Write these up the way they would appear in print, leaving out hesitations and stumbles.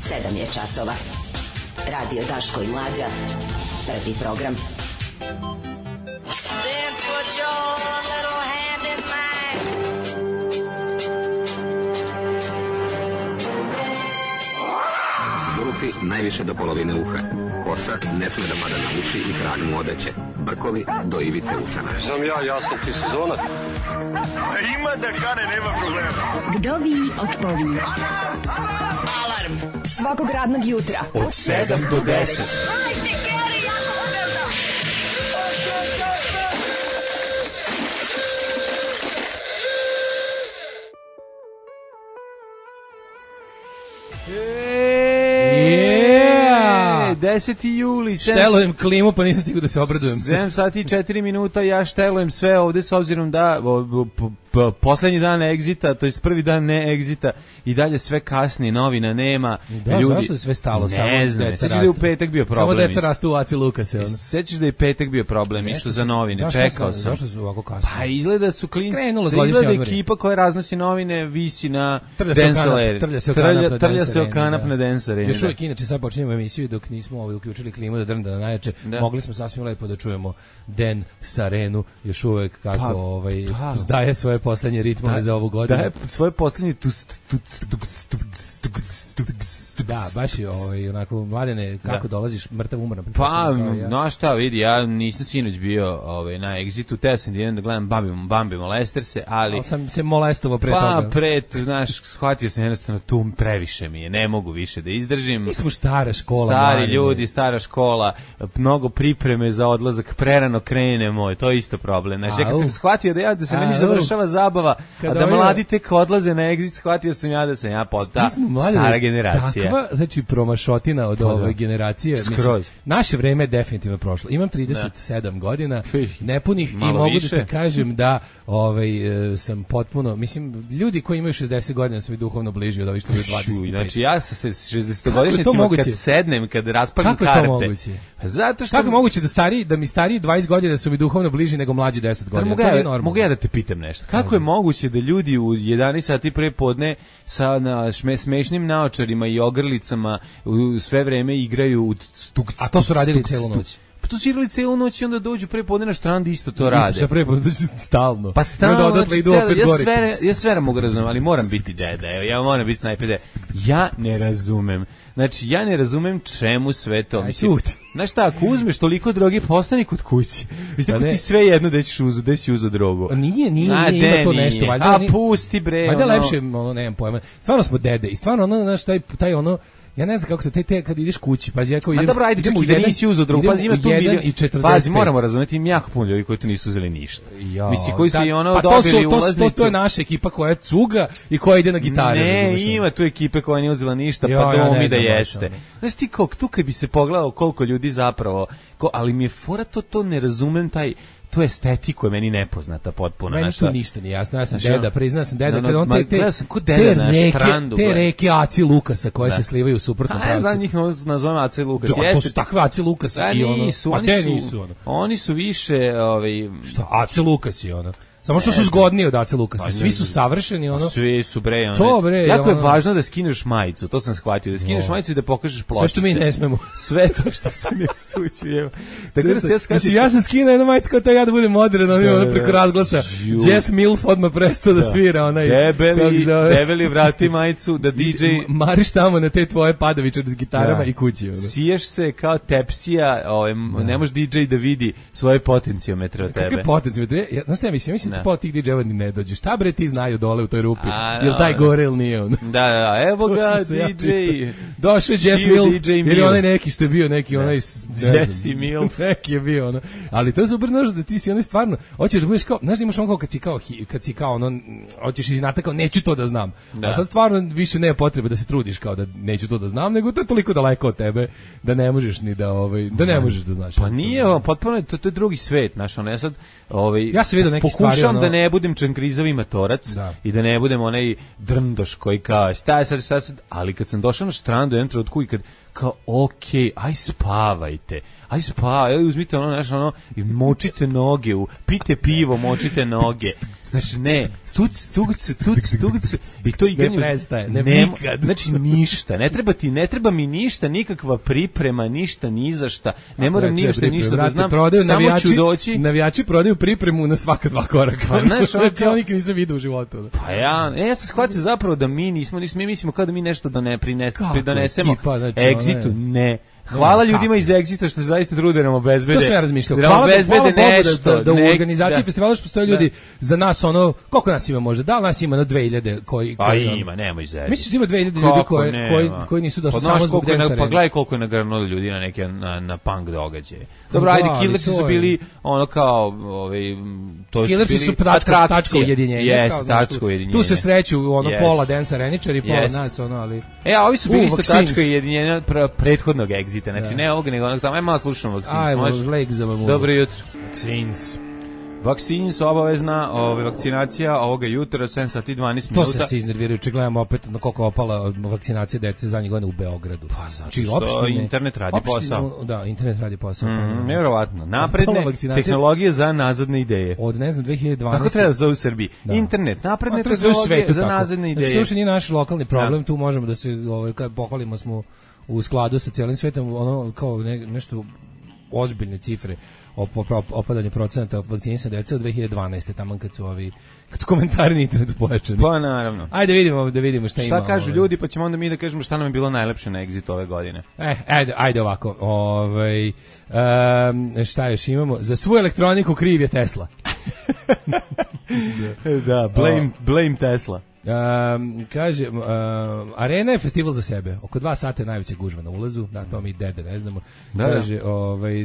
7 je časova. Radio Daško i Mlađa. Prvi program. Then put your little hand in mine. Zulufi najviše do polovine uha. Kosa ne sme da pada na uši i krag mu odeće. Brkovi do ivice usana. Znam ja sam ti sezonac. Ima da kane, nema problema. Vdovi od povijek. Alarm Svakog radnog jutra od 7 do 10. Yeah! 10. juli. Štelujem klimu, pa nisam stigao da se obradujem. 7 sati i 4 minuta, ja štelujem sve ovde s obzirom da poslednji dan egzita, to je prvi dan ne egzita i dalje sve kasni, novina nema. Da, ljudi, zašto je sve stalo? Ne znam, sećaš da je u petak bio problem. Samo deca rastu u Aci Lukase. Sećaš da je petak bio problem, isto za novine, da, čekao sam. Zašto su ovako kasni? Pa izgleda su klinci, izgleda ekipa koja raznosi novine visi na trlja se o kanap na Dance Arena. Još uvijek, inače sad počinjemo emisiju dok nismo uključili klimu da drnda na najjače, mogli smo sasvim lepo da čujemo Dance Arenu, još uvijek kako zdaje svoje poslednje ritmove za ovu godinu. Daje svoje poslednje da, baš je onako, Mladene, kako dolaziš mrtav umoran? Pa, no šta vidi, ja nisam sinoć bio na Exitu, teo sam da idem da gledam Bambi Molesterse, ali sam se molestovao pre toga. Pa, znaš, shvatio sam jednostavno tu previše mi je, ne mogu više da izdržim. Mi smo stara škola. Stari ljudi, stara škola, mnogo pripreme za odlazak, prerano krenemo, to je isto problem. Znaš, ja kad sam shvatio da se meni završava zabava, a da mladi tek odlaze na Exit, shvatio sam ja da sam ja ta stara generacija. Znači promašotina od ove generacije. Mislim, naše vreme je definitivno prošlo. Imam 37 godina nepunih i mogu da te kažem da sam potpuno, mislim, ljudi koji imaju 60 godina su mi duhovno bliži od ovih što je 25. Znači ja sa 60-godišnjacima kad sednem, kad raspalim karte. Kako je to moguće? Zato što... Kako je moguće da mi stariji 20 godina su mi duhovno bliži nego mlađi 10 godina? Mogu ja da te pitam nešto. Kako je moguće da ljudi u 11 sati pre podne sa smešnim naočarima i ogrlicama u sve vreme igraju u a to su radili celu noć? Pa to su igrali celu noć i onda dođu pre podne na štrand i isto to rade. Šta pre podne stalno? Pa stalno, ja sve mogu razumem, ali moram biti deda, ja moram biti snajper deda. Ja ne razumem. Znači, ja ne razumem čemu sve to. Znaš šta, ako uzmeš toliko droge, postani kod kući. Mislim, ti sve jedno da ćeš uzu drogu. Nije, ima to nešto. A pusti bre. Valjda lepše, nemam pojma. Stvarno smo dede i stvarno, znaš, taj ja ne znam kako to, te kad ideš kući, pazi, ja kao idem... A dobro, ajde, čekaj, da nisi uzeo drugu, pazi, ima tu pazi, moramo razumjeti, ima jako puno ljudi koji tu nisu uzeli ništa. Misli, koji su i dobili ulaznicu. To je naša ekipa koja je cuga i koja ide na gitare. Ne, ima tu ekipe koja nije uzela ništa, pa domi da jeste. Znaš ti, tu kad bi se pogledao koliko ljudi zapravo, ali mi je fora to ne razumem to estetiku je meni nepoznata potpuno. Meni tu ništa nije jasno, ja sam deda, priznao sam deda, kada on te reke Aci Lukasa koje se slivaju u suprotnom pravcu. Ja znam njih nazovem Aci Lukas. To su takve Aci Lukasa i ono. Oni su više... Što, Aci Lukas i ono. Samo što su zgodniji od Ace Lukasa. Svi su savršeni, ono. Svi su bre, ono. To bre. Jako je važno da skineš majicu, to sam shvatio, da skineš majicu i da pokažeš pločice. Sve što mi ne smemo. Sve to što se ne sući, evo. Tako da se ja shvatim. Mislim, ja sam skinuo jednu majicu kao ja da budem modern, ono preko razglasa. Jess Milf odmah prestao da svira, onaj. Debeli vrati majicu, da DJ... Mariš tamo na te tvoje padavičare s gitarama i kući, ono. Siješ se kao tepsija, ne može DJ da vidi svoje potencijometre od tebe. Kakve potencijometre? Znaš šta ja mislim po tih DJ-eva ni ne dođe. Šta bre ti znaju dole u toj rupi? Jel taj gore ili nije on? Da, evo ga DJ. Došao Jess Milf, ili onaj neki što je bio neki onaj... Jesse Milf. Neki je bio ono. Ali to je super, znaš da ti si onaj stvarno, hoćeš da budeš kao, znaš da imaš ono kad si kao ono, hoćeš iznata kao neću to da znam. A sad stvarno više nema potrebe da se trudiš kao da neću to da znam, nego to je toliko daleko od tebe da ne možeš ni da ne možeš da znaš. Pa nije, potpuno to je drugi svet, znaš, ono, ja sad ja se vidio neki stvari, pokušam da ne budem čankrizavi matorac i da ne budem onaj drndoš koji kao šta sad, ali kad sam došao na štrandu jednom trenutku i kad kao, okej, aj spavajte. Aj uzmite ono, i močite noge, pite pivo, močite noge. Znači, ne, tuc, i to igranje... Ne prestaje, nikad. Znači, ništa, ne treba mi ništa, nikakva priprema, ništa, ni za šta. Ne moram ništa da znam, samo ću doći... Navijači prodaju pripremu na svaka 2 koraka. Pa, znaš, znači, ja nikad nisam vidio u životu. Pa ja sam shvatio zapravo da mi mislimo kao da mi nešto pridonesemo Exitu, ne. Hvala ljudima iz Exita što se zaista trude nam obezbede. To sve razmišljao. Hvala Bogu da u organizaciji festivala što postoje ljudi za nas ono, koliko nas ima može? Da li nas ima 2000 koji pa ima, nemoj zezati. Misliš da ima 2000 ljudi koji nisu došli samo zbog Dance Arene? Pa gledaj koliko je nagrnulo ljudi na neke na punk događaje. Dobro, ajde, Killersi su bili ono kao to su Killersi su tačka ujedinjenja. Jeste, tačka ujedinjenja. Tu se sreću ono pola Dance Areničari, pola nas ono, ali ovi su bili isto tačka ujedinjenja prethodnog Exita. Znači, ne ovoga, nego onog tamo. Aj malo slušamo Vaccines. Dobro jutro. Vaccines, obavezna vakcinacija ovoga jutra, 7 sati 12 minuta. To se iznervirajući, gledamo opet na koliko opala vakcinacija dece zadnjih godina u Beogradu. Pa zato što internet radi posao. Da, internet radi posao. Nevjerovatno. Napredne tehnologije za nazadne ideje. Od, ne znam, 2012. Kako treba da zove u Srbiji? Internet, napredne tehnologije za nazadne ideje. Znači, to nije naš lokalni problem, tu možemo da se, kad pohvalimo smo u skladu sa cijelim svetom, ono kao nešto ozbiljne cifre opadanje procenata vakcinisane dece od 2012. tamo kad su komentari na internetu pojačani. Pa naravno. Ajde da vidimo šta ima. Šta kažu ljudi, pa ćemo onda mi da kažemo šta nam je bilo najlepše na Exitu ove godine. Ajde ovako. Šta još imamo? Za svu elektroniku kriv je Tesla. Da, blame Tesla. Kaže, Arena je festival za sebe. Oko 2 sata je najveća gužva na ulazu. Da, to mi dede ne znamo. Kaže,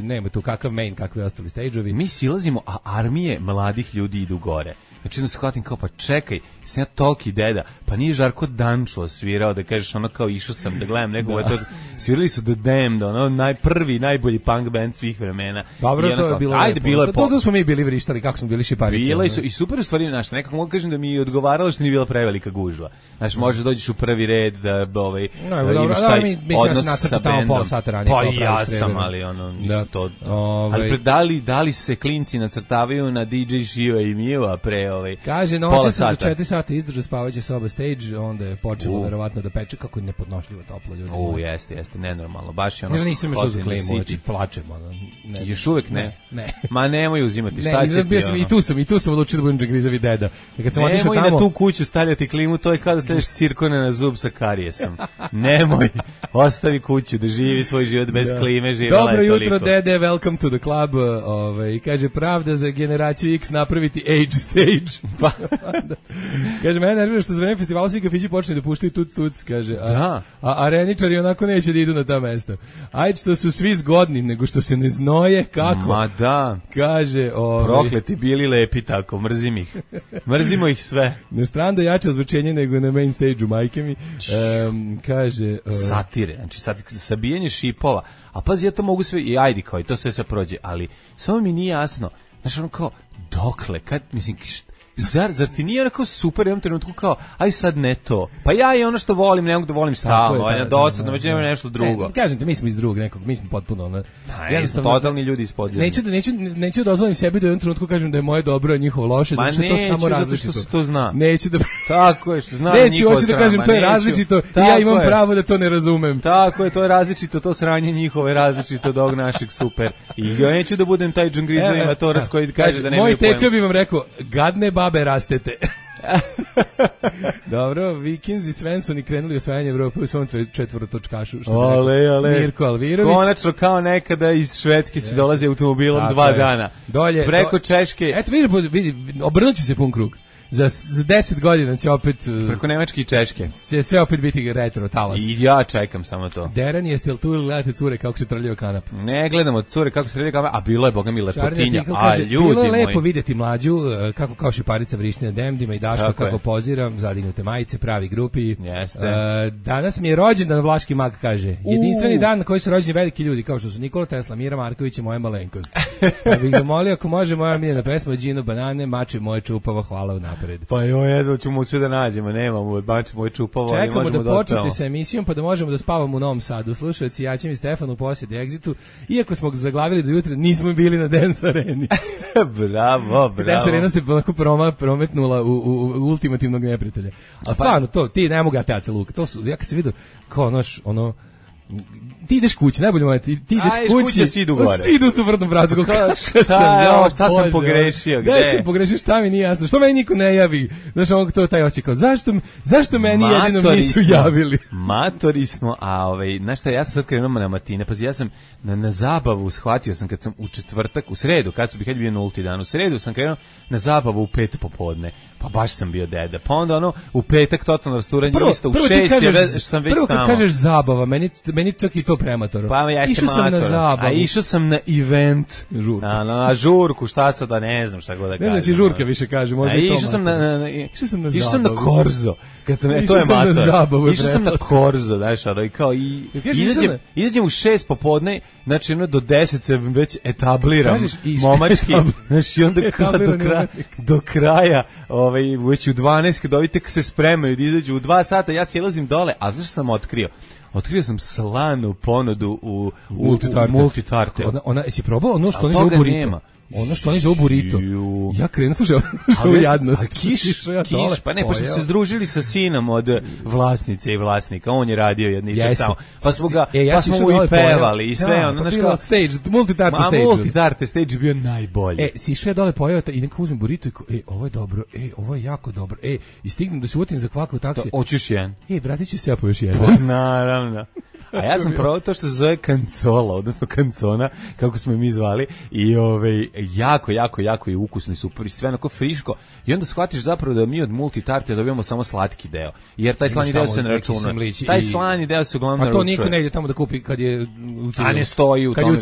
nema tu kakav main, kakve ostali stage-ovi. Mi silazimo, a armije mladih ljudi idu gore. Znači, onda shvatim kao, pa čekaj, sam ja toliki deda, pa nije Žarko Dančo svirao, da kažeš ono kao išao sam da gledam nekog, svirali su The Damned, ono najbolji punk band svih vremena. Dobro, to je bilo ajde, bilo je to smo mi bili vrištali, kako smo bili šiparice. Bila i super u stvari, znaš, nekako mogu kažem da mi je odgovaralo što nije bila prevelika gužva. Znaš, može dođeš u prvi red da imaš taj odnos sa bendom. Pa ja sam, ali ono, nisu to. Ali da li se klinci nacrtavaju na DJ Shio i Mio, pre kaže, noće sam do 4 sata izdržao spavajući soba stage, onda je počelo verovatno da peče, kako je nepodnošljivo toplo ljudi. Jeste, nenormalno, baš je ono. Ne, nisam još uz klimu, znači plačemo. Još uvek ne? Ne. Ma nemoj uzimati, šta će ti ono? I tu sam odlučio da budem džegrizavi deda. Nemoj na tu kuću stavljati klimu, to je kao da stavljaš cirkone na zub sa karijesom. Nemoj, ostavi kuću da živi svoj život bez klime, živjela je toliko. Dobro jutro, dede, welcome to the club. Kaže, pravda za generaciju X napraviti age stage. Kaže, mene nervira što za vreme festivala svi kafići počne da puštaju tuc, kaže. A areničari onako neće da idu na ta mesta. Ajde što su svi zgodni, nego što se ne znoje, kako? Ma da. Kaže, prokleti bili lepi tako, mrzim ih. Mrzimo ih sve. Na stranu jače ozvučenje nego na main stage-u, majke mi. Kaže... Satire, znači sabijanje šipova. A pazi, ja to mogu sve, i ajde kao, i to sve se prođe, ali samo mi nije jasno. Znači, ono kao, dokle, kad, mislim, Zar ti nije onako super u jednom trenutku kao, aj sad ne to. Pa ja i ono što volim, ne mogu da volim stalno, aj na dosadno, već nema nešto drugo. Kažem te, mi smo iz drugog nekog, mi smo potpuno totalni ljudi iz podzemlja. Neću dozvolim sebi da u jednom trenutku kažem da je moje dobro, a njihovo loše, zato što je to samo različito. Zato što se to zna. Neću da... Tako je, što zna njihovo sranje. Hoću da kažem, to je različito i ja imam pravo da to ne razumem. Tako je, to je različito, to sranje njihovo je različito od ovog našeg, super. I ja neću da budem taj džungrizovi matorac koji kaže da nemaju pojma. Moj tečo bi vam rekao, gadne babe rastete. Dobro, Vikings i Svensoni krenuli osvajanje Evrope u svom četvorotočkašu. Ale. Mirko Alvirović. Konačno kao nekada iz Švedske se dolazi automobilom 2 dana. Dolje. Preko Češke. Eto, vidi, obrnuće se pun krug. Za 10 godina će opet... Preko Nemačke i Češke. Će sve opet biti retro talas. I ja čekam samo to. Deran, jeste li tu ili gledate cure kako se trljaju kanap? Ne gledamo cure kako se trljaju kanap, a bilo je, boga mi, lepotinja. A ljudi bilo je moji. lepo vidjeti mlađu, kako kao šiparica vrišti na demdima i Daško kako poziram, zadignute majice, pravi grupi. Jeste. Danas mi je rođendan, Vlaški mag kaže. Jedinstveni dan na koji su rođeni veliki ljudi, kao što su Nikola Tesla, Mira Marković i moja malenkost. Ja bih zamolio, ako može, moja miljena pesma Đino Banane, mače moje čupavo, hvala unapred. napred. Pa ne znam, ćemo sve da nađemo, nemamo, bačemo čupavo, ali čekamo možemo da da počnete sa emisijom, pa da možemo da spavamo u Novom Sadu. Slušajući Jačim i Stefanu u posjedi Exitu, iako smo ga zaglavili do jutra, nismo bili na Dance Areni. Bravo. Dance Arena se prometnula u ultimativnog neprijatelja. A stvarno, to, ti ne mogu teaca Luka, to su, ja kad se vidio, kao ti ideš kući, najbolje moje, ti ideš kući, svi idu gore. Svi idu u suprotnom pravcu. Šta sam pogrešio, gde? Gde sam pogrešio, šta mi nije jasno, što meni niko ne javi? Znaš, to taj očekao, zašto meni jedino nisu javili? Matori smo, znaš šta, ja sam sad krenuo na matine, pazi, ja sam na zabavu shvatio sam kad sam u četvrtak, u sredu, kad je bio nulti dan, u sredu sam krenuo na zabavu u 5 popodne, pa baš sam bio deda, pa onda u petak totalno rasturanje, isto u 6 sam već tamo. Prvo kad kažeš zabava, meni čak i to premator. Pa ja išao sam na zabavu. A išao sam na event. Žurku. Na žurku, šta sad da ne znam šta god da kažem. Ne znam si žurka više kaže, možda i to. Išao sam na Korzo. Kad sam to je mator. Išao sam na Korzo, znaš, i kao izađem u 6 popodne, znači do 10 se već etabliram momački, znači i onda do kraja, već u 12 kad ovi tek se spremaju da izađu u 2 sata, ja silazim dole, a znaš što sam otkrio? Otkrio sam slanu ponudu u multitarte. Ona jesi probao ono što oni zovu burrito? Ono što oni zovu burrito. Ja krenuo slušao u jadnost. Kiš, pa ne, pa smo se združili sa sinom od vlasnice i vlasnika. On je radio jedničak tamo. Pa smo mu i pevali i sve. Multitarte stage je bio najbolji. Si išao dole pojeo i neko uzmem burrito i ovo je dobro, ovo je jako dobro. I stignem da se uvatim za kvaku taksi. Hoćeš jedan? Vratit ću se ja po još jedan. Naravno. A ja sam probao to što se zove kancola, odnosno kancona, kako smo mi zvali, i jako i ukusni, super, i sve onako friško, i onda shvatiš zapravo da mi od multitarte dobijamo samo slatki deo, jer taj slani deo se ne računa. Taj slani deo se uglavnom naručuje. A to niko ne ide tamo da kupi kad je u civilu. A ne stoji u tome,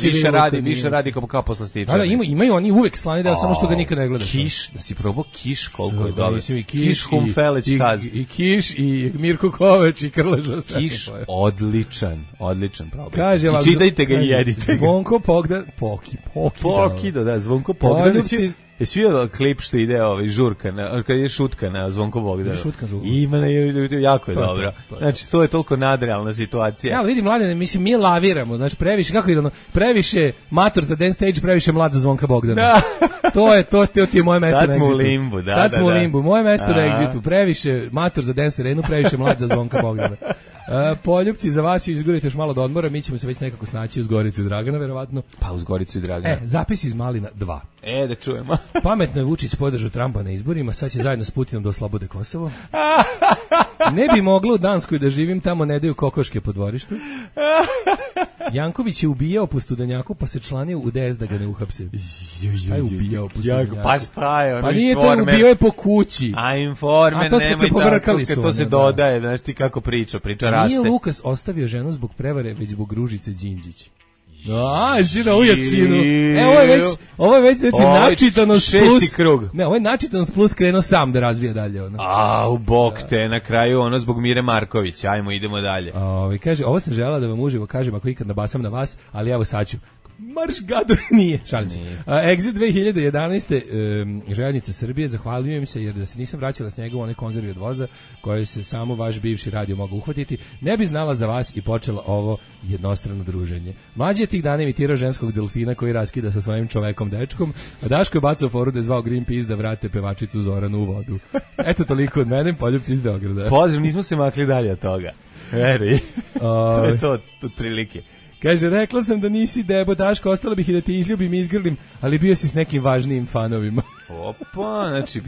više radi kao poslastičar. Da, imaju oni uvek slani deo, samo što ga nikad ne gleda. Kiš, da si probao kiš, koliko je dobro. Kiš Humfeleć Kaz. I Kiš, i Mirko Kovač, i Krleža. Kiš, odličan problem. Kaže, i čitajte ga i jedite. Zvonko Pokido, da, Zvonko Pogdan. Jesi vidio klip što ide žurka, kad je šutka na Zvonko Bogdanu? Ima, jako je dobro. Znači, to je toliko nadrealna situacija. Ja, vidim, mladene, mislim, mi laviramo, znači, previše, kako ide previše mator za dance stage, previše mlad za Zvonka Bogdana. To ti je moje mesto na Exitu. Sad smo u limbu, da. Sad smo u limbu, moje mesto na Exitu, previše mator za dance arenu, previše mlad za Zvonka Bogdana. Poljupci, za vas izgurite još malo do odmora, mi ćemo se već nekako snaći uz Goricu i Dragana, verovatno. Pa uz Goricu i Dragana. Zapis iz Malina 2. Da čujemo. Pametno je Vučić podržao Trumpa na izborima, sad će zajedno s Putinom da oslobode Kosovo. Ne bi moglo u Danskoj da živim, tamo ne daju kokoške po dvorištu. Janković je ubijao po Studenjaku, pa se članio u DS da ga ne uhapse. Šta je ubijao po Studenjaku? Pa šta je? Pa nije to, ubijao je po kući. A Informer, nemoj tako, to se dodaje, znaš ti kako priča raste. Nije Lukas ostavio ženu zbog prevare, već zbog Ružice Đinđić. Si na ujačinu. Ovo je već znači načitanost plus. Krug. Ne, ovo je načitanost plus krenuo sam da razvija dalje. U bok te, na kraju zbog Mire Marković. Ajmo, idemo dalje. Kaže, ovo sam želala da vam uživo kažem ako ikad nabasam na vas, ali evo sad ću. Marš gado, nije, šalim se. Exit 2011. Željeznica Srbije, zahvaljujem se jer da se nisam vraćala s njega u one konzervi od voza koje se samo vaš bivši radio mogao uhvatiti, ne bi znala za vas i počela ovo jednostrano druženje. Mlađi je tih dana imitirao ženskog delfina koji raskida sa svojim čovekom dečkom, a Daško je bacao foru da je zvao Greenpeace da vrate pevačicu Zoranu u vodu. Eto toliko od mene, Poljupci iz Beograda. Pozdrav, nismo se makli dalje od toga. Veri, to je to od prilike. Kaže, rekla sam da nisi debo, Daško, ostala bih i da te izljubim i izgrlim, ali bio si s nekim važnijim fanovima. Opa, znači,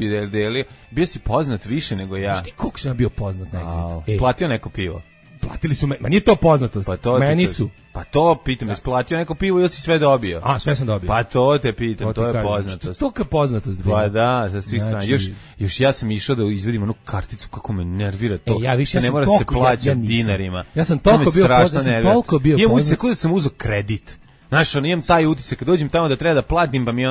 bio si poznat više nego ja. Znaš ti koliko sam bio poznat na Exitu? Platio neko pivo? Platili su ma nije to poznatost, meni su. Pa to pitam, jesi platio neko pivo ili si sve dobio? Sve sam dobio. Pa to te pitam, to je poznatost. To je poznatost. Pa da, sa svih strana. Još ja sam išao da izvedim onu karticu, kako me nervira to. Ne mora se plaća dinarima. Ja sam toliko bio poznat. Imam da sam uzeo kredit. Znaš, imam taj utisak, kad dođem tamo da treba da platim, pa mi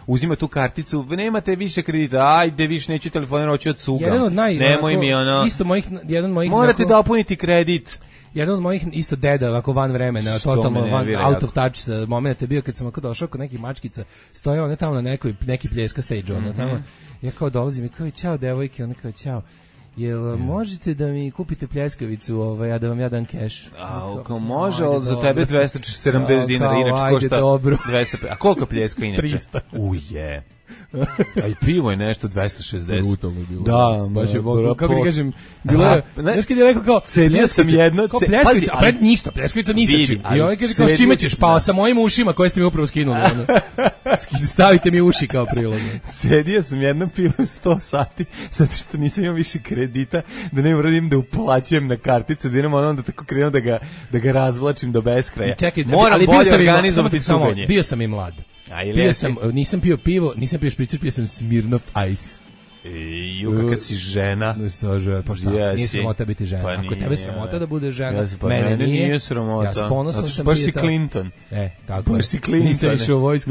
uzima tu karticu, nemate više kredita, ajde, više neću telefonirati, hoću od cugam. Nemoj mi isto jedan mojih... Morate da opuniti kredit. jedan od mojih isto deda, ovako van vremena, totalno van, out of touch moment je bio kad sam ako došao kod nekih mačkica, stoje one tamo na neki pljeska stage, ono tamo, ja kao dolazim i kao, čao devojke, ona kao, čao, jel možete da mi kupite pljeskavicu, a da vam ja dam keš? Kao može, za tebe 270 dinara, inače košta 200, a koliko pljeska inače? 300. Uje. A i pivo je nešto 260. Brutalno je bilo. Da, baš je bilo. Kako ti kažem, bilo je, znaš kad je rekao kao, cedio sam jedno, kao pljeskavica, a pred ništa, pljeskavica ni sa čim. I ovaj kaže kao, s čime ćeš? Pa sa mojim ušima koje ste mi upravo skinuli. Stavite mi uši kao prilog. Cedio sam jedno pivo 100 sati, zato što nisam imao više kredita, da ne moram da uplaćujem na kartice, da idem onda tako krenuo da ga razvlačim do beskraja. Moram bolje organizovati cuganje. Bio sam i mlad. Nisam pio pivo, nisam pio špricer, pio sam Smirnoff Ice. Kakva si žena. Pa šta, nije sramota biti žena. Pa ako tebe sramota da bude žena, mene nije sramota. Ja s ponosom sam baš si Clinton. Tako. Baš si Clinton. Nisam išao u vojsku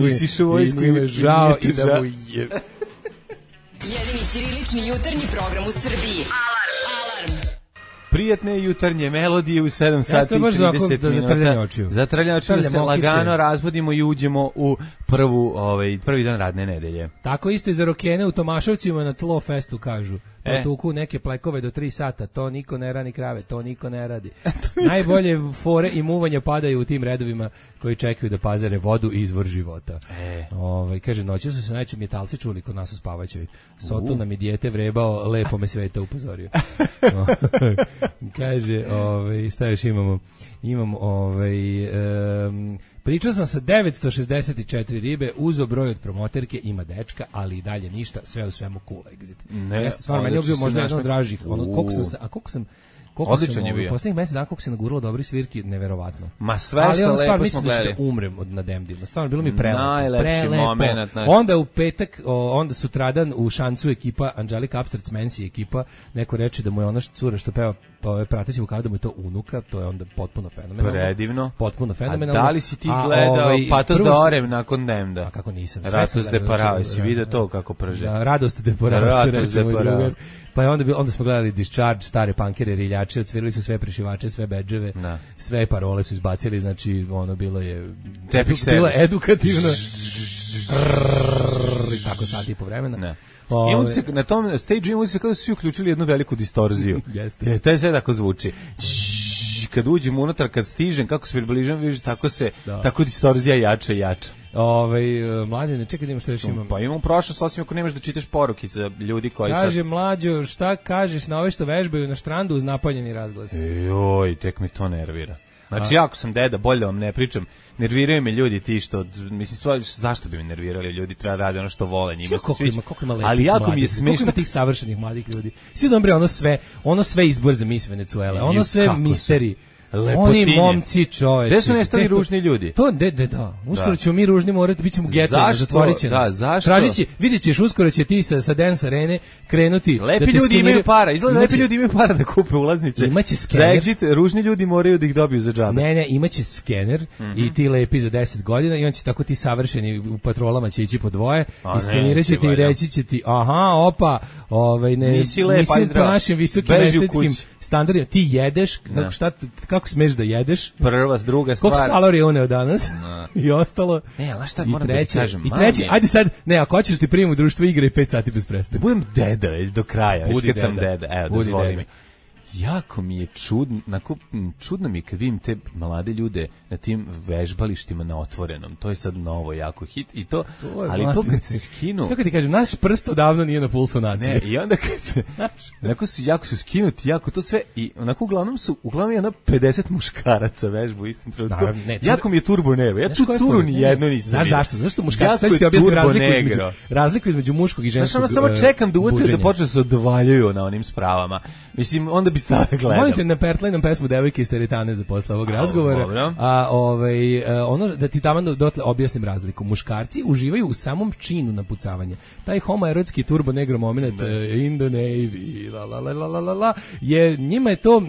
i me žao i da mu je. Jedini ćirilični jutarnji program u Srbiji. Alarm. Prijatne jutarnje melodije u 7 sati i 30 minuta. Za trljanje očiju da se lagano razbudimo i uđemo u prvi dan radne nedelje. Tako isto i za rokene u Tomaševcima na Tlo Festu kažu. Tuku neke plekove do 3 sata, to niko ne rani krave, to niko ne radi. Najbolje fore i muvanja padaju u tim redovima koji čekaju da pazare vodu i izvor života. Kaže, noći su se najčešće metalci čuli kod nas u Spavaćoj. Soto nam i dijete vrebao, lepo me sveta upozorio. Kaže, šta još imamo? Pričao sam sa 964 ribe, uzo broj od promoterke, ima dečka, ali i dalje ništa, sve u svemu cool exit. Stvarno, meni je bio možda jedan od dražih. Koliko sam odličan je bio. Poslednjih mesec dana koliko se naguralo dobri svirki, neverovatno. Ma sve što lepo smo gledali. Mislim da umrem na Demdima. Stvarno, bilo mi prelepo. Najlepši moment. Onda u petak, onda sutradan u Šancu ekipa, Angelica Upstarts Mansi ekipa, neko reče da mu je ona cura što peva prateći vokal, da mu je to unuka, to je onda potpuno fenomenalno. Predivno. Potpuno fenomenalno. A da li si ti gledao Patos de Orem nakon Demda? A kako nisam. Ratos de Parao, si vidio to kako prže? Radost de Parao, što reče moj drugar. Pa je onda smo gledali Discharge, stare punkere, riljače, odsvirali su sve prešivače, sve bedževe, sve parole su izbacili, znači ono bilo je edukativno. I tako sati i po vremena. I na tom stage imamo se kada su svi uključili jednu veliku distorziju. Taj sve tako zvuči. Kad uđem unutra, kad stižem, kako se približam, vidiš, tako distorzija jača i jača. Mlađe, čekaj da imaš što još imam. Pa imam prošlost, osim ako nemaš da čitaš poruke za ljudi koji Kaže, mlađo, šta kažeš na ove što vežbaju na štrandu uz napaljeni razglas? Joj, tek mi to nervira. Znači, ako sam deda, bolje da vam ne pričam, nerviraju me ljudi ti što, mislim, zašto bi me nervirali ljudi, treba radi ono što vole, njima se sviđa. Ali jako mi je smiješno. Koliko ima tih savršenih mladih ljudi? Svi dobro, ono sve izbor za Miss Venezuela, ono sve misteri. Oni momci, čoveče. Gde su nestali ružni ljudi? Da. Uskoro ćemo mi ružni morati, bit ćemo geto, zatvorit će nas. Zašto? Vidjet ćeš, uskoro će ti sa Dance Arene krenuti. Lepi ljudi imaju para, izgleda lepi ljudi imaju para da kupe ulaznice. Imaće skener. Za exit, ružni ljudi moraju da ih dobiju za džabe. Ne, imaće skener i ti lepi za 10 godina i on će tako ti savršeni u patrolama će ići po dvoje, iskenirat će ti i reći će ti, nisi po našim visokim estetskim standardima, ti jedeš, kako smeš da jedeš? Prva, druga stvar. Koliko kalorija uneo danas? I ostalo. Ne, ali šta moram da ti kažem? I treći, ajde sad, ako hoćeš ti primim u društvo igre i 5 sati bez prestane. Budem deda već do kraja, već kad sam deda. Evo, dozvoli mi. Jako mi je čudno mi je kad vidim te mlade ljude na tim vežbalištima na otvorenom. To je sad novo jako hit i to ali to kad se skinu. Kako ti kažem, naš prst odavno nije na pulsu nacije. Ne, i onda kad jako su skinuti, jako to sve i onako uglavnom je 50 muškaraca vežbu istim trenutku. Jako mi je turbo nervo. Ja tu curu ni jedno nisam. Znaš zašto? Zašto muškarci sad ti objasnim razliku između muškog i ženskog. Samo čekam da uvate da počne se odvaljuju na onim spravama. Mislim, onda bi stao da gledam. Molim te, ne pertlaj pesmu Devojke iz teretane za posle ovog razgovora. Ono da ti tamo dotle objasnim razliku. Muškarci uživaju u samom činu napucavanja. Taj homoerotski turbo negro moment in the navy, je, njima je to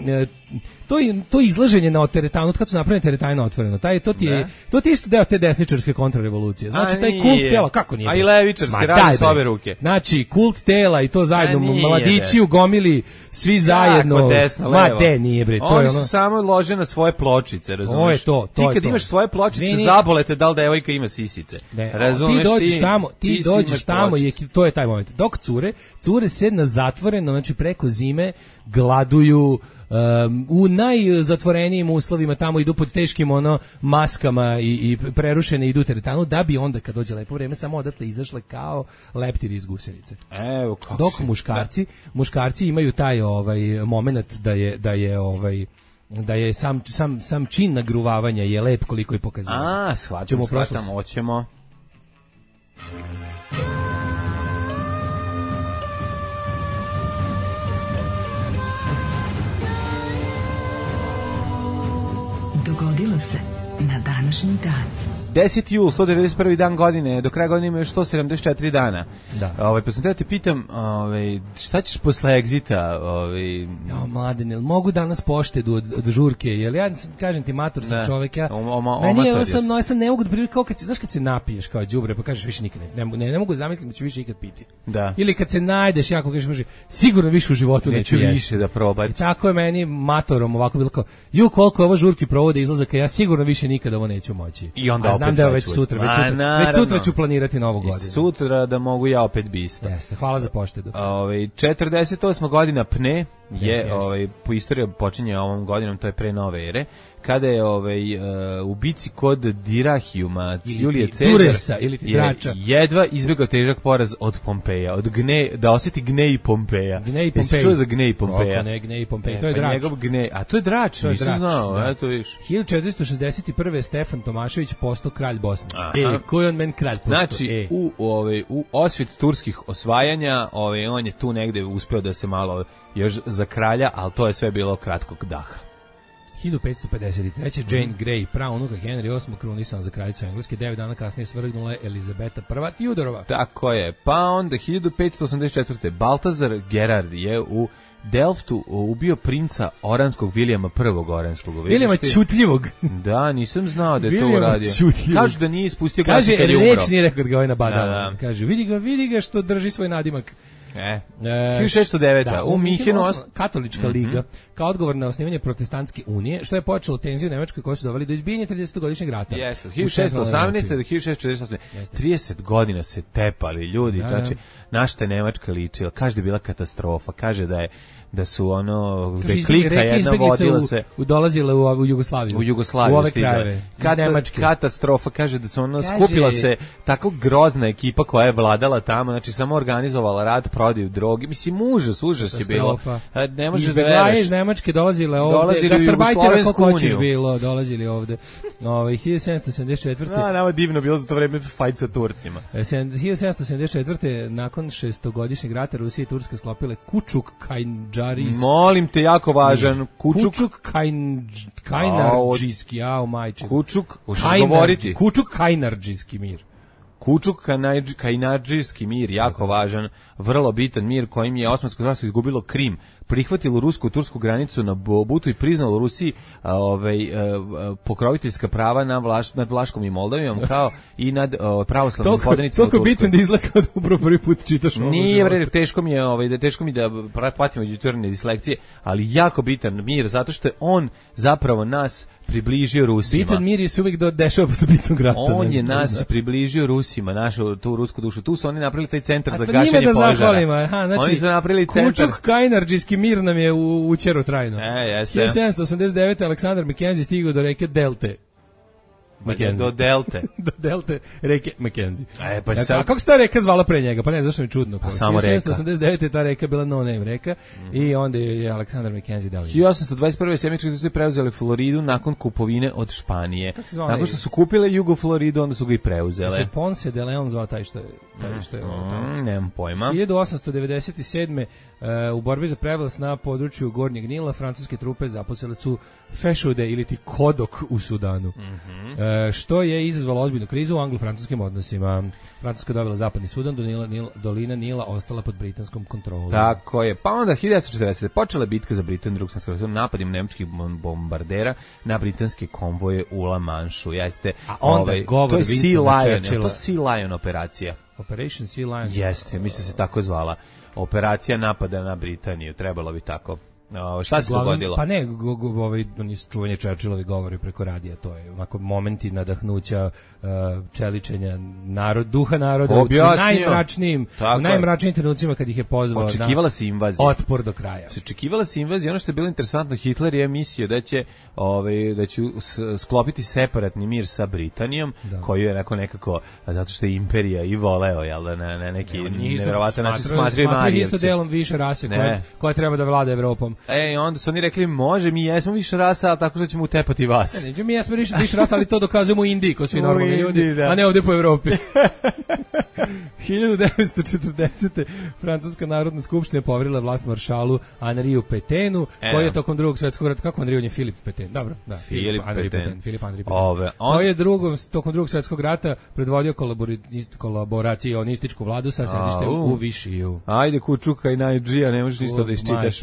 to izlaženje na teretanu, kad su napravljene teretane otvoreno, to ti je isto deo te desničarske kontrarevolucije. Znači taj kult tela, kako nije? A i levičarske radi s obe ruke. Znači kult tela i to zajedno, mladići u gomili, svi zajedno. Ma de nije bre, to je ono. Oni samo lože na svoje pločice, razumeš? Ti kad imaš svoje pločice, zabolete da li devojka ima sisice. Razumeš? Ti dođeš tamo i to je taj moment. Dok cure se na zatvoreno, znači preko zime gladuju, u najzatvorenijim uslovima tamo idu pod teškim maskama i prerušene idu teretanu, da bi onda kad dođe lepo vreme samo odatle izašle kao leptiri iz gusenice. Evo kako. Dok muškarci imaju taj momenat da je sam čin nagruvavanja je lep koliko je pokazivanje. Shvaćamo, hoćemo. Dogodilo se na današnji dan. 10. jul, 191. dan godine, do kraja godine ima još 174 dana. Da. Pa sam te pitam, šta ćeš posle egzita? Mladen, mogu danas poštedu od žurke, jer ja kažem ti, mator sam čovek, ja sam ne mogu da privim, kao kad se napiješ kao đubre, pa kažeš više nikad ne mogu zamisliti da ću više ikad piti. Da. Ili kad se najdeš, jako kažeš, sigurno više u životu neću više da probati. Tako je meni matorom ovako bilo kao, koliko ovo žurki provode izlazaka, ja sigurno više nikad ovo neću moći. I onda znam da već sutra ću planirati novu godinu. Sutra da mogu ja opet bista. Jeste, hvala za poštedu. 48. godina Pne je po istoriji počinje ovom godinom, to je pre nove ere, kada je u bici kod Dirahijuma Julije Cezar jedva izbjegao težak poraz od Pompeja, da osjeti gnej Pompeja. Jesi čuo za gnej Pompeja? Gnej Pompeja, to je Drač. A to je Drač, nisam znao. 1461. Stefan Tomašević postao kralj Bosne. Koji on men kralj postao? Znači, u osvit turskih osvajanja, on je tu negde uspeo da se malo još za kralja, ali to je sve bilo kratkog daha. 1553. Jane Grey, praunuka Henry VIII, krunisan za kraljicu Engleske, 9 dana kasnije svrgnula je Elizabeta I Tudorova. Tako je. Pa onda 1584. Baltazar Gerard je u Delftu ubio princa Oranskog Vilijama I. Oranskog. Vilijama Ćutljivog. Da, nisam znao da je to uradio. Kažu da nije ispustio glas kad je umro. Kaže, reč nije rekao da ga ovaj nabadao. Kaže, vidi ga što drži svoj nadimak. 1609. U Minhenu Katolička liga kao odgovor na osnivanje protestantske unije, što je počelo tenziju u Nemačkoj koje su doveli do izbijanja 30-godišnjeg rata. Jeste, 1618. do 1648. 30 godina se tepali ljudi, znači na šta je Nemačka ličila, kaže da je bila katastrofa, kaže da su klika jedna vodila se dolazile u Jugoslaviju. U ove krajeve. Katastrofa, kaže da su skupila se tako grozna ekipa koja je vladala tamo, znači samo organizovala rat, prodaju droge. Mislim, užas je bilo. Ne možeš da veruješ. Iz Nemačke dolazile ovde. Gastarbajtera kako hoćeš bilo, dolazili ovde. 1774. Nama divno bilo za to vreme fajt sa Turcima. 1774. nakon 6-godišnjeg rata Rusija i Turska sklopile Kučuk-Kajndžarijski. Molim te, jako važan. Kučuk-Kajnardžijski, majče. Kučuk-Kajnardžijski mir. Kučuk-Kajnardžijski mir, jako važan, vrlo bitan mir kojim je Osmansko carstvo izgubilo Krim, prihvatilo rusko-tursku granicu na Bobutu i priznalo Rusiji pokroviteljska prava nad Vlaškom i Moldavijom, kao i nad pravoslavnim podanicima u Turskoj. Toliko bitan da izgleda kao da upravo prvi put čitaš ovo. Nije, teško mi da patimo jutarnje dislekcije, ali jako bitan mir, zato što je on zapravo nas približio Rusima. Bitan mir je se uvijek dešava posle bitnog rata. On je nas približio Rusima, našu tu rusku dušu. Tu su oni napravili taj centar za gašenje požara. Znači, oni su napravili centar. Kučuk-Kajnardžijski mir nam je učero trajno. Jeste. 1789. Aleksandar Mackenzie stigao do reke Delte. Do Delte. Do Delte reke Mackenzie. A kako se ta reka zvala pre njega? Pa ne, zašto mi čudno. Pa samo reka. 1789. ta reka bila no name reka i onda je Aleksandar Mackenzie dao. 1821. Sjemički su preuzeli Floridu nakon kupovine od Španije. Nakon što su kupile Jugo Floridu, onda su ga i preuzele. Se Ponce de Leon zvao taj što je nemam pojma. 1897. U borbi za prevlast na području Gornjeg Nila francuske trupe zaposlile su fešude ili ti kodok u Sudanu. što je izazvalo ozbiljnu krizu u anglo-francuskim odnosima. Francuska dobila zapadni Sudan, dolina Nila ostala pod britanskom kontrolom. Tako je. Pa onda 1940. počela je bitka za Britaniju, drugog svjetskog rata, napadom nemačkih bombardera na britanske konvoje u La Manšu. Jeste, a onda to je Sea Lion, to Sea Lion operacija. Operation Sea Lion. Jeste, mislim se tako zvala. Operacija napada na Britaniju, trebalo bi tako. Šta se dogodilo? Pa ne, oni čuvanje Churchillovi govori preko radija, to je onako momenti nadahnuća, čeličenja duha naroda u najmračnijim trenucima kad ih je pozvao očekivala se invazija. Otpor do kraja. Očekivala se invazija, ono što je bilo interesantno, Hitler je mislio da će sklopiti separatni mir sa Britanijom, koju je nekako, zato što je imperija i voleo, jel da, na neki nevjerovatan način smatraju Marijevci. Isto delom više rase koja treba da vlada Evropom. Onda su oni rekli, može, mi jesmo više rasa, ali tako što ćemo utepati vas. Ne, mi jesmo više rasa, ali to dokazujemo u Indiji, ko svi normalni ljudi, a ne ovdje po Evropi. 1940. Francuska narodna skupština poverila vlast maršalu Henriu Pétainu, koji je tokom drugog svjetskog rata, kako Henri, on je Filip Pétain, dobro, da, Filip Henri Pétain, koji je tokom drugog svjetskog rata predvodio kolaboracionističku vladu sa sedištem u Višiju. Ajde, Kučuka i Najdžija, ne možeš ništa da iščitaš.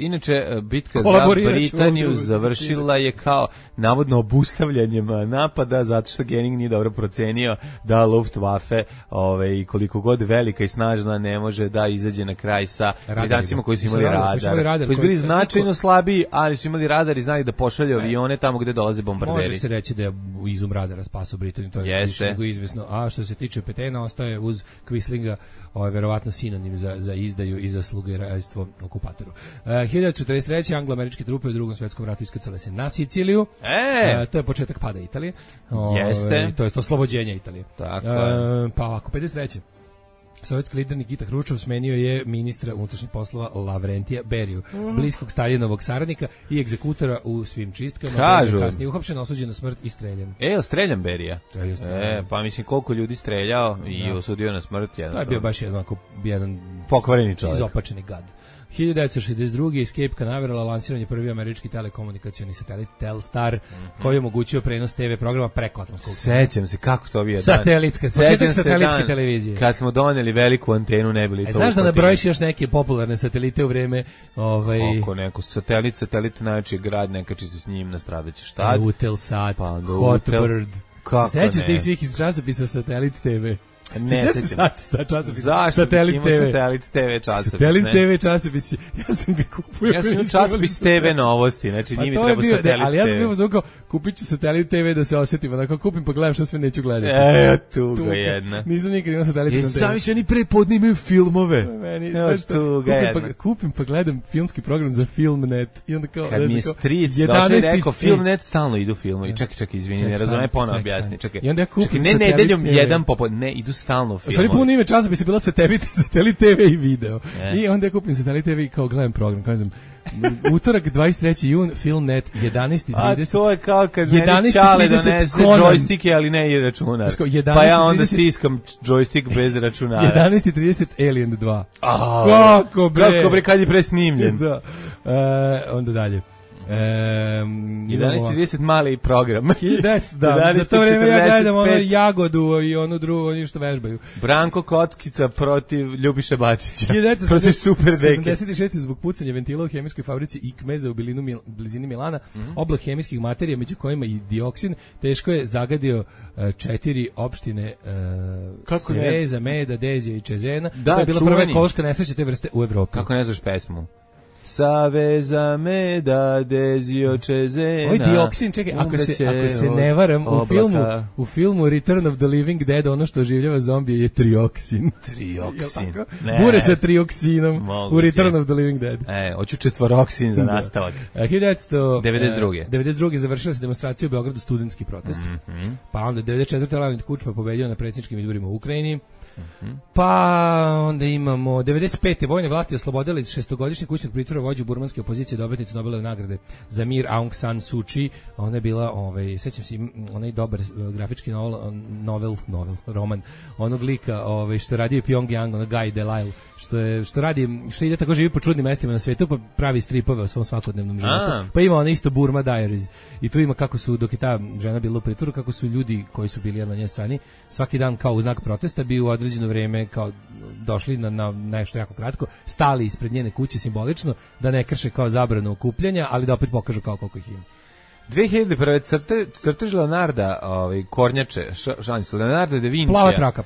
Inače, bitka za Britaniju završila je kao navodno obustavljanjem napada, zato što Göring nije dobro procenio da Luftwaffe i koliko god velika i snažna ne može da izađe na kraj sa Britancima koji su imali radar, koji su bili značajno slabiji, ali su imali radar i znali da pošalju avione tamo gde dolaze bombarderi. Može se reći da je izum radara spasao Britaniju, to je više nego izvesno. A što se tiče Pétaina, ostaje uz Quislinga verovatno sinonim za izdaju i za slugerajstvo okupatoru. 1943. anglo-američke trupe u drugom svjetskom ratu iskrcale se na Siciliju. To je početak pada Italije. Jeste. To je oslobođenje Italije. Tako. Pa ovako, 53. Sovjetski lider Nikita Hruščov smenio je ministra unutrašnjih poslova Lavrentija Beriju, bliskog Staljinovog saradnika i egzekutora u svim čistkama. Kažu. Kasnije uhapšen, osuđen na smrt i streljan. Streljan Berija? Pa mislim koliko ljudi streljao i osudio na smrt. To je bio baš jedan pokvareni čovjek. Izopačeni gad. 1962. Escape Canaveral lansiranje prvi američki telekomunikacioni satelit Telstar, koji je omogućio prenos TV programa preko atlantskog. Sećam se kako to bio početak satelitske televizije. Kad smo doneli veliku antenu, ne bili to. Znaš da nabrojiš još neke popularne satelite u vreme oko neko satelit najveći grad, nekači se s njim nastradaće šta? Utelsat, Hotbird. Sećaš da ih svih iz časopisa Satelit TV? Ne, Satelit TV časopis. Satelit TV časopis. Ja sam ga kupio. Ja sam časopis TV novosti, znači nije mi treba Satelit TV. Ali ja sam bio zvukao, kupit ću Satelit TV da se osjetim, onako kupim pa gledam što sve neću gledati. Tuga jedna. Nisam nikad imao Satelit TV. Sami se oni prepodne imaju filmove. Kupim pa gledam filmski program za Filmnet. I onda kao... Kad mi je stric došao i rekao, Filmnet stalno idu filmovi. Čekaj, izvini, ne razume, ponovno objasni. Čekaj, ne nedeljom jedan ne, idu stalno filmovi. Stvari puno ime časopisa bila Satelit TV i video. I onda ja kupim Satelit TV i kao gledam program, kažem, utorak 23. jun, Filmnet, 11:30. A to je kao kad meni Čale donese džojstike, ali ne i računar. Pa ja onda stiskam džojstik bez računara. 11:30 Alien 2. Kako bre, kad je presnimljen. Da. Onda dalje. 11:30 mali program. Da, za to vreme ja gledam ono Jagodu i onu drugu, oni što vežbaju. Branko Kockica protiv Ljubiše Bačića. Protiv Super Deke. 76. zbog pucanja ventila u hemijskoj fabrici Ikmeza u blizini Milana, oblak hemijskih materija, među kojima i dioksin, teško je zagadio 4 opštine Sveza, Meda, Dezija i Čezena. To je bila prva ekološka nesreća te vrste u Evropi. Kako ne znaš pesmu? Saveza Meda, Dezio Čezena. Oj, dioksin, čekaj, ako se ne varam, u filmu Return of the Living Dead ono što oživljava zombije je trioksin. Trioksin. Bure sa trioksinom u Return of the Living Dead. Hoću četvoroksin za nastavak. 1992. završila se demonstracija u Beogradu, studentski protest. Pa onda 94. Leonid Kučma pobedio na predsjedničkim izborima u Ukrajini. Pa onda imamo 95. vojne vlasti oslobodile iz 6-godišnjeg kućnog pritvora prvo vođu burmanske opozicije, dobitnicu Nobelove nagrade za mir Aung San Suu Kyi. Ona je bila, sećam se, onaj dobar grafički roman onog lika što radi u Pyongyang, ono Guy Delisle, što ide tako živi po čudnim mestima na svetu, pa pravi stripove o svom svakodnevnom životu. Pa ima ona isto Burma Diaries. I tu ima kako su, dok je ta žena bila u pritvoru, kako su ljudi koji su bili na njenoj strani svaki dan kao u znak protesta bi u određeno vreme kao došli na nešto jako kratko, stali ispred njene kuće simbolično da ne krše kao zabranu okupljanja, ali da opet pokažu kao koliko ih ima. 2001. crtež Leonarda, kornjače, Leonardo da Vinci. Plava traka.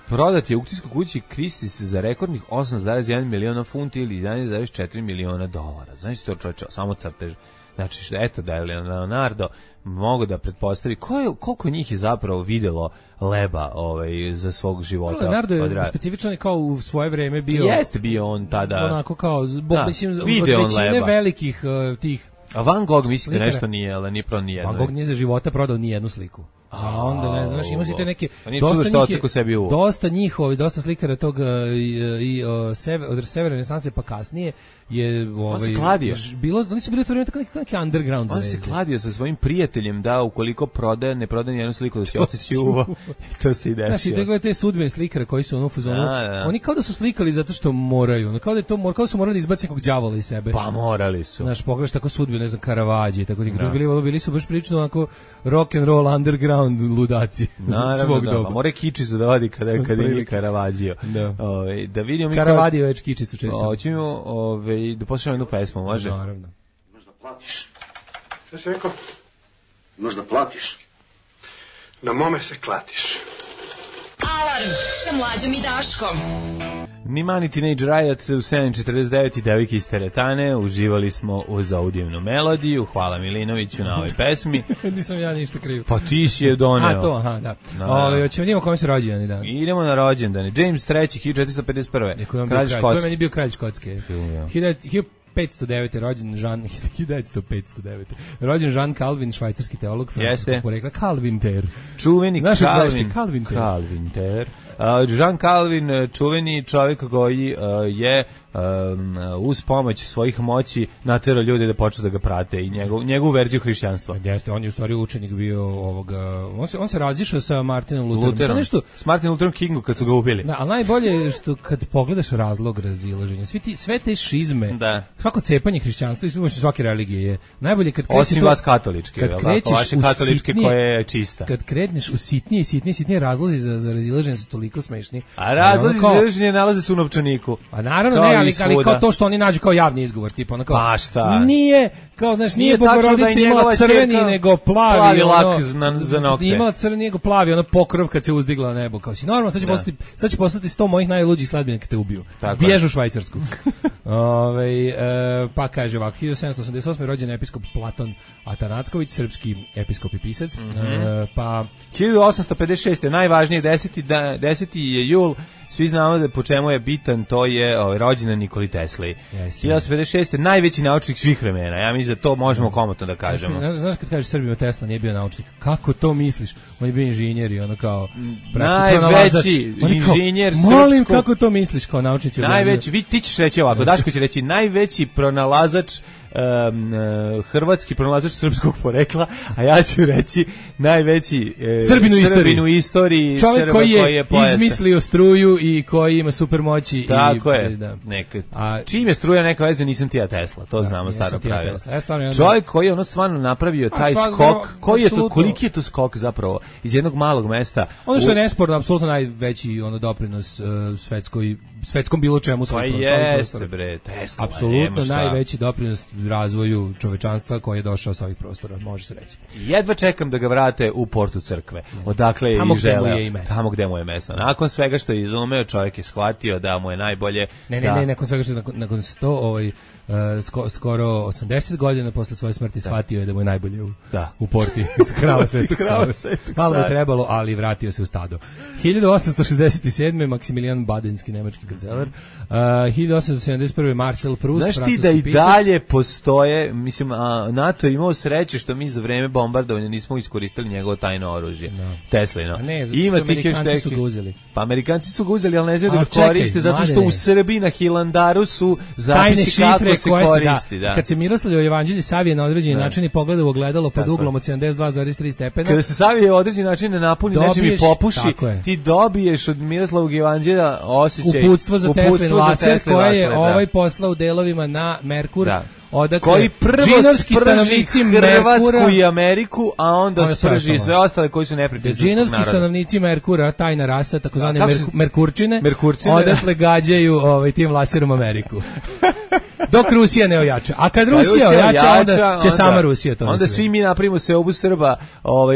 Prodat je u aukcijskoj kući Christie's za rekordnih 8,1 miliona funti ili 11,4 miliona dolara. Znači to čovječe, samo crtež. Znači, eto da je Leonardo mogu da pretpostavi koliko njih je zapravo videlo leba za svog života. Leonardo je specifično kao u svoje vreme bio... Jeste bio on tada... Onako kao, mislim, od većine velikih tih... A Van Gogh mislite nešto nije, ali nije pro nijedno. Van Gogh nije za života prodao ni jednu sliku. A onda ne znaš, ima si te neke dosta slikara tog od severne renesanse pa kasnije je oni su bili to vreme tako neki underground. On se kladio sa svojim prijateljem da ukoliko ne prodaje ni jednu sliku da će otići uvo. I to se i desilo. Znaš, i te te sudbine slikara koji su u fazonu, oni kao da su slikali zato što moraju, kao da su morali da izbace nekog đavola iz sebe. Pa morali su. Znaš, pogledaš tako sudbine, ne znam, Caravaggio, tako ti bili su baš prilično onako rock and roll underground ludaci svog doba. Pa more kičicu da vadi kada je Caravaggio. Da vidimo mi Caravaggio već kičicu često. Hoćemo da poslušamo jednu pesmu, može? Naravno. Možda platiš. Šta si rekao? Možda platiš. Na mome se klatiš. Alarm sa Mlađom i Daškom. Nimani Teenage Riot u 7.49 i devojke iz teretane. Uživali smo uz audijevnu melodiju. Hvala Milinoviću na ovoj pesmi. Nisam ja ništa kriv. Pa ti si je doneo. Da. Hoćemo vidimo kome se rođendani danas. Idemo na rođendane. James III, 1451. Kralj Škotske. Ko je meni bio kralj Škotske? 1509. rođen 1909. Rođen Jean Calvin, švajcarski teolog, francuskog porekla, Calvin-ter. Čuveni Calvin-ter. Jean Calvin, čuveni čovjek koji je uz pomoć svojih moći naterao ljude da počnu da ga prate i njegovu verziju hrišćanstva. Jeste, on je u stvari učenik bio on se razišao sa Martinom Lutherom. S Martinom Lutherom Kingu kad su ga ubili. Da, ali najbolje je što kad pogledaš razlog razilaženja, sve te šizme, svako cepanje hrišćanstva i svake religije je najbolje kad krećeš osim vas katoličke, vaše katoličke koje je čista. Kad kreneš u sitnije razlozi za razilaženje su toliko smešni. A razlozi za razilaženje nalaze se u novčaniku. A naravno ne, ali kao to što oni nađu kao javni izgovor, tipa ono kao pa šta? Nije, kao znaš, nije Bogorodica imala crveni nego plavi lak za nokte. Imala crveni nego plavi, ono pokrov kad se uzdigla na nebo, kao si normalno, sad će postati 100 mojih najluđih sledbenika kad te ubiju. Bježu u Švajcarsku. Pa kaže ovako, 1788. rođen episkop Platon Atanacković, srpski episkop i pisac. Pa 1856. najvažnije 10. je jul. Svi znamo da po čemu je bitan, to je rođendan Nikoli Tesli. 1856. najveći naučnik svih vremena. Ja mislim da to možemo komotno da kažemo. Znaš kad kažeš Srbima Tesla nije bio naučnik, kako to misliš? On je bio inženjer i ono kao najveći inženjer srpskog. Molim, kako to misliš kao naučnici? Najveći, ti ćeš reći ovako, Daško će reći najveći pronalazač hrvatski pronalazač srpskog porekla, a ja ću reći najveći Srbin u istoriji, čovjek koji je izmislio struju i koji ima super moći. Tako je. Čim je struja neka veze, nisam ti ja Tesla, to znamo staro pravilo. Čovjek koji je ono stvarno napravio taj skok, koliki je to skok zapravo iz jednog malog mesta. Ono što je nesporno, apsolutno najveći doprinos svetskom bilo čemu svoj prostor. Jeste bre, Tesla. Apsolutno najveći doprinos razvoju čovečanstva koji je došao sa ovih prostora, može se reći. Jedva čekam da ga vrate u portu crkve, odakle je i želeo. Tamo gde mu je mesto. Nakon svega što je izumeo, čovjek je shvatio da mu je najbolje... Ne, nakon svega što je nakon 100, skoro 80 godina posle svoje smrti shvatio je da mu je najbolje u porti krava Svetog Save. Malo je trebalo, ali vratio se u stado. 1867. Maksimilijan Badenski, nemački Kancelar. 1871. Marcel Proust. Znaš ti da i dalje postoje, mislim, NATO je imao sreće što mi za vreme bombardovanja nismo iskoristili njegovo tajno oružje. No. Teslino. Ne, zato što Amerikanci su ga uzeli. Pa Amerikanci su ga uzeli, ali ne znaju da ga koriste, zato što u Srbiji na Hilandaru su zapisi kako se koristi. Da. Kad se Miroslavljevo evanđelje savije na određeni način i pogleda u ogledalo pod uglom od 72,3 stepena. Kada se savije određeni način ne napuni, nečim i popuši, ti dobiješ od Miroslavog evanđelja osjećaj uputstvo za Teslin laser koje je ovaj poslao u delovima na Merkur. Da. Koji prvo sprži Hrvatsku i Ameriku, a onda sprži sve ostale koji su neprijatelji. Džinovski stanovnici Merkura, tajna rasa, takozvane Merkurčine, odatle gađaju tim laserom Ameriku. Dok Rusija ne ojača. A kad Rusija ojača, onda će sama Rusija to. Onda svi mi napravimo seobu Srba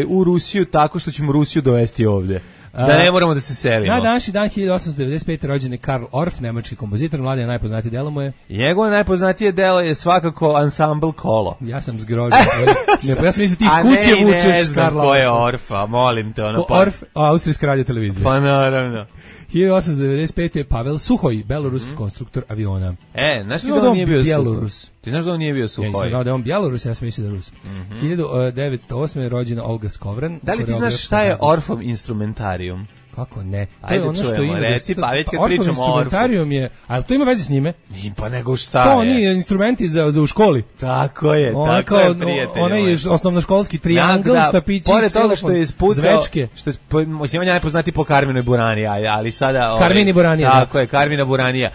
u Rusiju tako što ćemo Rusiju dovesti ovde. Da ne moramo da se selimo. Na današnji dan 1895. rođen je Karl Orff, nemački kompozitor, mladi najpoznatije delo mu je. Njegovo najpoznatije delo je svakako ansambl Kolo. Ja sam zgrožen. Ja sam mislio ti iz kuće vučeš Karla Orffa. Ko je Orfa, molim te. Orff, austrijska radiotelevizija. Pa naravno. 1895. je Pavel Suhoj, beloruski konstruktor aviona. Znaš da on nije bio Bjelorus? Ti znaš da on nije bio Suhoj? Ja nisam znao da je on Bjelorus, ja sam mislio da je Rus. 1908. je rođena Olga Skovran. Da li ti znaš šta je Orffov instrumentarijum? Kako ne? To ajde je ono što ima. Reci, pa već kad pričamo o Orfu. Instrumentarijum je, ali to ima veze s njime? Nije, pa nego šta to je? To oni instrumenti za u školi. Tako je, tako je, prijatelj. Onaj je osnovnoškolski triangl, štapići, pored toga što je ispucao, zvečke. Što je, on je najpoznati po Karminoj Burani, ali sada... Karmini Buranija. Tako je, Karmina Buranija.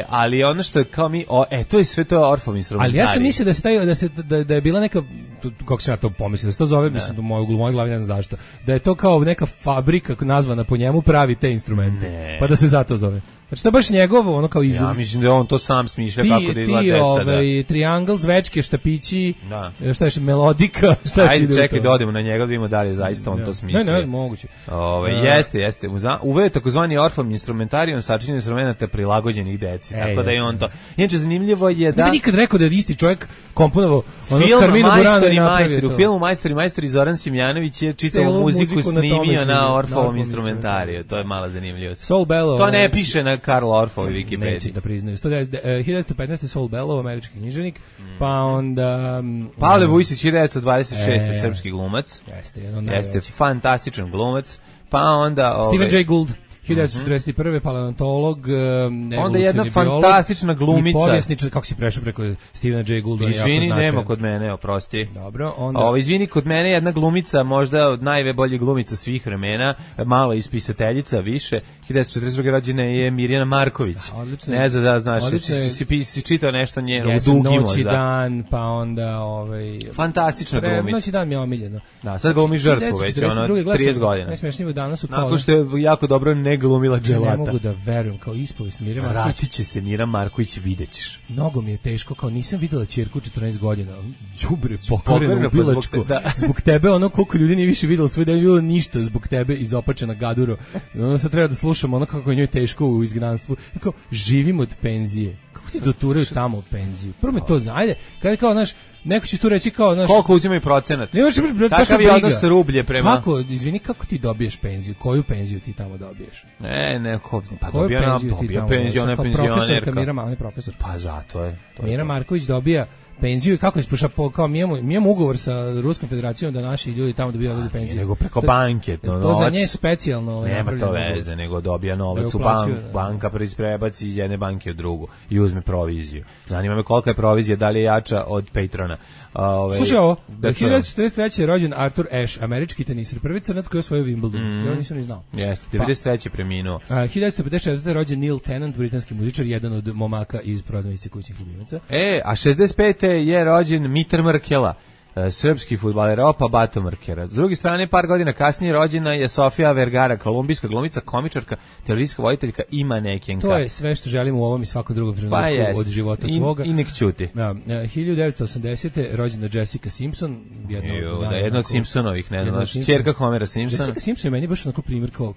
Ali ono što je kao mi, to je sve to Orfov instrumentarij. Ali ja sam mislio da je bila neka, kako sam ja to pomislio, da se to zove, mislim, u mojoj glavi ne znam zašto, da je to kao neka fabrika nazvana po njemu pravi te instrumente. Pa da se zato zove. Znači to je baš njegovo, ono kao izum. Ja mislim da on to sam smišlja kako da izgleda deca. Triangl, zvečke, štapići, šta je melodika, šta je. Ajde, čekaj da odemo na njega, da vidimo da li je zaista on to smišlja. Ne, moguće. Jeste. Uveo je takozvani Orffov instrumentarijum sačinjen instrumenata prilagođenih deci. Tako da je on to. Inače, zanimljivo je da... Ne bi nikad rekao da je isti čovjek komponovao Karminu Buranu i napravio to. U filmu Majstori Zoran Simjanović je čitavu muziku snimio na Orffovom instrumentariju. To je mala zanimljivost. To ne piše na Karl Orffov i Wikipedia. Neće da priznaju. 1915. Saul Bellow, američki književnik, pa onda... Pavle Vujsić, 1926. srpski glumac. Jeste fantastičan glumac. Pa onda... Stephen Jay Gould. 1941. paleontolog, onda jedna fantastična glumica. I povjesničar, kako si prešao preko Stephena Jay Goulda? Izvini, nema kod mene, oprosti. Dobro, onda... izvini, kod mene jedna glumica, možda od najboljih glumica svih vremena, malo ispisateljica, više. 1942. rođena je Mirjana Marković. Odlično. Ne znam da znaš, si čitao nešto njeno, u dugi možda. Noć i dan, pa onda... Fantastična glumica. Noć i dan mi je omiljeno. Da, sad glumi žrtvu već, 30 godina. Najsmešnije danas u kola. Nakon što je jako dobro glumila dželata. Ne mogu da verujem, kao ispovest Mire Marković. Vratit će se Mira Marković, vidjet ćeš. Mnogo mi je teško, kao nisam videla ćerku 14 godina. Đubre, pokvareno ubilačko. Zbog tebe, ono koliko ljudi nije više videlo svoje, da je bilo ništa zbog tebe izopačena gaduro. Ono sad treba da slušamo ono kako je njoj teško u izgnanstvu. Kao, živim od penzije. Kako ti doturaju tamo u penziju? Prvo me to zna, ajde, kada kao, znaš, neko će tu reći kao, znaš... Koliko uzimaju procenat? Kakav je odnos rublje prema... Kako, izvini, kako ti dobiješ penziju? Koju penziju ti tamo dobiješ? Pa dobija penziju, ona je penzionerka. Mira, profesor. Pa zato je. Mira Marković dobija penziju i kako ispuša, kao mi imamo ugovor sa Ruskom federacijom da naši ljudi tamo dobijaju penziju. Nego preko banke. To za nje specijalno. Nema to veze, nego dobija novac u banka prebaci iz jedne banke u drugu i uzme proviziju. Zanima me kolika je provizija, da li je jača od Patrona. Slušaj ovo, 1943. je rođen Arthur Ashe, američki teniser, prvi crnac koji je osvojio Wimbledon. Ja nisam ni znao. Jeste, 93. preminuo. 1954. je rođen Neil Tennant, britanski muzičar, jedan od momaka iz Prodavnice kućnih ljubimaca. A 65. je rođen Mitar Mrkela, srpski fudbaler, opa Bato Mrkera. S druge strane, par godina kasnije rođena je Sofia Vergara, kolumbijska glumica, komičarka, televizijska voditeljka i manekenka. To je sve što želimo u ovom i svakom drugom trenutku od života svoga. I nek ćuti. 1980. rođena Jessica Simpson. Jedna od Simpsonovih, ne znam, ćerka Homera Simpsona. Jessica Simpson je meni baš onako primjer kao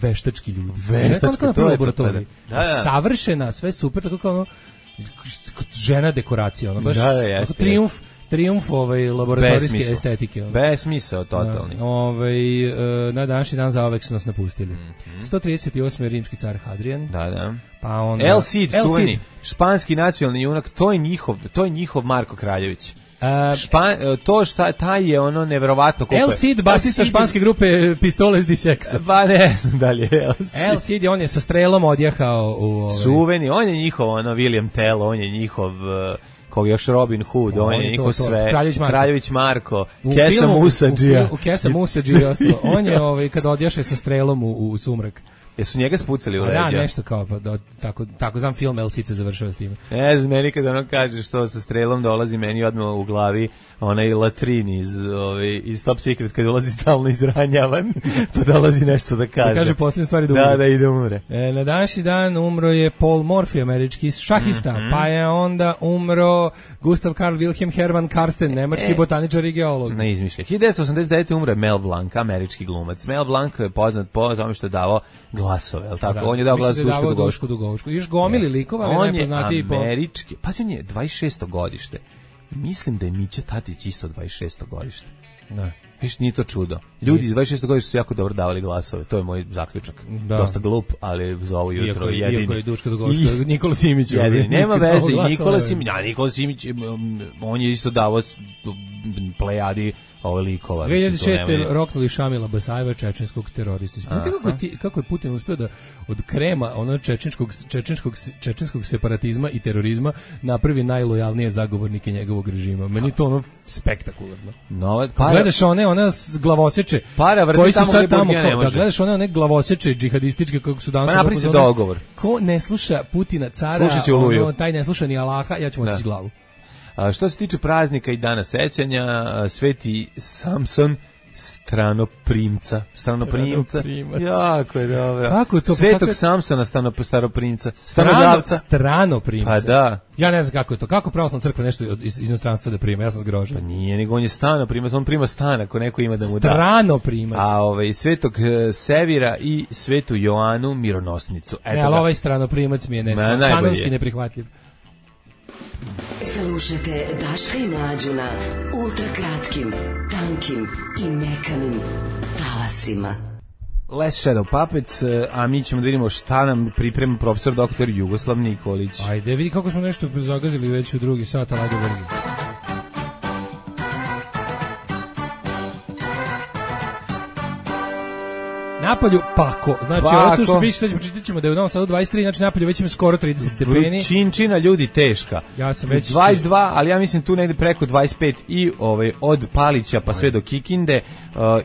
veštački ljudi. Veštačka, to je laboratorij. Savršena, sve super, tako kao ono, žena dekoracija, ono baš da, triumf Trijumf laboratorijske estetike. Besmisao totalni. Na današnji dan zaovek su nas napustili. 138. rimski car Hadrian. Da. Pa onda El Cid, čuveni španski nacionalni junak, to je njihov Marko Kraljević. Taj je ono neverovatno koliko je. El Cid, basista španske grupe Pistoles di Sexo. Pa ne znam da li je El Cid. On je sa strelom odjehao u... Čuveni, on je njihov, William Tell, on je njihov... Kog još Robin Hood, on je njihov sve, Kraljević Marko, Kesa Musadžija. U Kesa Musadžija, on je kada odjaše sa strelom u sumrak. Jesu njega spucali u leđa? Da, nešto kao, tako znam film El Cid se završava s time. Ne znam, meni kada ono kaže što sa strelom dolazi meni odmah u glavi onaj latrin iz Top Secret kad ulazi stalno izranjavan, pa dolazi nešto da kaže. Da kaže posljednje stvari da umre. Da ide umre. Na današnji dan umro je Paul Morphy, američki šahista, pa je onda umro Gustav Karl Wilhelm Hermann Karsten, nemački botaničar i geolog. Na izmišlja. 1989. umro je Mel Blanc, američki glumac. Mel Blanc je poznat po tome što je davao glasove, je li tako? On je dao glas Duško Dugovčku. Još gomili likova, ali najpoznatiji po... On je američki, pazi, on je 26. godište. Mislim da je Mića Tatić isto 26. godište. Da. Viš, nije to čudo. Ljudi iz 26. godište su jako dobro davali glasove. To je moj zaključak. Da. Dosta glup, ali za ovo jutro jedini. Iako je Duško Dugovčku, Nikola Simić. Jedini. Nema veze. Nikola Simić, on je isto davao plejadi likova. 2006. roknuli Šamila Basajeva, čečenskog teroristi. Kako je Putin uspio da od krema čečenskog separatizma i terorizma napravi najlojalnije zagovornike njegovog režima. Meni to spektakularno. Gledaš one glavoseče koji su sad tamo, gledaš one glavoseče džihadističke kako su danas. Pa napravi se dogovor. Ko ne sluša Putina cara, taj ne sluša ni Allaha, ja ću otići glavu. Što se tiče praznika i dana sećanja, Sveti Samson stranoprimca. Jako je dobro. Svetog Samsona stranoprimca. Stranoprimca. Pa da. Ja ne znam kako je to. Kako pravoslavna crkva nešto iz inostranstva da prima? Ja sam zgrožen. Pa nije, nego on je stanoprimac. On prima stan ako neko ima da mu da. Stranoprimac. A Svetog Sevira i Svetu Joanu Mironosnicu. Ali ovaj stranoprimac mi je kanonski neprihvatljiv. Slušajte Daška i Mlađu na ultrakratkim, tankim i mekanim talasima. Last Shadow Puppets, a mi ćemo da vidimo šta nam priprema profesor doktor Jugoslav Nikolić. Ajde, vidi kako smo nešto zagazili već u drugi sat, ali ajde brzo. Napolju pako. Znači, ovo tu što biće, pročitat ćemo da je u Novom Sadu 23, znači napolju već ima skoro 30 stepeni. Vrućinčina, ljudi, teška. Ja sam već 22, ali ja mislim tu negde preko 25 i od Palića pa sve do Kikinde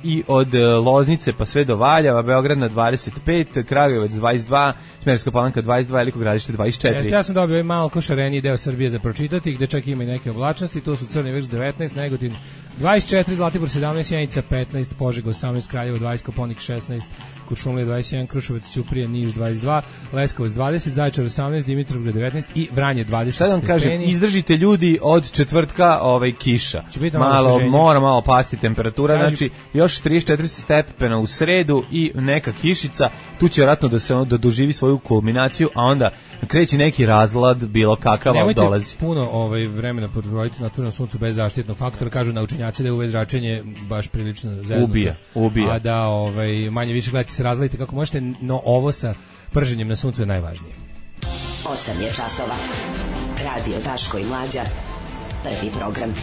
i od Loznice pa sve do Valjeva, Beograd na 25, Kragujevac 22, Smederevska Palanka 22, Veliko Gradište 24. Ja sam dobio malo šareniji deo Srbije za pročitati, gde čak ima i neke oblačnosti, to su Crni Vrš 19, Negotin 24, Zlatibor 17, Sjenica 15, Požega 18, Kraljevo 20, Koponik 16, Kuršumlija 21, Kruševac, Ćuprija, Niš 22, Leskovac 20, Zaječar 18, Dimitrovgrad 19 i Vranje 20 Sad vam stepeni. kažem, izdržite ljudi od četvrtka kiša. Mora malo pasti temperatura, znači još 34 stepena u sredu i neka kišica, tu će vjerojatno da doživi svoju kulminaciju, a onda kreće neki razlad bilo kakav dolazi. Nemojte puno vremena provoditi na otvorenom suncu bez zaštitnog faktora, kažu naučenjaci da je UV zračenje baš prilično zeznuto. Ubija. A da manje više gledajte se razladite kako možete, no ovo sa prženjem na suncu je najvažnije. 8 je časova. Radio Daško i Mlađa. Prvi program.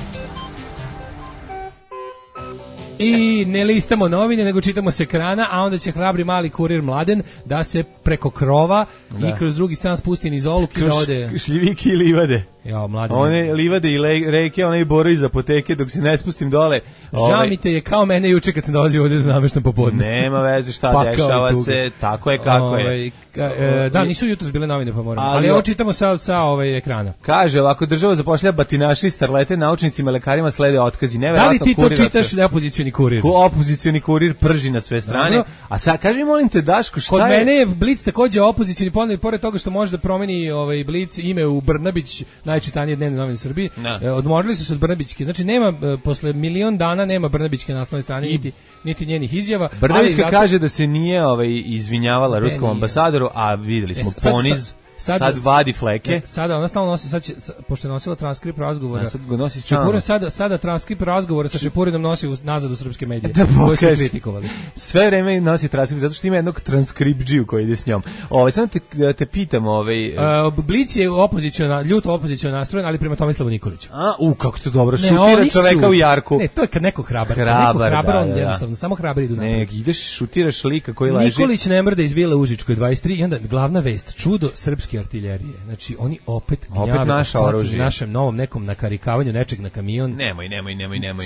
I ne listamo novine, nego čitamo s ekrana, a onda će hrabri mali kurir Mladen da se preko krova i kroz drugi stan spusti niz oluk i da ode... Šljiviki i livade. Ja, Mladen. One livade i reke, one i borovi iz apoteke, dok se ne spustim dole. Žamite je kao mene juče kad sam dolazio ovdje da nameštam popodne. Nema veze šta dešava se, tako je kako je. Da, nisu jutros bile novine, pa moram. Ali ovo čitamo sa ekrana. Kaže, ovako država zapošlja batinaši, starlete, naučnicima, lekarima slede otkazi. Da li ti to čitaš da opozicioni kurir? Opozicioni kurir prži na sve strane. A sad, kaži mi, molim te, Daško, šta je? Kod mene je Blic takođe opozicioni, pored toga što može da promeni Blic ime u Brnabić, najčitanije dnevne novine u Srbiji. Odmorili su se od Brnabićke. Znači, nema, posle milion dana nema Brnabićke naslovne strane, niti njenih izjava. Brnabićka kaže da se nije izvinjavala ruskom ambasadoru, a videli smo poniz. sad vadi fleke. Sada ona stalno nosi, sad će, pošto je nosila transkript razgovora. Sad ga nosi stalno. Sada transkript razgovora sa Šepurinom nosi nazad u srpske medije, koje su kritikovali. Sve vreme nosi transkript, zato što ima jednog transkriptđiju koji ide s njom. Samo te pitam, Blic je ljuto opoziciona nastrojen, ali prema Tomislavu Nikoliću. Kako to dobro, šutira čoveka u jarku. Ne, to je kad neko hrabar, on jednostavno, samo hrabari idu napred. Ne, ideš, šutiraš lika koji leži. Nikolić ne mrda iz Vile Užičkoj 23 i onda glavna vest, čudo srpske artiljerije. Znači, oni opet naša oružje. Našem novom nekom nakarikavanju nečeg na kamion. Nemoj.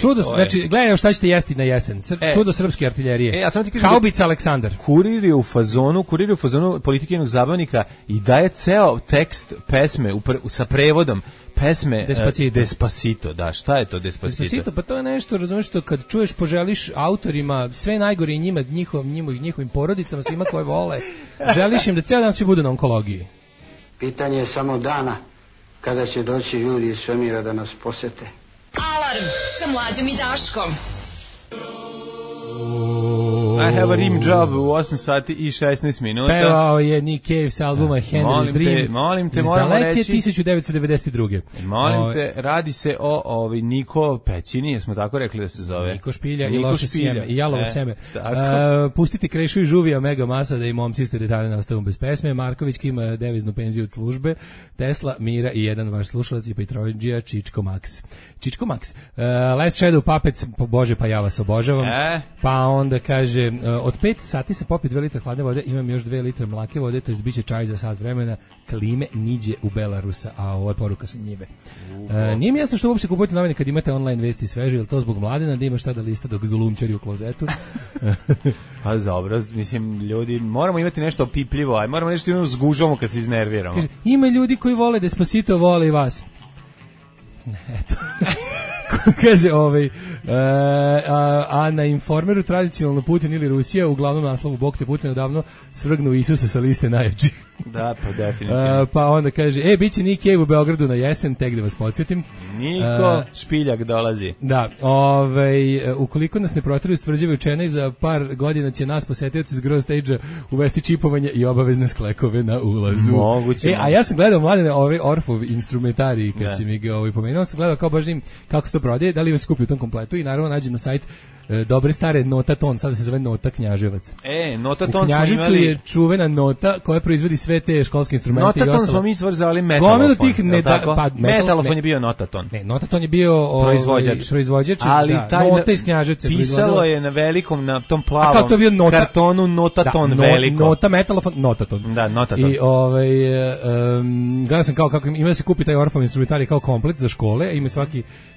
Čudo, znači, gledaj šta ćete jesti na jesen. Čudo srpske artiljerije. Ja samo ti kažem, Haubica Aleksandar. Kurir je u fazonu politikinog zabavnika i daje ceo tekst pesme sa prevodom pesme Despacito, da, šta je to Despacito? Pa to je nešto, razumiješ, što kad čuješ, poželiš autorima sve najgore i njima, njihovim porodicama, svima koje vole, želiš im da ceo dan svi budu na onkologiji. Pitanje je samo dana kada će doći ljudi iz svemira da nas posete. Alarm sa Mlađom i Daškom. I have a rim job u 8 sati i 16 minuta. Pevao je Nick Cave sa albuma Henry's Dream. Molim te, moramo reći. 1992. Molim te, radi se o Niko Pećini, jesmo tako rekli da se zove? Niko Špilja i loše sjeme, i jalovo seme. Pustite Krešu i Žuvija, Mega Masa, da i momci ste detaljno ostavom bez pesme. Marković ima deviznu penziju od službe. Tesla, Mira i jedan vaš slušalac i Petroviđija, Čičko Max. Last Shadow Puppets, Bože, pa ja vas obožavam. Pa onda kaže, od 5 sati se popije 2 litra hladne vode, imam još 2 litre mlake vode, to je biće čaj za sat vremena, klime niđe u Belarusa, a ovo je poruka sa njive. Nije mi jasno što uopšte kupujete novine kad imate online vesti sveže, ili to zbog Mladena da ima šta da lista dok zulumčari u klozetu? Pa dobro, mislim, ljudi, moramo imati nešto opipljivo, aj moramo nešto zgužvamo kad se iznerviramo. Kaže, ima ljudi koji vole Despacito, vole i vas. Eto. Kaže, a na Informeru tradicionalno Putin ili Rusija, uglavnom naslovu Bog te Putin odavno svrgnu Isusa sa liste najjačih. Da, pa definitivno. Pa onda kaže, biće Nick Cave u Beogradu na jesen, tek da vas podsjetim. Niko Špiljak dolazi. Da, ukoliko nas ne protiraju stvrđave učene, za par godina će nas posetioci s Grow Stage-a uvesti čipovanje i obavezne sklekove na ulazu. Moguće. A ja sam gledao Mladene Orfov instrumentarij, kad si mi ga pomenuo, sam gledao kao baš kako se to prodaje, da li vas kupi u tom kompletu i naravno nađem na sajt dobre stare Notaton, sada se zove Nota Knjaževac. Notaton u Knjaževcu je čuvena Nota koja proizvodi sve te školske instrumente. Notaton smo mi zvali metalofon. Metalofon je bio Notaton. Ne, Notaton je bio proizvođač, ali taj Nota iz Knjaževca. Pisalo je na velikom, na tom plavom kartonu Notaton veliko. Nota metalofon, Notaton. Da, Notaton. I gledao sam kako ima da se kupi taj Orfov instrumentarij kao komplet za škole, ima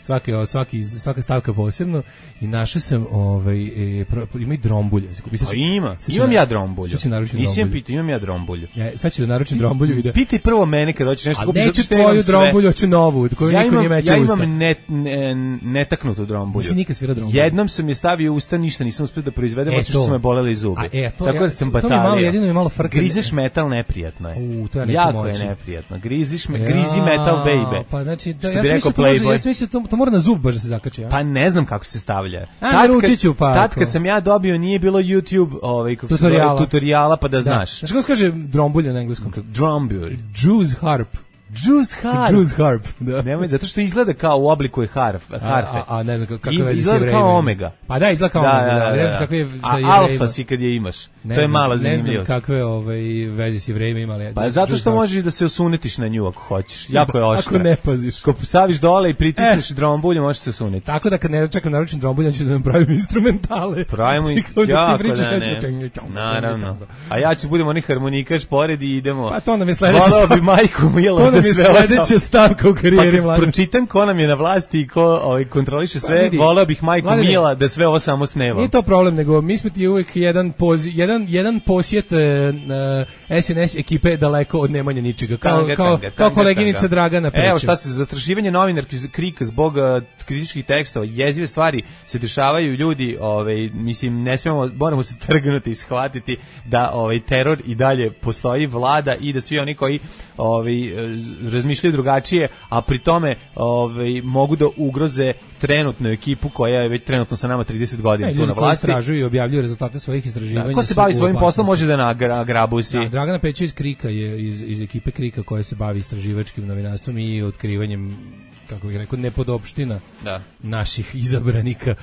svaka stavka posebno i našao sam ima i drombulje. Imam ja drombulju. Nisam pitao, imam ja drombulju. Sad ću da naručim drombulju i da... Pitaj prvo mene kad hoćeš nešto kupiti. Neću tvoju drombulju, hoću novu, koju niko nije meća usta. Ja imam netaknutu drombulju. Nisi nikad svira drombulju. Jednom sam je stavio usta, ništa nisam uspio da proizvedem, osim što su me boleli zubi. Tako da sam batalio. Jedino je malo frka. Grizeš metal, neprijatno je. Jako je neprijatno. Grizi metal, baby. Pa znači, ja sam mislio to mora na zub baš da se zakači. Pa ne znam kako se stavlja. Tad kad sam ja dobio nije bilo YouTube tutoriala pa da znaš. Znaš kako se kaže drombulja na engleskom? Drombulj. Juice harp. Juice harp, da. Nemoj, zato što izgleda kao u obliku je harfe. A ne znam kakve veze s jevrejima. Izgleda kao omega. Pa da, izgleda kao omega. Ne znam kakve je sa jevrejima. A alfa si kad je imaš. To je mala zanimljivost. Ne znam kakve veze s jevrejima imali. Pa zato što možeš da se osunetiš na nju ako hoćeš. Jako je oštra. Ako ne paziš. Ko staviš dole i pritisneš drombulju, možeš se osuneti. Tako da kad ne čekam naručim drombulju, ću da nam pravim instrumentale. Pravimo jako naravno. A ja ću budem onih harmonikaš pored i idemo. Pa to nam je sledeća stavka u karijeri Mladen. Pročitam ko nam je na vlasti i ko kontroliše sve, voleo bih majku Mila da sve ovo samo snevam. Nije to problem, nego mi smo ti uvijek jedan posjet SNS ekipe daleko od nemanja ničega. Kao koleginica Dragana Pećev. Evo šta se, zastrašivanje novinarki Krika zbog kritičkih tekstova, jezive stvari se dešavaju, ljudi, mislim, ne smemo, moramo se trgnuti i shvatiti da teror i dalje postoji, vlada i da svi oni koji razmišljaju drugačije, a pri tome mogu da ugroze trenutnu ekipu koja je već trenutno sa nama 30 godina tu na vlasti. Ljudi koji istražuju i objavljuju rezultate svojih istraživanja. Ko se bavi svojim poslom može da nagrabusi. Da, Dragana Pećo iz Krika je iz ekipe Krika koja se bavi istraživačkim novinarstvom i otkrivanjem, kako bih rekao, nepodopština naših izabranika.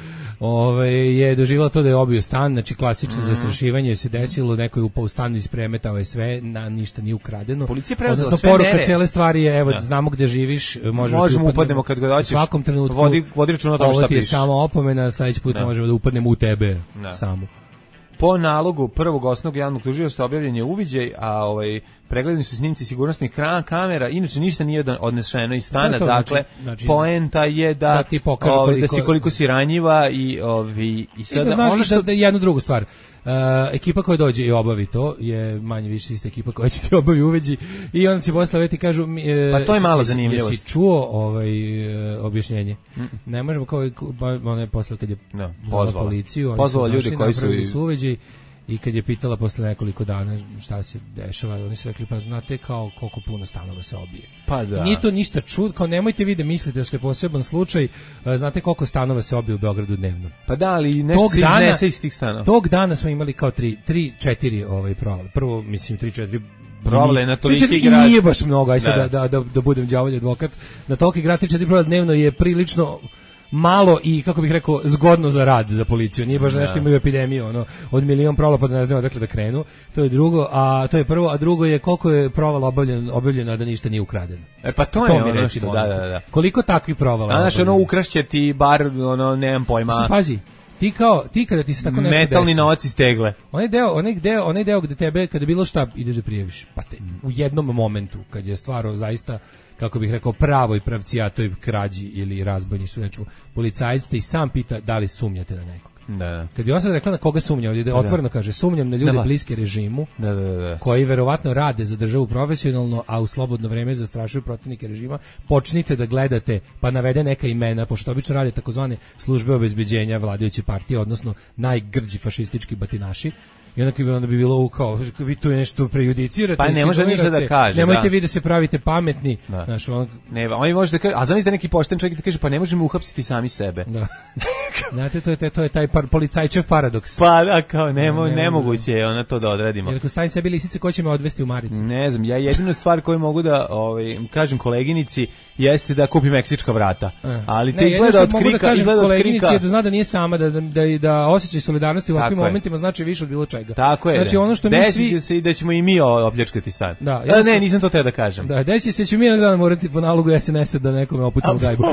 Je doživjela to da je obio stan, znači klasično zastrašivanje se desilo, neko je upao u stan i ispremetao je sve, ništa nije ukradeno. Policija preuzela sve mere. Poruka cijele stvari je, evo, znamo gde živiš, možemo upadnemo kad god hoćeš. U svakom trenutku. Vodi računa o tome šta pišeš. Ovo ti je samo opomena, sledeći put možemo da upadnemo u tebe samo. Po nalogu prvog osnovnog javnog tužioca objavljen je uviđaj, a pregledani su snimci sigurnosnih kamera, inače ništa nije odneseno iz stana, dakle, poenta je da ti pokaže da si koliko si ranjiva i sada ono što da jednu drugu stvar. Ekipa koja dođe i obavi to je manje više ista ekipa koja će ti obavi uveđi i onda će posle veti kažu pa to je malo zanimljivost. Jesi čuo objašnjenje? Ne možemo kao one posle kad je pozvala policiju, pozvala ljude koji su uveđi i kad je pitala posle nekoliko dana šta se dešava, oni su rekli pa znate kao koliko puno stanova se obije. Pa da. Nije to ništa čudno, kao nemojte vi da mislite da ste poseban slučaj, znate koliko stanova se obije u Beogradu dnevno. Pa da, ali nešto se iznese iz tih stanova. Tog dana smo imali kao 3-4 provale. Prvo, mislim, 3-4 provale na toliki grad. Nije baš mnogo, aj sad da budem đavolji advokat. Na toliki grad 3-4 provale dnevno je prilično malo i, kako bih rekao, zgodno za rad za policiju. Nije baš nešto imaju epidemiju, od milion provala pa da ne znaju odakle da krenu. To je drugo, a to je prvo, a drugo je koliko je provala obavljeno, a da ništa nije ukradeno. Pa to je ono što, da. Koliko takvih provala? Znaš, ukrašće ti bar, nemam pojma. Pazi, ti kada ti se tako nešto metalni novac iz tegle. Onaj deo gde tebe, kada bilo šta, ideš da prijaviš. Pa te, u jednom momentu, kad je stvar zaista, kako bih rekao, pravoj pravcijatoj krađi ili razbojništvu, znači policajac te i sam pita da li sumnjate na nekog. Da. Kad bi on sad rekla na koga sumnja, ovdje otvoreno kaže sumnjam na ljude bliske režimu, koji verovatno rade za državu profesionalno, a u slobodno vreme zastrašuju protivnike režima, počnite da gledate, pa navede neka imena, pošto obično rade takozvane službe obezbeđenja vladajuće partije, odnosno najgrđi fašistički batinaši. I onda bi bilo kao, vi tu nešto prejudicirate. Pa ne može ništa da kaže. Nemojte vi da se pravite pametni. Znaš, ne, oni može da kaže, a zamislite neki pošten čovjek da kaže, pa ne možemo uhapsiti sami sebe. Da. Znate, to je taj policajčev paradoks. Pa da, kao, nemoguće je ona to da odradimo. Jer ako stavim sebi lisice, ko će me odvesti u maricu? Ne znam, ja jedinu stvar koju mogu da kažem koleginici jeste da kupi meksička vrata. Ali te izgleda od krika, koleginici je da zna da nije sama, da osjećaj solidarnosti u ovakvim momentima znači više od bilo čega. Tako je. Znači, ono što mi svi će se i da ćemo i mi opljačkati stan. Ne, nisam to teo da kažem. Da, desi se ću mi jednog dana morati po nalogu SNS-a da nekome opucam gajbu.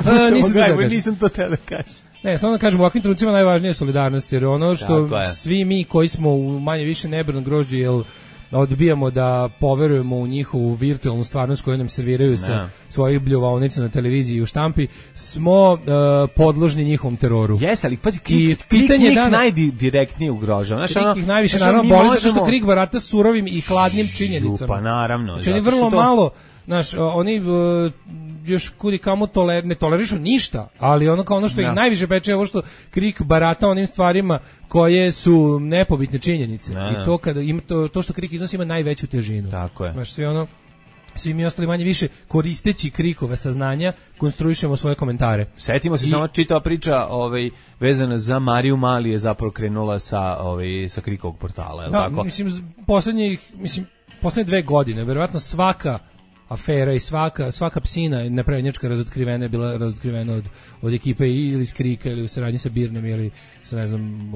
Nisam to teo da kažem. Ne, samo da kažem, u ovakvim trenucima najvažnije je solidarnost, jer ono što svi mi koji smo u manje više nebrnom grožđu, jer odbijamo da poverujemo u njihovu virtualnu stvarnost koju nam serviraju sa svojih bljuvaonica na televiziji i u štampi, smo podložni njihovom teroru. Jeste, ali pazi, Krik najdirektnije ugrožava. Krik ih najviše naravno boli, zato što Krik barata surovim i hladnim činjenicama. Pa naravno. Znači, oni vrlo malo, oni još kudi kamo ne tolerišu ništa, ali ono što ih najviše peče je ovo što Krik barata onim stvarima koje su nepobitne činjenice. I to kada ima to što Krik iznosi ima najveću težinu. Tako je. Znaš, svi mi ostali manje više koristeći Krikove saznanja konstruišemo svoje komentare. Setimo se samo čitava priča vezana za Mariju Mali je zapravo krenula sa Krikovog portala, je li tako? Poslednje 2 godine, verovatno svaka afera i svaka psina neprednjačka razotkrivena je bila razotkrivena od ekipe ili iz Krika ili u saradnji sa Birnem ili sa ne znam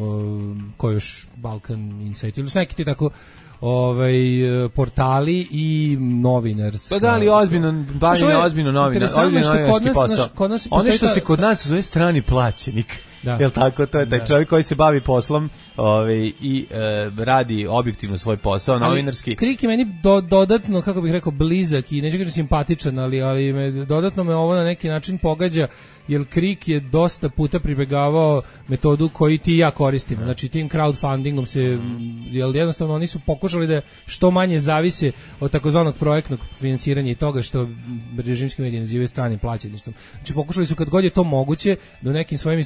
ko još Balkan Insight ili su neki ti tako portali i novinarski. Pa da li ozbiljno novinarski posao. Ono što se kod nas zove strani plaćenik. Jel tako, to je taj čovjek koji se bavi poslom i radi objektivno svoj posao, novinarski. Krik je meni dodatno, kako bih rekao, blizak i neću kažem simpatičan, ali dodatno me ovo na neki način pogađa, jer KRIK je dosta puta pribegavao metodu koju ti i ja koristimo. Znači tim crowdfundingom se, jer jednostavno oni su pokušali da što manje zavise od takozvanog projektnog finansiranja i toga što režimski mediji nazivaju stranim plaćeništvom. Znači pokušali su kad god je to moguće da u nekim svojim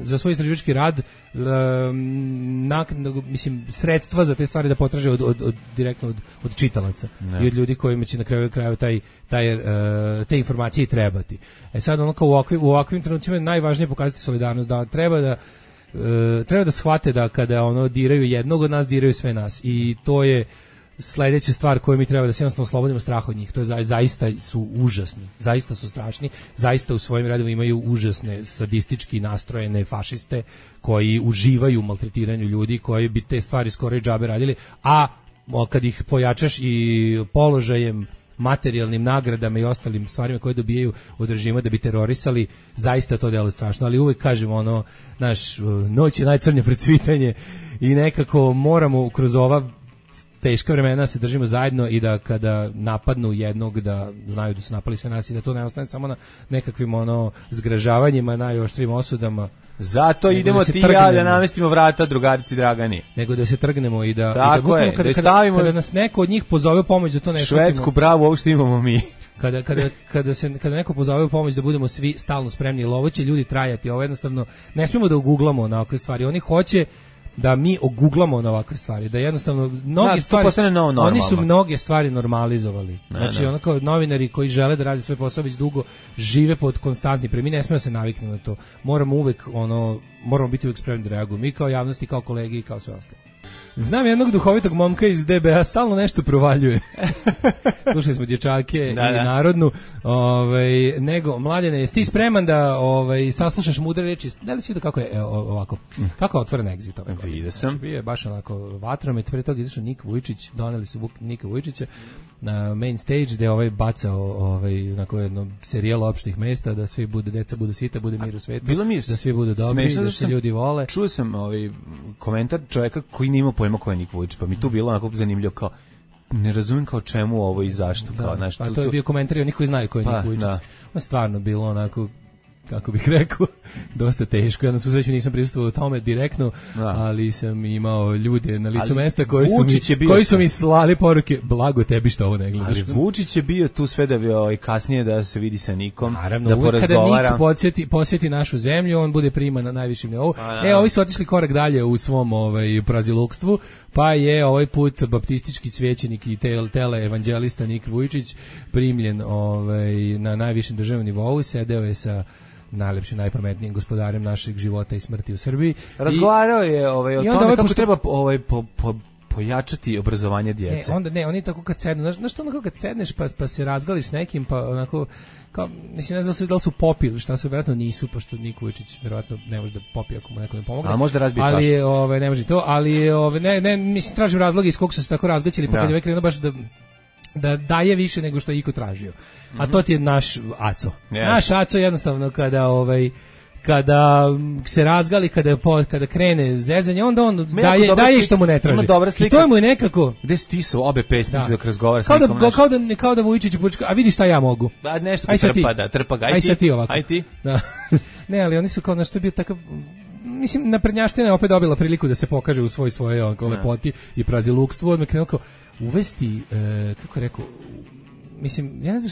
za svoj istraživački rad mislim sredstva za te stvari da potraže direktno od čitalaca i od ljudi kojima će na kraju te informacije trebati. Sad ono kao u ovakvim trenucima je najvažnije pokazati solidarnost, da treba da shvate da kada ono diraju jednog od nas, diraju sve nas, i to je sledeća stvar koju mi treba da se jednostavno oslobodimo straha od njih. To je zaista su užasni, zaista su strašni, zaista u svojim redovima imaju užasne sadistički nastrojene fašiste koji uživaju u maltretiranju ljudi, koji bi te stvari skoro i džabe radili, a kad ih pojačaš i položajem, materijalnim nagradama i ostalim stvarima koje dobijaju od režima da bi terorisali, zaista to delo strašno, ali uvek kažemo ono, naš noć je najcrnje precvitanje i nekako moramo kroz ova teška vremena se držimo zajedno i da kada napadnu jednog da znaju da su napali sve nas i da to ne ostane samo na nekakvim ono zgražavanjima, najoštrijim osudama. Zato idemo ti ja da namestimo vrata drugarici Dragani. Nego da se trgnemo i da tako i da kada nas neko od njih pozove u pomoć da to ne švedsku bravu, ovo što imamo mi. Kada neko pozove u pomoć da budemo svi stalno spremni, jer ovo će ljudi trajati, ovo jednostavno ne smijemo da uguglamo na ovakve stvari. Oni hoće da mi oguglamo na ovakve stvari, da jednostavno mnoge stvari, oni su mnoge stvari normalizovali. Znači ono kao novinari koji žele da rade svoj posao već dugo žive pod konstantnim mi ne smijemo se naviknuti na to. Moramo biti uvek spremni da reagujemo, mi kao javnost i kao kolege i kao sve ostalo. Znam jednog duhovitog momka iz DBA, stalno nešto provaljuje. Slušali smo dječake i narodnu. Nego, Mladene, jesi ti spreman da saslušaš mudre reči? Da li si vidio kako je ovako? Kako je otvoren exit? Vidio sam. Bio je baš onako vatromet, pre toga izašao Nik Vujčić, doneli su Nika Vujčića na main stage gde bacao onako jedno serijalo opštih mesta da svi deca budu sita, bude mir u svetu, da svi budu dobri, da se ljudi vole. Čuo sam komentar čovjeka koji nije imao pojma ko je Nik Vujčić, pa mi tu bilo onako zanimljivo kao ne razumem kao čemu ovo i zašto. Pa to je bio komentar i onih koji znaju ko je Nik Vujčić. On stvarno bilo onako, kako bih rekao, dosta teško. Ja na svu sreću nisam prisustvovao tome direktno, ali sam imao ljude na licu mesta koji su mi slali poruke, blago tebi što ovo ne gledaš. Ali Vučić je bio tu sve da bi kasnije da se vidi sa Nikom, naravno, da porazgovara. Kada Nik posjeti našu zemlju, on bude priman na najvišim nivou. Ovi su otišli korak dalje u svom prazilukstvu, pa je ovaj put baptistički svećenik i teleevanđelista Nik Vujčić primljen na najvišem državnom nivou, sedeo je sa najlepšim, najpametnijim gospodarem našeg života i smrti u Srbiji. Razgovarao je o tome kako treba pojačati obrazovanje djece. Oni tako kad sednu, znaš to onako kad sedneš pa se razgališ s nekim, pa onako, kao, mislim, ne znam da li su popili, šta su, vjerojatno nisu, pošto Niko Vujčić vjerojatno ne može da popije ako mu neko ne pomogne. A može da razbije čašu. Ali ne može to, ali mislim, tražim razloge iz kog su se tako razgaćili, pa kad je krenuo baš da daje više nego što je iko tražio. A to ti je naš Aco. Naš Aco jednostavno kada se razgali, kada krene zezanje, onda on daje što mu ne traži. I to mu je nekako... Gde stisu obe pesnice dok razgovara s nekom kao da Vujčić počka, a vidi šta ja mogu. Nešto trpa ga. Aj sad ti ovako. Aj ti. Ne, ali oni su kao nešto bio takav... Mislim, naprednjaština je opet dobila priliku da se pokaže u svoje lepoti i prazilukstvu. Odmah krenuo kao uvesti, kako je rekao, mislim, ja ne znam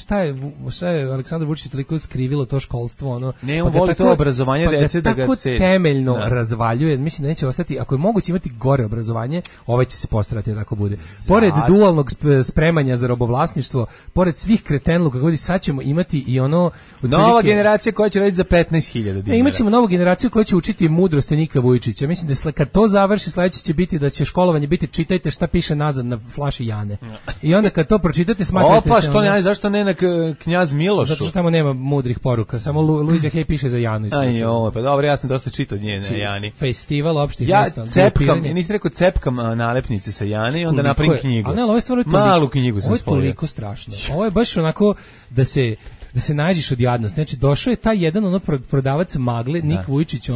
šta je Aleksandar Vučić toliko skrivilo to školstvo, ono. Ne, on voli to obrazovanje dece da ga tako temeljno razvaljuje. Mislim da neće ostati, ako je moguće imati gore obrazovanje, će se postarati da tako bude. Pored dualnog spremanja za robovlasništvo, pored svih kretenluka kako sad ćemo imati i ono nova generacija koja će raditi za 15.000 dinara. Imaćemo novu generaciju koja će učiti mudrost Nika Vujčića. Mislim da kad to završi, sledeće će biti da će školovanje biti čitajte šta piše nazad na flaši Jane. I onda kad to pročitate, smatrate se zašto ne na Knjaz Milošu? Zato što tamo nema mudrih poruka, samo Luiza Hay piše za Janu. Pa dobro, ja sam dosta čitao nje na Jani. Festival opštih mesta. Ja cepkam, nisi rekao cepkam nalepnice sa Jane i onda napravim knjigu. Ali ovo je stvarno malu knjigu sam spojio. Ovo je toliko strašno. Ovo je baš onako da se nađeš od jadnosti. Znači, došao je taj jedan prodavac magle, Nik Vujčić,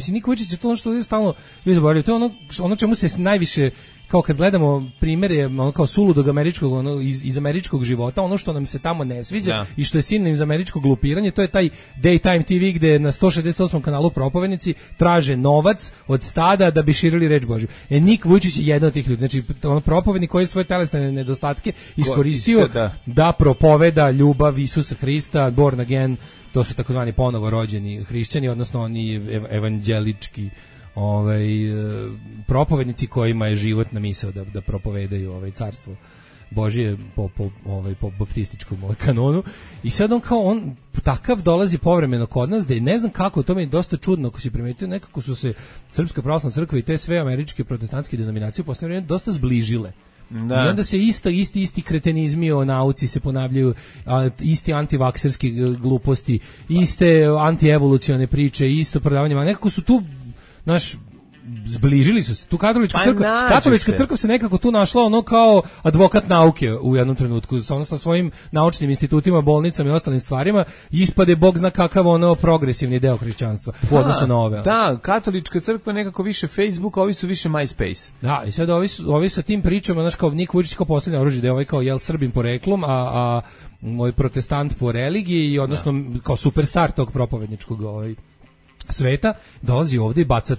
Nik Vujčić je to ono što je stalno zaboravljaju, to je ono čemu se najviše kao kad gledamo primere ono kao suludog američkog, ono iz američkog života, ono što nam se tamo ne sviđa i što je sinonim za američko glupiranje, to je taj Daytime TV gde na 168. kanalu propovednici traže novac od stada da bi širili reč Božju. Nik Vujčić je jedan od tih ljudi. Znači, ono propovednik koji je svoje telesne nedostatke iskoristio da propoveda ljubav Isusa Hrista, born again, to su takozvani ponovo rođeni hrišćani, odnosno oni evanđelički propovednici kojima je životna misao da propovedaju carstvo Božije po baptističkom kanonu. I sad on takav dolazi povremeno kod nas, da je ne znam kako, to mi je dosta čudno ako si primetio, nekako su se Srpska pravoslavna crkva i te sve američke protestantske denominacije u poslednje vreme dosta zbližile. I onda se isti kretenizmi o nauci se ponavljaju, isti antivakserski gluposti, iste antievolucione priče, isto prodavanje, nekako su tu zbližili su se. Tu katolička crkva se nekako tu našla ono kao advokat nauke u jednom trenutku, sa svojim naučnim institutima, bolnicama i ostalim stvarima, ispade bog zna kakav ono progresivni deo hrišćanstva u odnosu na ove. Da, katolička crkva nekako više Facebook, a ovi su više MySpace. Da, i sad ovi sa tim pričama, znaš, kao Nik Vujčić kao poslednje oružje, da je ovaj kao Srbin poreklom, a moj protestant po religiji i odnosno kao superstar tog propovedničkog sveta, dolazi ovde i baca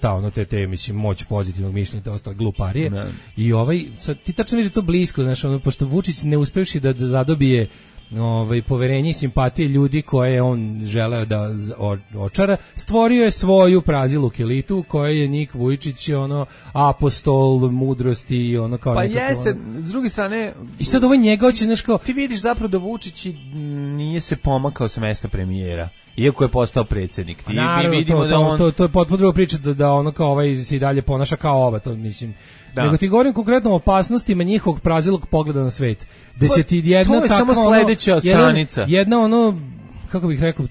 te mislim, moć pozitivnog mišljenja, te ostale gluparije. I sad, ti tačno vidiš to blisko, znaš, pošto Vučić ne uspevši da zadobije poverenje i simpatije ljudi koje on želeo da očara, stvorio je svoju praziluk elitu koja je Nik Vujčić apostol mudrosti kao pa nekako. Pa jeste, s druge strane i sad njega hoće nešto. Ti vidiš zapravo da Vučić nije se pomakao sa mesta premijera, iako je postao predsjednik. Naravno, vidimo to je potpuno druga priča da kao se i dalje ponaša kao ova, to mislim. Nego ti govorim konkretno o opasnostima njihovog prazilog pogleda na svet. Da će ti jedna takva samo sledeća stranica. Jedna kako bih rekao,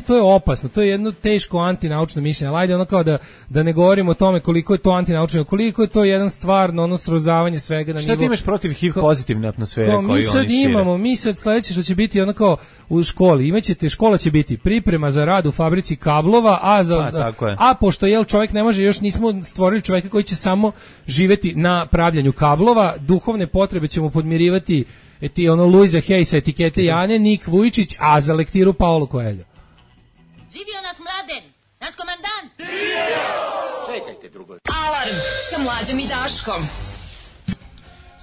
to je opasno, to je jedno teško antinaučno mišljenje. Ajde kao da ne govorimo o tome koliko je to antinaučno, koliko je to jedan stvarno srozavanje svega na nivo. Šta ti imaš protiv HIV pozitivne atmosfere koju oni šire? Mi sad sledeće što će biti kao u školi, škola će biti priprema za rad u fabrici kablova, a pošto čovjek ne može, još nismo stvorili čovjeka koji će samo živeti na pravljanju kablova, duhovne potrebe ćemo podmirivati Luisa Hayesa etikete Jane, Nik Vujčić, a za lektiru Paolo Coelho. Živio naš Mladen, naš komandant! Čekajte drugo. Alarm sa Mlađom i Daškom.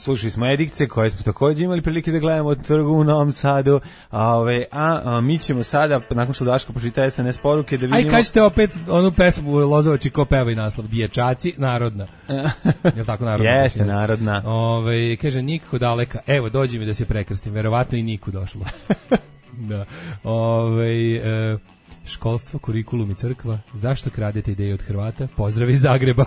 Slušali smo Edikce koje smo također imali prilike da gledamo od trgu u Novom Sadu, a mi ćemo sada, nakon što Daško pročita SNS poruke, da vidimo... Aj, kažete opet onu pesmu Lozovači ko peva i naslov, Dječaci, narodna. Je tako narodna? Jeste, narodna. Kaže, nikako daleka, evo, dođi mi da se prekrstim, verovatno i Niku došlo. Da. Školstvo, kurikulum i crkva, zašto kradete ideje od Hrvata? Pozdrav iz Zagreba.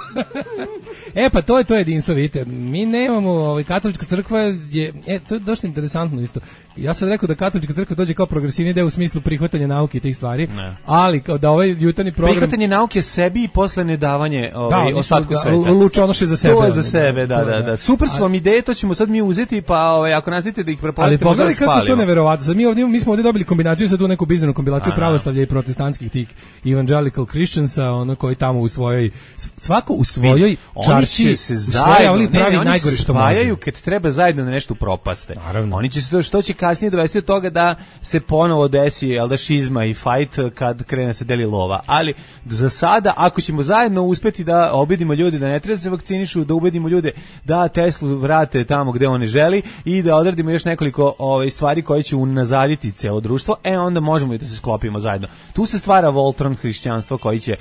Pa to je jedinstvo, vidite. Mi nemamo, katolička crkva je, to je dosta interesantno isto. Ja sam rekao da katolička crkva dođe kao progresivni deo u smislu prihvatanja nauke i tih stvari, ali kao da ovaj jutarnji program... Prihvatanje nauke sebi i posle nedavanje ostatku sveta. Lučonoše za sebe. To je za sebe, da. Super su vam ideje, to ćemo sad mi uzeti, pa ako nastavite da ih prepoznate, možda spalimo. Ali pogledaj kako to neverovatno. Sad mi smo ovdje dobili kombinaciju, sad tu neku bizarnu kombinaciju pravoslavlja i protestantskih tih evangelical Christiansa, koji tamo u svojoj, svako u svojoj čarši, se zajedno, oni spajaju kad treba zajedno na nešto propaste. Naravno. Oni će se što će kasnije dovesti od toga da se ponovo desi šizma i fight kad krene se deli lova. Ali za sada, ako ćemo zajedno uspeti da obedimo ljude da ne treba se vakcinišu, da ubedimo ljude da Teslu vrate tamo gde oni želi i da odradimo još nekoliko stvari koje će unazaditi celo društvo, onda možemo i da se sklopimo zajedno. Tu se stvara Voltron hrišćanstvo koji će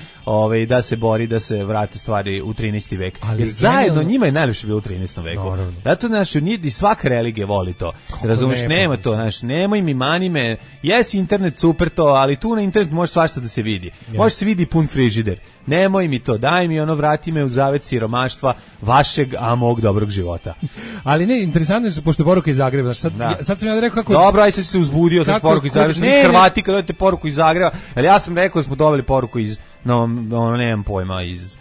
da se bori da se vrate stvari u 13. vek. Jer zajedno njima je najlepše bilo u 13. veku. Zato i svaka religija voli to. Razumeš, nema to, nemoj mi, mani me. Jesi internet super to, ali tu na internet može svašta da se vidi. Može se vidi pun frižider. Nemoj mi to, daj mi vrati me u zavet siromaštva vašeg, a mog dobrog života. Ali ne, interesantno je, pošto je poruka iz Zagreba. Sad sam ja rekao kako... Dobro, aj se uzbudio sa poruku iz Zagreba. Hrvati kad dojete poruku iz Zagreba, ali ja sam rekao da smo dobili poruku iz, nemam pojma, iz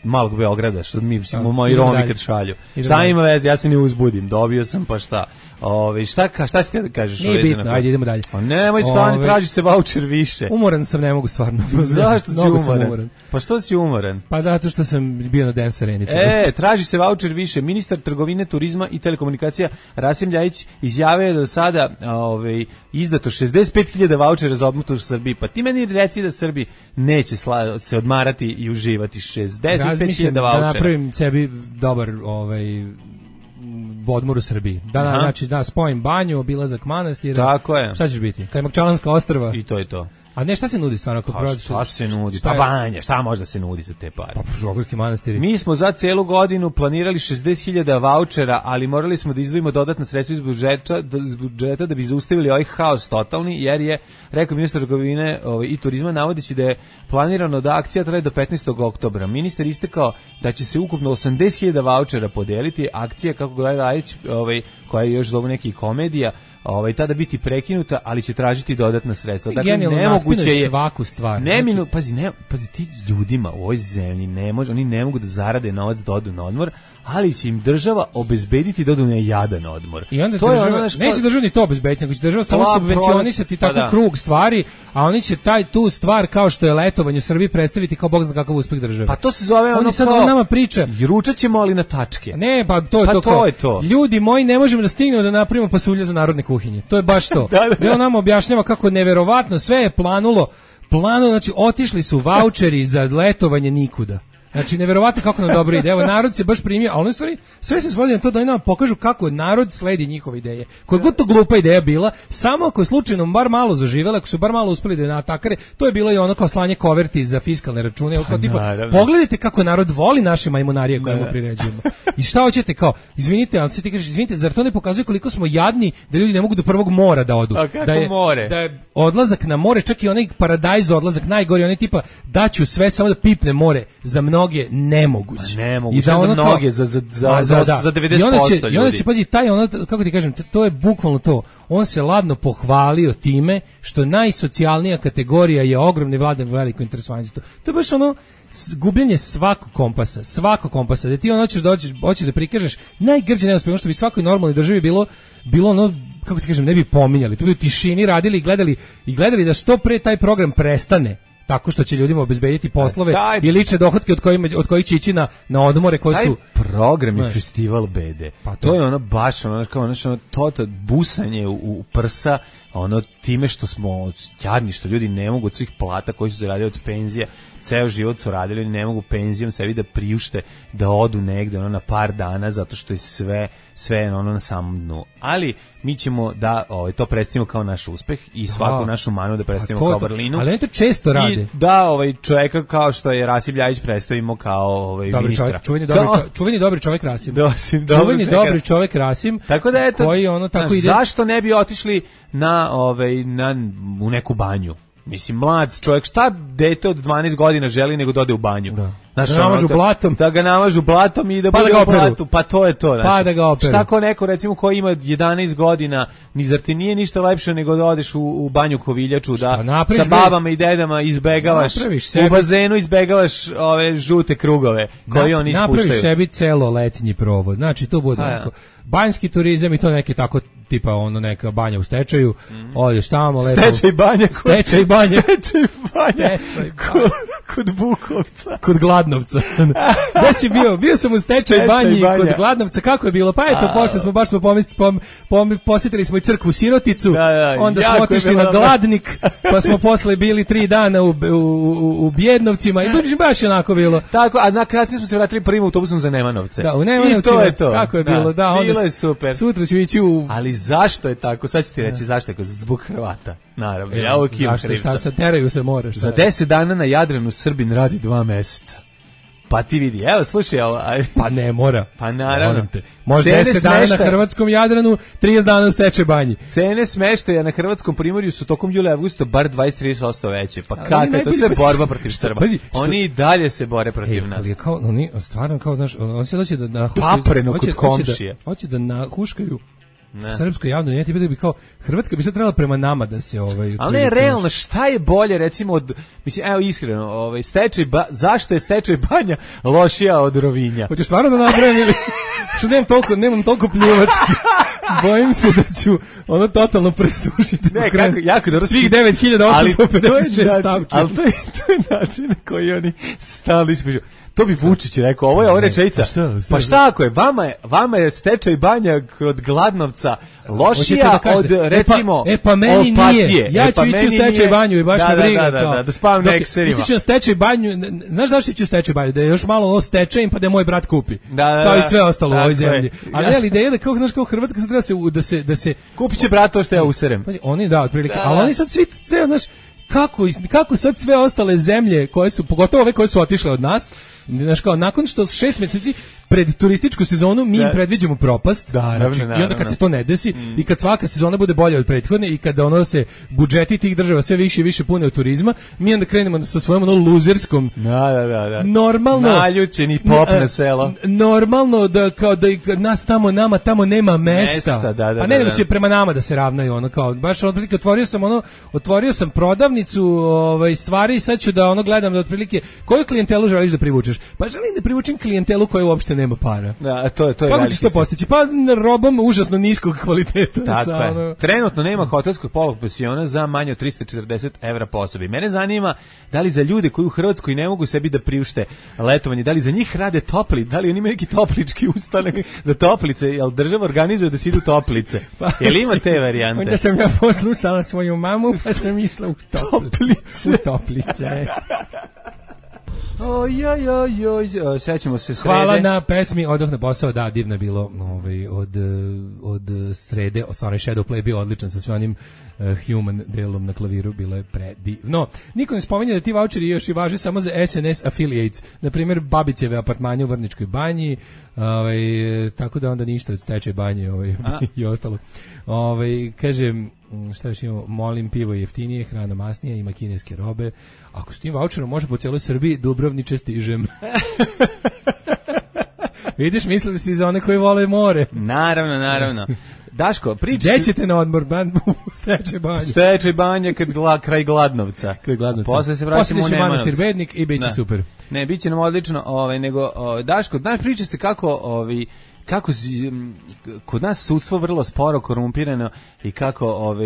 malog Beograda, što mi moji Romi kad šalju. Šta ima veze, ja se ne uzbudim, dobio sam, pa šta? Šta si ti da kažeš? Nije bitno, ajde idemo dalje. Pa nemoj stvarno, traži se vaučer više. Umoran sam, ne mogu stvarno. Zašto si umoran? Pa što si umoran? Pa zato što sam bio na dance arenici. Traži se vaučer više. Ministar trgovine, turizma i telekomunikacija Rasim Ljajić izjavio da do sada izdato 65.000 vaučera za odmor u Srbiji. Pa ti meni reci da Srbi neće se odmarati i uživati 65.000 vaučera. Da napravim sebi dobar odmor u Srbiji. Znači da spojim banju, obilazak manastira. Tako je. Šta ćeš biti? Kajmakčalanska ostrva. I to je to. A ne, šta se nudi stvarno? Šta se nudi? Pa banja, šta može da se nudi za te pare? Pa Prošlogorski manastiri. Mi smo za celu godinu planirali 60.000 vaučera, ali morali smo da izdvojimo dodatna sredstva iz budžeta da bi zaustavili ovaj haos totalni, jer je, rekao ministar trgovine i turizma, navodeći da je planirano da akcija traje do 15. oktobra. Ministar istakao da će se ukupno 80.000 vaučera podeliti. Akcija, kako gleda Rajić, koja je još zovu neki komedija, tada biti prekinuta, ali će tražiti dodatna sredstva. Dakle, nemoguće je svaku stvar. Pazi, ti ljudima u ovoj zemlji oni ne mogu da zarade novac da odu na odmor, ali će im država obezbediti da odu na jadan odmor. I onda neće država ni to obezbediti, nego će država samo subvencionisati tako krug stvari, a oni će tu stvar kao što je letovanje u Srbiji predstaviti kao bog zna kakav uspeh države. Pa to se zove oni sad kao nama priča. Ručat ćemo ali na tačke. Ne, pa to je to. Ljudi moji, ne možemo da stignemo da napravimo pasulja za narodne kuhinje. To je baš to. On nam objašnjava kako neverovatno sve je planulo, znači otišli su vaučeri za letovanje nikuda. Znači, neverovatno kako nam dobro ide. Evo, narod se baš primio, ali u stvari sve se svodi na to da oni nam pokažu kako narod sledi njihove ideje. Koja god to glupa ideja bila, samo ako je slučajno bar malo zaživela, ako su bar malo uspeli da je natakare, to je bilo i ono kao slanje koverti za fiskalne račune. Kao tipa, pogledajte kako narod voli naše majmunarije koje mu priređujemo. I šta hoćete kao, izvinite, ali ti kažeš, izvinite, zar to ne pokazuje koliko smo jadni da ljudi ne mogu do prvog mora da odu? Da je odlazak na more, čak i onaj paradajz odlazak najgori, onaj tipa daću sve samo da pipne more za mnoge nemoguće. I da ono za mnoge, za 90% ljudi. I onda će, pazi, kako ti kažem, to je bukvalno to. On se ladno pohvalio time što najsocijalnija kategorija je ogromni vladan veliko interesovanje. To je baš ono gubljenje svakog kompasa. Da ti hoćeš da prikažeš najgrđe neuspjeh, što bi svakoj normalnoj državi bilo ono, kako ti kažem, ne bi pominjali. To bi u tišini radili i gledali da što pre taj program prestane. Tako što će ljudima obezbediti poslove i lične dohotke od kojih će ići na odmore koji su... Taj program je festival bede. Pa to je ono baš, ono busanje u prsa, ono time što smo jadni, što ljudi ne mogu od svih plata koji su zaradili od penzija, ceo život su radili, oni ne mogu penzijom sebi da priušte da odu negde na par dana, zato što je sve na samom dnu. Ali mi ćemo da to predstavimo kao naš uspeh i svaku našu manu da predstavimo kao vrlinu. Ali oni to često rade. I da čovjeka kao što je Rasim Ljajić predstavimo kao ministra. Čuveni dobri čovjek Rasim. Čuveni dobri čovjek Rasim. Tako da eto, koji tako ide. Zašto ne bi otišli u neku banju? Mislim, mlad čovjek, šta dete od 12 godina želi nego da ode u banju? Da ga namažu blatom. Da ga namažu blatom i da bude u blatu. Pa to je to. Pa da ga operu. Šta ko neko, recimo, ko ima 11 godina, zar ti nije ništa lepše nego da odeš u banju Koviljaču, da sa babama i dedama izbegavaš, u bazenu izbegavaš ove žute krugove koje oni ispuštaju. Napraviš sebi celo letnji provod. Znači, to bude banjski turizam i to neki tako tipa neka banja u stečaju, odeš tamo lepo. Stečaj banja. Kod Bukovca. Kod Gladnovca. Gde si bio? Bio sam u stečaj banji kod Gladnovca. Kako je bilo? Pa eto, pošli smo, baš smo posjetili smo i crkvu Siroticu, onda smo otišli na Gladnik, pa smo posle bili 3 dana u Bjednovcima i baš je onako bilo. Tako, a na kasnije smo se vratili prvim autobusom za Nemanovce. Da, u Nemanovcima. I to je to. Kako je bilo? Da, bilo je super. Sutra ću ići u... Ali zašto je tako? Sad ću ti reći zašto je, zbog Hrvata. Naravno, ja uvijek imam krivca. Šta se teraju se moraš. Za 10 dana na Jadranu Srbin radi 2 meseca. Pa ti vidi, evo slušaj ovo. Pa ne mora. Pa naravno. Može 10 dana na hrvatskom Jadranu, 30 dana u stečaj banji. Cene smeštaja na hrvatskom primorju su tokom jula i avgusta bar 20-30% veće. Pa kako je to sve borba protiv Srba? Oni i dalje se bore protiv nas. Ali kao, oni stvarno kao, znaš, on se doći da nahuškaju. Papreno kod komšije. Hoće da nahuškaju srpskoj javnoj njeti bi kao Hrvatska bi sad trebala prema nama da se ali ne, realno, šta je bolje recimo od, mislim, evo iskreno, zašto je stečaj banja lošija od Rovinja? Hoćeš stvarno da napravim ili što nemam toliko pljuvački. Bojim se da ću ono totalno presušiti. Ne, jako dobro. Svih 9856 stavki. Ali to je način na koji oni stali ispričaju. To bi Vučić rekao, ovo je rečenica. Pa šta ako je, vama je stečaj banja kod Gladnovca lošija od, recimo, pa meni Opatije. Nije. Ja ću ići u stečaj banju i baš me briga. Da spavam na ekserima. Ići ću na stečaj banju, znaš zašto ću u stečaj banju? Da je još malo stečajem pa da je moj brat kupi. Kao i sve ostalo u ovoj zemlji. Ali ideja da kao Hrvatska sad treba da se kupit će brat to što ja userem. Oni otprilike, ali oni sad svi, znaš, kako sad sve ostale zemlje koje su, pogotovo ove koje su otišle od nas, znaš kao, nakon što 6 mjeseci pred turističku sezonu mi im predviđamo propast, znači, i onda kad se to ne desi i kad svaka sezona bude bolja od prethodne i kada ono se budžeti tih država sve više i više pune od turizma, mi onda krenemo sa svojom luzerskom normalno naljučeni pop na selo, normalno da kao da nas nama tamo nema mesta, pa ne nego će prema nama da se ravnaju, ono kao baš otprilike otvorio sam prodavnicu stvari i sad ću da gledam da otprilike koju klijentelu želiš da privučeš, pa želim da privučem klijentelu koja uopšte nema para. Da, to je kako ćeš to postići? Pa robom užasno niskog kvaliteta. Tako trenutno nema hotelskog polupensiona za manje od 340 € po osobi. Mene zanima da li za ljude koji u Hrvatskoj ne mogu sebi da priušte letovanje, da li za njih rade topli, da li oni imaju neki toplički ustanak da toplice, jel država organizuje da se idu toplice? Jel ima te varijante? Onda sam ja poslušala svoju mamu pa sam išla u toplice. Sećamo se srede. Hvala na pesmi Odoh na posao, da, divno je bilo od srede, stvarno Shadow Play bio odličan sa sve onim human delom na klaviru, bilo je predivno. Niko ne spominje da ti voucheri još i važe samo za SNS affiliates, na primjer Babićeve apartmanje u Vrničkoj banji, tako da onda ništa od stečaj banje i ostalo. Kažem, šta još imamo, molim, pivo je jeftinije, hrana masnija, ima kineske robe. Ako s tim voucherom može po cijeloj Srbiji, Dubrovniče stižem. Vidiš, mislili si za one koji vole more. Naravno. Daško, priča. Gde ćete na odmor, u stečaj banju? Stečaj banja kraj Gladnovca. Posle se vraćamo u Nemanovcu. Manastir Bednik i bit će super. Ne, bit će nam odlično, nego Daško, znaš, priča se kako kod nas sudstvo vrlo sporo, korumpirano i kako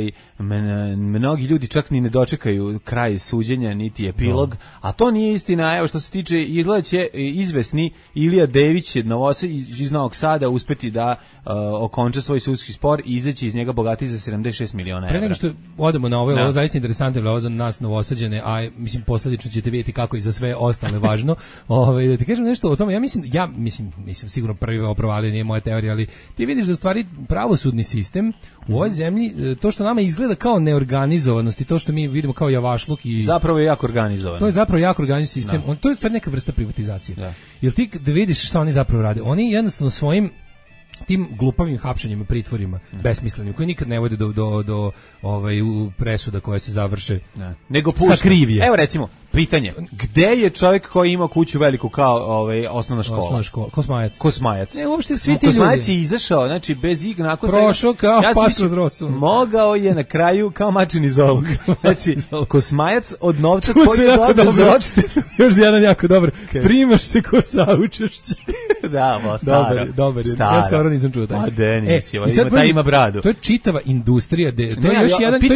mnogi ljudi čak ni ne dočekaju kraj suđenja niti epilog, a to nije istina. Evo što se tiče, izgleda će izvesni Ilija Dević iz Novog Sada uspeti da okonča svoj sudski spor i izaći iz njega bogati za 76 miliona evra. Pre nego što odemo na ovo zaista interesantno je ovo za nas Novosađane, a mislim posledično ćete vidjeti kako i za sve ostale važno. Da ti kažem nešto o tome, ja mislim sigurno prvi oprovalio, nije moja teorija, ali ti vidiš da u stvari pravosudni sistem u ovoj zemlji, to što nama izgleda kao neorganizovanost i to što mi vidimo kao javašluk i zapravo je jako organizovan. To je zapravo jako organizovan sistem. To je stvar neka vrsta privatizacije. Jer ti da vidiš šta oni zapravo rade. Oni jednostavno svojim tim glupavim hapšenjima, pritvorima, besmislenim, koji nikad ne vode do presuda koje se završe nego sa krivije. Evo recimo, pitanje, gde je čovjek koji ima kuću veliku kao osnovna škola? Kosmajac. Ne, uopšte svi ti ljudi. Kosmajac je izašao, znači bez ignako prošao kao pas kroz rocu. Mogao je na kraju kao mačin iz ovog. Znači, Kosmajac od novca koji je dobio za odštetu. Još jedan jako dobar. Primaš se ko saučešće. Da, staro. Dobar. Ja skoro nisam čuo taj. A Denis, ima bradu. To je čitava industrija. To je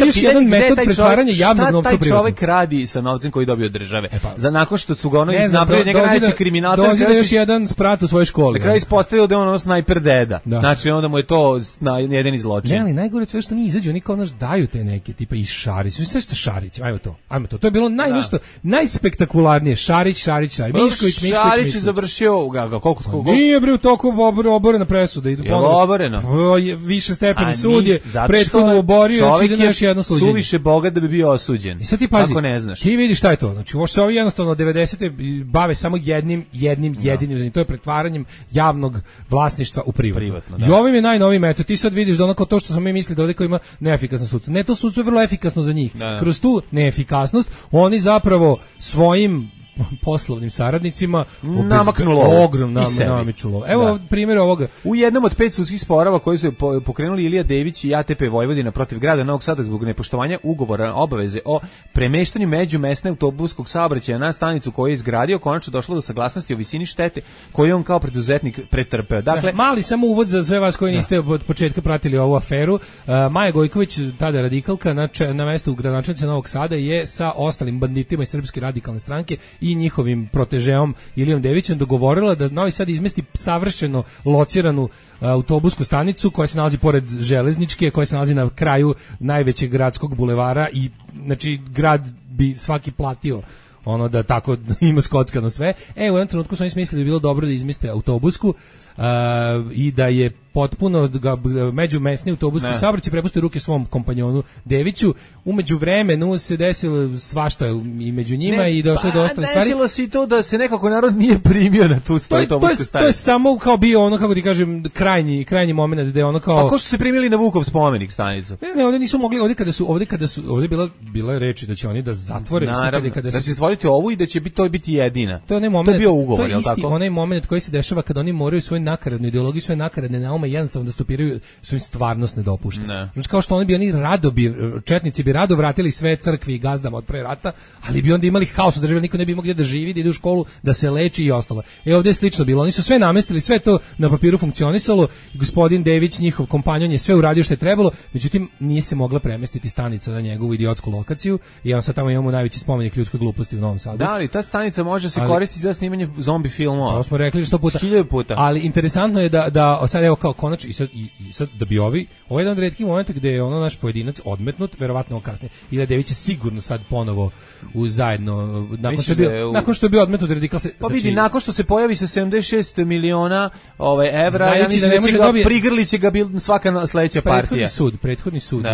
još jedan metod pretvaranja javnog novca u privatno. Šta taj čovek radi sa novcem koji dobio od države? Nakon što su ga napravili njega najveći kriminalca. Dozi da još jedan sprat u svojoj školi. Na kraju ispostavilo da je on snajper deda. Znači onda mu je to jedan zločin. Ne, ali najgore sve što mi izađu, oni kao daju te neke, tipa i Šarić. Sve što Šarić, ajmo to. To je bilo najspektakularnije. Šarić. Mišković. Šarić je završio, koliko? Nije bre u toku oborena presuda. Je oboreno? Više stepeni sud je prethodno oborio, ide na još jedno suđenje. Suviše bogat da bi bio osuđen. I sad ti pazi, kako ne znaš? ti vidiš šta je to. Znači, ovo se ovi jednostavno 90. bave samo jedinim, to je pretvaranjem javnog vlasništva u privatno. I ovim je najnoviji metod. Ti sad vidiš da ono kao to što smo mi mislili da ovdje koji ima neefikasno sudstvo. Ne, to sudstvo je vrlo efikasno za njih. Kroz tu neefikasnost oni zapravo svojim poslovnim saradnicima namaknulo ogromno namičulo. Evo primjer ovoga. U jednom od 5 sudskih sporova koji su pokrenuli Ilija Dević i ATP Vojvodina protiv grada Novog Sada zbog nepoštovanja ugovora obaveze o premeštanju međumesne autobuskog saobraćaja na stanicu koju je izgradio, konačno došlo do saglasnosti o visini štete koju on kao preduzetnik pretrpeo. Dakle, mali samo uvod za sve vas koji niste od početka pratili ovu aferu. Maja Gojković, tada radikalka, na mestu gradonačelnice Novog Sada je sa ostalim banditima iz Srpske radikalne stranke i njihovim protežeom Ilijom Devićem dogovorila da Novi Sad izmesti savršeno lociranu autobusku stanicu koja se nalazi pored železničke, koja se nalazi na kraju najvećeg gradskog bulevara i znači grad bi svaki platio ono da tako ima skockano sve. U jednom trenutku su oni smislili da bi bilo dobro da izmeste autobusku i da je potpuno međumesni autobuski saobraćaj prepustio ruke svom kompanjonu Deviću. Umeđu vremenu se desilo svašta i među njima i došlo do ostalih stvari. Desilo se i to da se nekako narod nije primio na tu autobusku stanicu. To je samo kao bio ono, kako ti kažem, krajnji moment gde ono kao... Pa ko su se primili na Vukov spomenik stanicu? Ne, ovdje nisu mogli, ovdje bila reči da će oni da zatvore. Naravno, da će zatvoriti ovu i da će to biti jedina. To je bio ugovor, je li tako? To je isti onaj moment koji se dešava kada oni moraju svoju nakaradnu ideologiju, svoje nakaradne naume jednostavno da stopiraju, su im stvarnost ne dopušta. Znači kao što oni četnici bi rado vratili sve crkvi i gazdama od pre rata, ali bi onda imali haos u državi, niko ne bi mogli da živi, da ide u školu, da se leči i ostalo. Ovdje je slično bilo. Oni su sve namestili, sve to na papiru funkcionisalo, gospodin Dević, njihov kompanjon, je sve uradio što je trebalo, međutim nije se mogla premestiti stanica na njegovu idiotsku lokaciju i on sad tamo imamo najveći spomenik ljudskoj gluposti u Novom Sadu. Da, ali ta stanica može se koristiti za snimanje zombi filmova. To smo rekli 100 puta. 1000 puta. Ali interesantno je da sad evo kao konačno i sad da bi ovo je jedan od retkih momenta gde je ono naš pojedinac odmetnut, verovatno kasnije. Ilija Dević je sigurno sad ponovo zajedno nakon što je bio odmetnut radikal se. Pa vidi, nakon što se pojavi sa 76 miliona evra, ja mislim da će ga prigrlit će ga svaka sledeća partija. Prethodni sud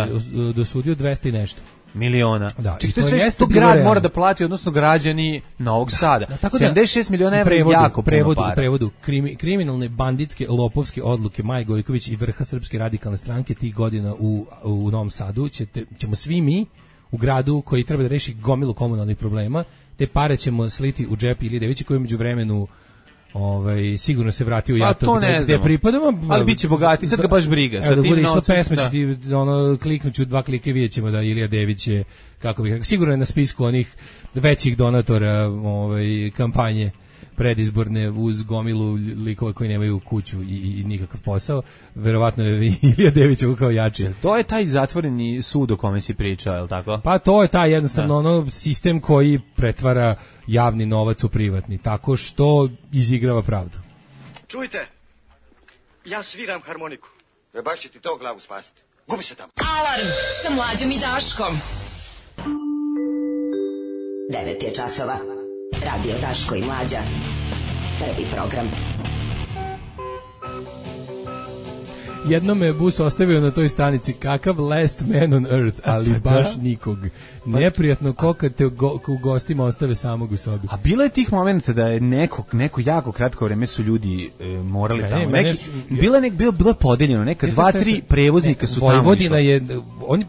dosudio 200 i nešto miliona. Da, čekaj, to je sve što grad mora da plati, odnosno građani Novog Sada. 76 miliona evra je jako puno para. U prevodu, kriminalne, banditske, lopovske odluke Maje Gojković i vrha Srpske radikalne stranke tih godina u Novom Sadu ćemo svi mi u gradu koji treba da reši gomilu komunalnih problema, te pare ćemo sliti u džep Ilije Devića koji je među vremenu sigurno se vratio jato gde pripadamo, ali biće bogati, sad ga baš briga. Da bude išlo pesma, kliknuću 2 klike, vidjet ćemo da Ilija Dević je, kako bih rekao, sigurno je na spisku onih većih donatora kampanje predizborne uz gomilu likova koji nemaju kuću i nikakav posao. Verovatno je Ilija Dević kao jači. To je taj zatvoreni sud o kome si pričao, je li tako? Pa to je taj jednostavno sistem koji pretvara javni novac u privatni, tako što izigrava pravdu. Čujte, ja sviram harmoniku. Baš će ti to glavu spasiti. Gubi se tamo. Alarm sa Mlađom i Daškom. 9 je časova. Radio Daško i Mlađa. Prvi program. Jednom me bus ostavio na toj stanici, kakav last man on earth, ali baš nikog. Neprijatno ko kad te u gostima ostave samog u sobi. A bilo je tih momenta da je neko jako kratko vreme su ljudi morali tamo. Bilo je podeljeno, neka 2-3 prevoznika su tamo. Vojvodina je,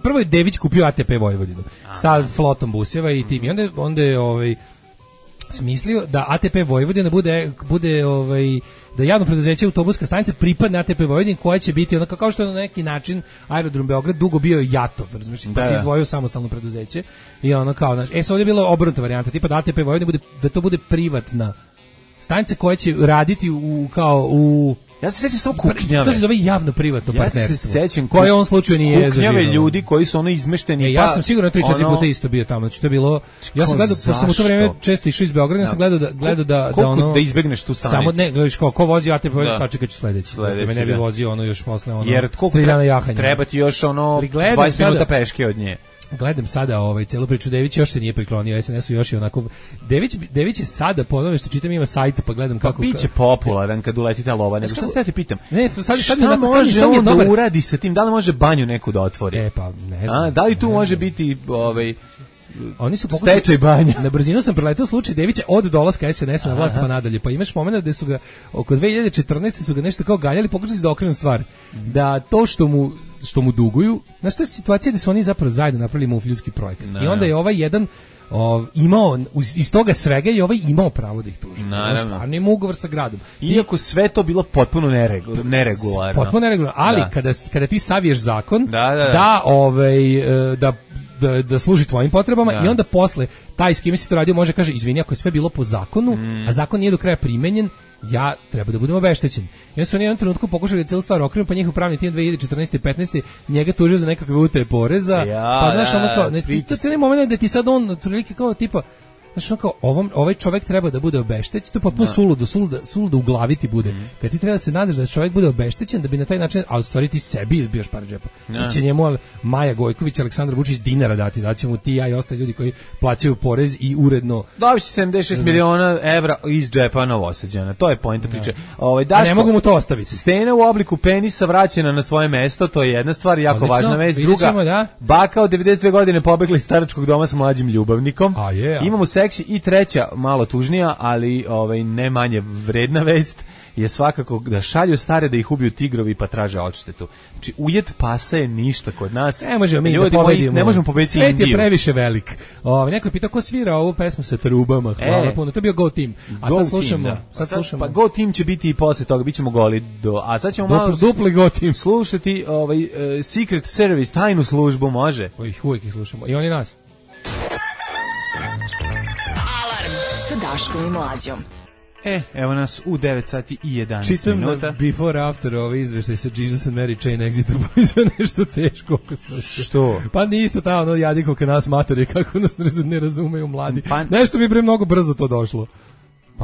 prvo je Dević kupio ATP Vojvodinu sa flotom buseva i tim. I onda je smislio da ATP Vojvodina bude da javno preduzeće autobuska stanica pripadne ATP Vojvodini koja će biti onako kao što je na neki način Aerodrom Beograd dugo bio JATO, razumiješ, pa se izdvojio samostalno preduzeće i ono kao sad je bilo obrnuta varijanta, tipa da ATP Vojvodina da to bude privatna stanica koja će raditi u ja se sećam samo kuknjave. To se zove javno privatno partnerstvo. Ja se sećam koje on slučaju nije zaživio. Kuknjave ljudi koji su izmešteni. Ja sam sigurno 3-4 puta isto bio tamo. Znači to je bilo. Ja sam gledao, pošto sam u to vreme često išao iz Beograda, sam gledao da izbegneš tu stanicu. Samo ne, gledaš ko vozi ATP, sačekaću sledeći. Da me ne bi vozio još posle jer koliko treba ti još 20 minuta peške od nje. Gledam sada celu priču, Dević još se nije priklonio SNS-u, još je onako Dević je sada, po onome što čitam, ima sajt, pa gledam kako biće popularan kad uleti ta lova. Nego šta se ja te pitam? Ne, šta može on da uradi sa tim? Da li može banju neku da otvori? Pa ne znam. Da li tu može biti oni su stečaj banja. Na brzinu sam preletao slučaj Devića od dolaska SNS na vlast pa nadalje. Pa imaš momenat da su ga oko 2014 su ga nešto kao ganjali, pokušali da okrenu stvar. Da to što mu duguju, znaš, to je situacija da su oni zapravo zajedno napravili mufljudski projekat. I onda je ovaj jedan imao iz toga svega i ovaj imao pravo da ih tuži. Stvarno ima ugovor sa gradom. Iako sve to bilo potpuno neregularno. Potpuno neregularno, ali kada ti saviješ zakon da služi tvojim potrebama i onda posle taj s kime si to radio može kaže izvini ako je sve bilo po zakonu, a zakon nije do kraja primenjen, ja treba da budem obeštećen. I onda su oni u jednom trenutku pokušali celu stvar okrenu, pa njihov pravni tim 2014. i 15. njega tužio za nekakve utaje poreza, pa znaš ono kao, to je moment da ti sad on otprilike kao tipa, znaš, kao, ovaj čovjek treba da bude obeštećen, to je potpuno suludo u glavi ti bude. Kad ti treba da se nadaš da čovjek bude obeštećen, da bi na taj način, ali u stvari ti sebi izbijaš par džepa. I će njemu Maja Gojković, Aleksandar Vučić dinara dati, daće mu ti, ja i ostali ljudi koji plaćaju porez i uredno. Dobit će 76 miliona evra iz džepa Novosađana, to je poenta priče. A ne mogu mu to ostaviti. Stena u obliku penisa vraćena na svoje mesto, to je jedna stvar, jako važna vest. Druga, baka od 92 godine pobegla iz staračkog doma sa mlađim ljubavnikom. Imamo seksi i treća, malo tužnija, ali ne manje vredna vest je svakako da šalju stare da ih ubiju tigrovi pa traže odštetu. Znači, ujet pasa je ništa kod nas. Ne možemo mi da pobedimo. Ne možemo pobediti Indiju. Svet je previše velik. Neko je pitao ko svira ovu pesmu sa trubama. Hvala puno. To je bio Go Team. A sad slušamo. Pa Go Team će biti i posle toga. Bićemo goli a sad ćemo malo dupli Go Team slušati Secret Service, tajnu službu, može. Uvijek ih slušamo. I oni nas. Daškom i Mlađom. Evo nas u 9 sati i 11 minuta. Čitam before after izveštaj sa Jesus and Mary Chain Exitu, pa izve nešto teško. Što? Pa nisto ta jadiko ka nas matori, kako nas ne razumeju mladi. Nešto mi bre mnogo brzo to došlo.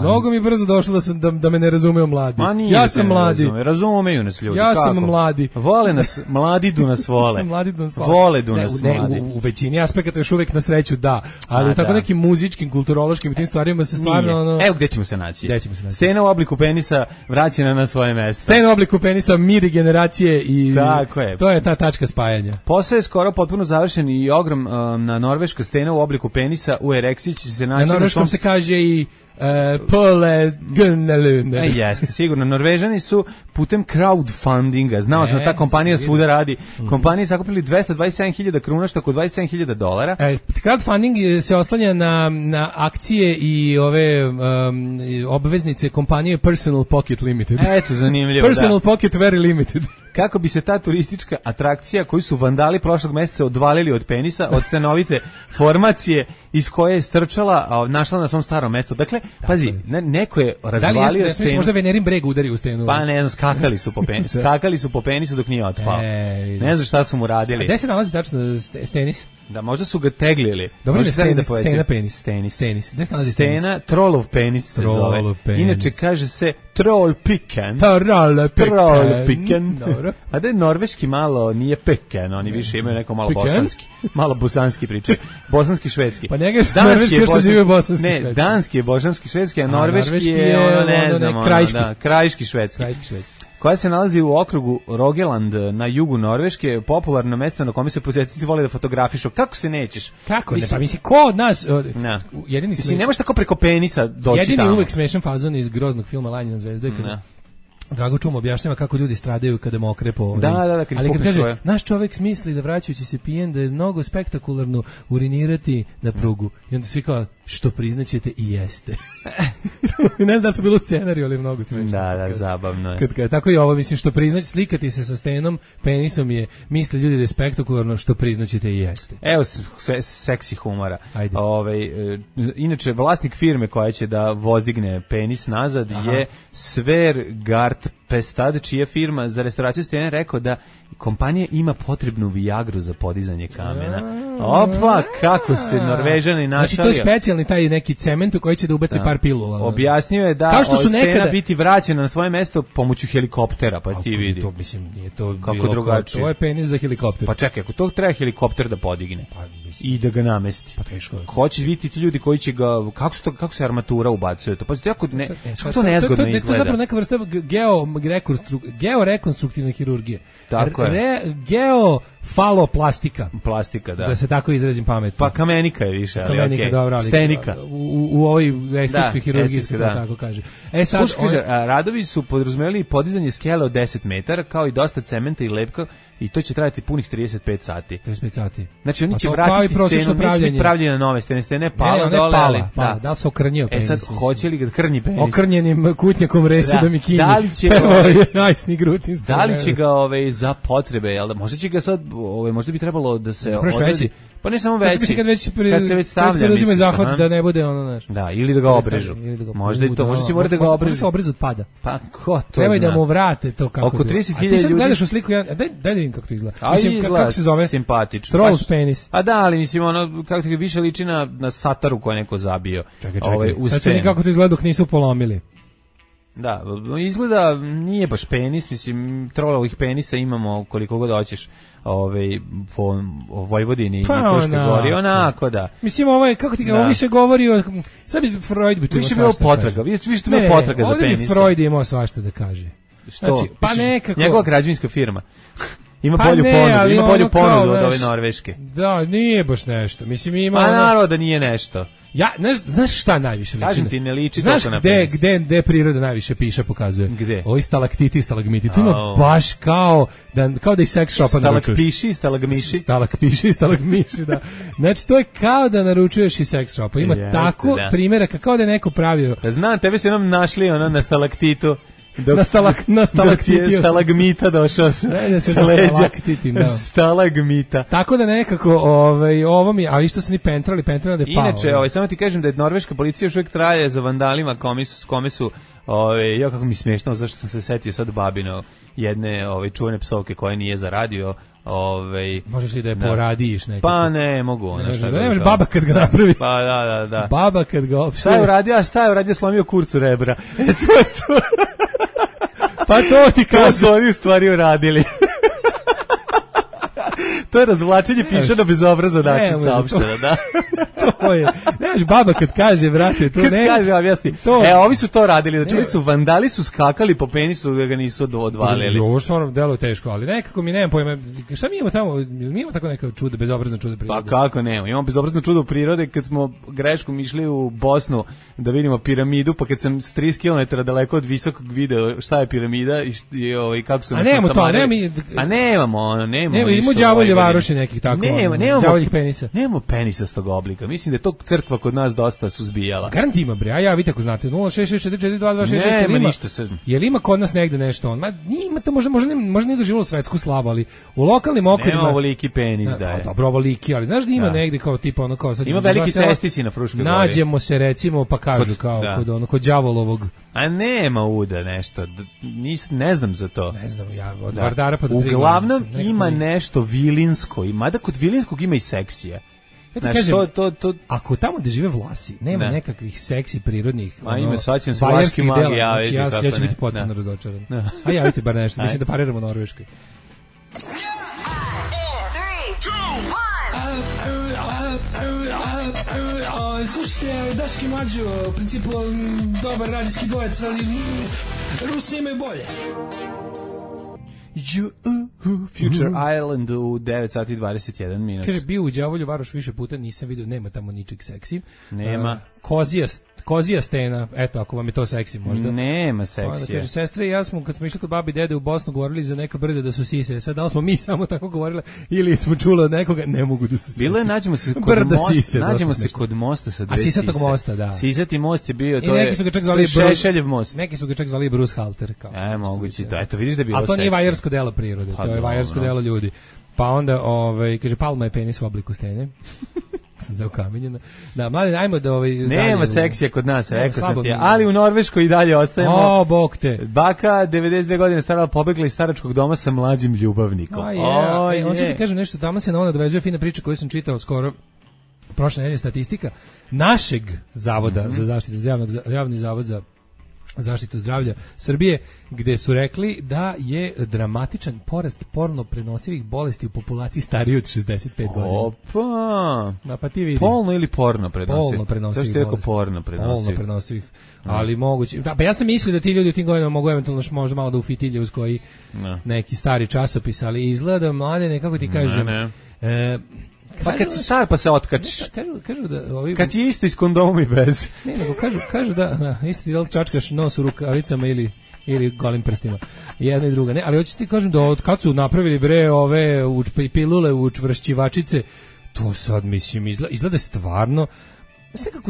Mnogo mi brzo došlo da me ne razumeju mladi. Ja sam mladi. Razumeju nas ljudi. Ja sam mladi. Vole nas, mladi du nas vole. Mladi du nas vole. Du nas mladi. U većini aspekata još uvijek na sreću da, ali u tako nekim muzičkim, kulturološkim i tim stvarima se stvarno... Evo gdje ćemo se naći. Stena u obliku penisa vraćena na svoje mesto. Stena u obliku penisa, mir i generacije i... Tako je. To je ta tačka spajanja. Posao je skoro potpuno završen i na norveška stena u obliku penisa u erekciji će se naći... Na norveškom se kaže i... Pole Gunnelune. Jeste, sigurno. Norvežani su putem crowdfundinga, znao sam da ta kompanija svuda radi. Kompaniji sakupili 227.000 kruna, što oko $27.000. Crowdfunding se oslanja na akcije i ove obveznice kompanije Personal Pocket Limited. Eto, zanimljivo. Personal Pocket Very Limited. Kako bi se ta turistička atrakcija koju su vandali prošlog mjeseca odvalili od penisa, od stanovite formacije iz koje je strčala, našla na svom starom mjestu. Dakle, pazi, neko je razvalio stenu. Možda Venerin breg udari u stenu. Pa ne znam, skakali su po penisu dok nije otpao. Ne znam šta su mu radili. A gde se nalazi tačno stenis? Da, možda su ga teglili. Dobro, stena penis. Stenis. Gde se nalazi stenis? Stena, trollov penis se zove. Inače, kaže se troll piken. Troll piken. A da je norveški malo nije peken, oni više imaju neko malo bosanski. Malo bosanski priče. Bosanski, švedski. Pa njega je norveški još se žive bosanski, švedski. Ne, danski je bosanski, švedski, a norveški je ne znam, krajiški, švedski. Koja se nalazi u okrugu Rogaland na jugu Norveške, popularno mesto na kome se posjetitelji vole da fotografišu. Kako se nećeš? Kako ne? Pa mislim, ko od nas... Jedini ne možeš tako preko penisa doći tamo. Jedini uvek smešan fazon iz groznog filma Lanjina zvezda. Drago Čum objašnjava kako ljudi stradaju kada mokre po ovim. Ali kad kaže, naš čovjek misli da vraćajući se pijen da je mnogo spektakularno urinirati na prugu. I onda svi kao, što priznaćete i jeste. Ne znam da to bilo u scenariju, ali mnogo smešno. Da, zabavno je. Tako i ovo, mislim, što priznaće, slikati se sa stenom, penisom je, misle ljudi da je spektakularno, što priznaćete i jeste. Evo, seksi humora. Inače, vlasnik firme koja će da vozdigne penis nazad je Svergard Pestad, čija firma za restauraciju stene rekao da kompanija ima potrebnu Viagru za podizanje kamena. Opa, kako se Norvežani našali. Znači, to je specijalni taj neki cement u koji će da ubaci par pilula. Objasnio je da stena biti vraćena na svoje mesto pomoću helikoptera, pa ti vidi. To, mislim, nije to kako bilo drugačije. To je penis za helikopter. Pa čekaj, ako to treba helikopter da podigne i da ga namesti. Pa teško. Ko će vidjeti ti ljudi koji će ga, kako se armatura ubacuje to? Pa kako to nezgodno izgleda. To je zapravo neka vrsta georekonstruktivna hirurgija. Tako je. Geofaloplastika. Plastika, da. Da se tako izrazim pametno. Pa kamenika je više, ali kamenika, okej. Dobro, ali Stenika. U ovoj estetskoj hirurgiji se to tako kaže. Sad kaže, radovi su podrazumevali podizanje skele od 10 metara, kao i dosta cementa i lepka, i to će trajati punih 35 sati. 35 sati. Znači oni će vratiti stenu, neće biti pravljene nove stene, stene pala dole, ali da li se okrnjio penis? Sad, hoće li ga krnji penis? Okrnjenim kutnjakom resu da mi kinji. Da li će da li će ga za potrebe, jel da? Možda će ga sad, možda bi trebalo da se odredi. Pa ne samo veći, kad se već stavlja, mislim, zahvat da ne bude ono, znaš. Da, ili da ga obrežu. Možda i to, možda će morati da ga obrežu. Možda se obrezu od pada. Pa ko to treba da mu vrate to kako. Oko 30.000 ljudi. Ti sad gledaš u sliku, daj da vidim kako to izgleda. Mislim, kako se zove? Simpatično. Trolls penis. A da, ali mislim, ono, kako ti više liči na sataru koju je neko zabio. Čekaj, sad će kako to izgleda dok nisu polomili. Da, izgleda nije baš penis, mislim, trolovih penisa imamo koliko god hoćeš, po Vojvodini i Fruškoj Gori, onako da. Mislim, kako ti ga više govori o, sad bi Freud bi tu više bilo potraga, više tu bilo potraga za penisa. Ne, Freud je imao svašta da kaže. Što? Znači, pa nekako. Njegova građevinska firma. Ima bolju ponudu, ima bolju ponudu od ove norveške. Da, nije baš nešto. Mislim, ima a naravno da nije nešto. Ja, znaš šta najviše liči? Kažem ti, ne liči znaš toliko na penis. Gde priroda najviše piše, pokazuje? Gde? Ovi stalaktiti i stalagmiti. Tu ima baš kao da i sex shopa naručuješ. Stalakpiši i stalagmiši. Stalakpiši i stalagmiši, da. Znači, to je kao da naručuješ i sex shopa. Ima tako primjeraka, kao da je neko pravio. Da znam, tebe se nam našli na stalaktitu. Na stalaktiti je stalagmita došao sa leđa. Stalagmita. Tako da nekako ovo mi, a isto su ni pentrali da je pao. Inače, samo ti kažem da je norveška policija još uvijek traje za vandalima kome su ja kako mi smiješno, zašto sam se setio sad babino jedne čuvene psovke koja nije zaradio. Možeš li da je poradiš nekako? Pa ne mogu. Ne možeš baba kad ga napravi. Pa da. Baba kad ga opštuje. Šta je uradio, slomio kurcu rebra. To je to. Pa to ti kažem. To su oni u stvari uradili. To je razvlačenje pišana bez obraza način saopštena, da. To je. Znaš, baba kad kaže, brate, to ne. Kad kaže, objasni. Ovi su to radili, znači ovi su vandali, su skakali po penisu da ga nisu odvalili. Ovo stvarno deluje teško, ali nekako mi nemam pojma. Šta mi imamo tamo? Mi imamo tako neka čuda, bezobrazna čuda prirode. Pa kako nemamo? Imamo bezobrazno čudo prirode kad smo greškom išli u Bosnu da vidimo piramidu, pa kad sam s 30 km daleko od visokog video šta je piramida i kako su nas nasamarili. A nemamo. Imamo đavolje varoši nekih tako. Đavoljih penisa. Nemamo penisastog oblika. Mislim da je to crkva kod nas dosta suzbijala. Garant ima bre, a ja vidite ako znate 066442266. Nema ništa se. Jel ima kod nas negde nešto on? Ma ima to možda nije doživjelo svetsku slavu, ali u lokalnim okvirima nema ovoliki penis da je. Dobro, ovoliki, ali znaš da ima negde kao tipa ono kao sad ima veliki testisi na Fruškoj Gori. Nađemo se recimo pa kažu kao kod đavolovog. A nema uda nešto. Ne znam za to. Ne znam ja od Vardara pa do Triglava. Uglavnom ima nešto vilinsko, mada kod vilinskog ima i seksija. Ako tamo gde žive Vlasi nema nekakvih seksi prirodnih saćem se vlaški magi, ja ću biti potpuno razočaran. A javite bar nešto, mislim da pariramo Norveškoj. Slušajte, Daški Mlađo, u principu dobar radijski dvojec, ali Rusi imaju bolje. Future Island u 9 sati 21 minut. Kaže, bio u Đavolju Varoš više puta, nisam vidio, nema tamo ničeg seksi. Nema. Kozija stena, eto, ako vam je to seksi možda. Nema seksija. Kaže, sestre i ja smo, kad smo išli kod babi i dede u Bosnu, govorili za neka brda da su sise. Sad, da li smo mi samo tako govorili ili smo čuli od nekoga, ne mogu da se sise. Bilo je, nađemo se kod mosta sa dve sise. A Sisatog mosta, da. Sisati most je bio, to je Šešeljev most. Neki su ga čak zvali Bruce Halter. Moguće, da, eto, vidiš da je bilo seksi. A to nije vajarsko delo prirode, to je vajarsko delo ljudi. Pa onda, kaže, Palma je penis u obliku stene. Zaukamenjena. Da, mladi, ajmo da nema seksija kod nas, rekao sam ti, ali u Norveškoj i dalje ostajemo. O, bog te. Baka, 92 godine stara, pobegla iz staračkog doma sa mlađim ljubavnikom. On će ti kažem nešto, tamo se na ono dovezuje fina priča koju sam čitao skoro prošle nedelje, statistika našeg zavoda za zaštitu, javni zavod za zaštitu zdravlja Srbije, gde su rekli da je dramatičan porast porno prenosivih bolesti u populaciji stariji od 65 godina. Opa! Pa ti vidi. Polno ili porno prenosivih? Polno prenosivih bolesti. Porno prenosivih. Ali moguće. Da, pa ja sam mislio da ti ljudi u tim godinama mogu eventualno možda malo da ufitilje uz koji neki stari časopis, ali izgleda mlade, nekako ti kažem. Pa kad si star pa se otkačiš. Kažu da kad ti je isto iz kondomom i bez. Ne, nego kažu da isto ti da li čačkaš nos u rukavicama ili golim prstima. Jedna i druga. Ne, ali hoću ti kažem da od kad su napravili bre ove pilule učvršćivačice, to sad mislim izgleda stvarno.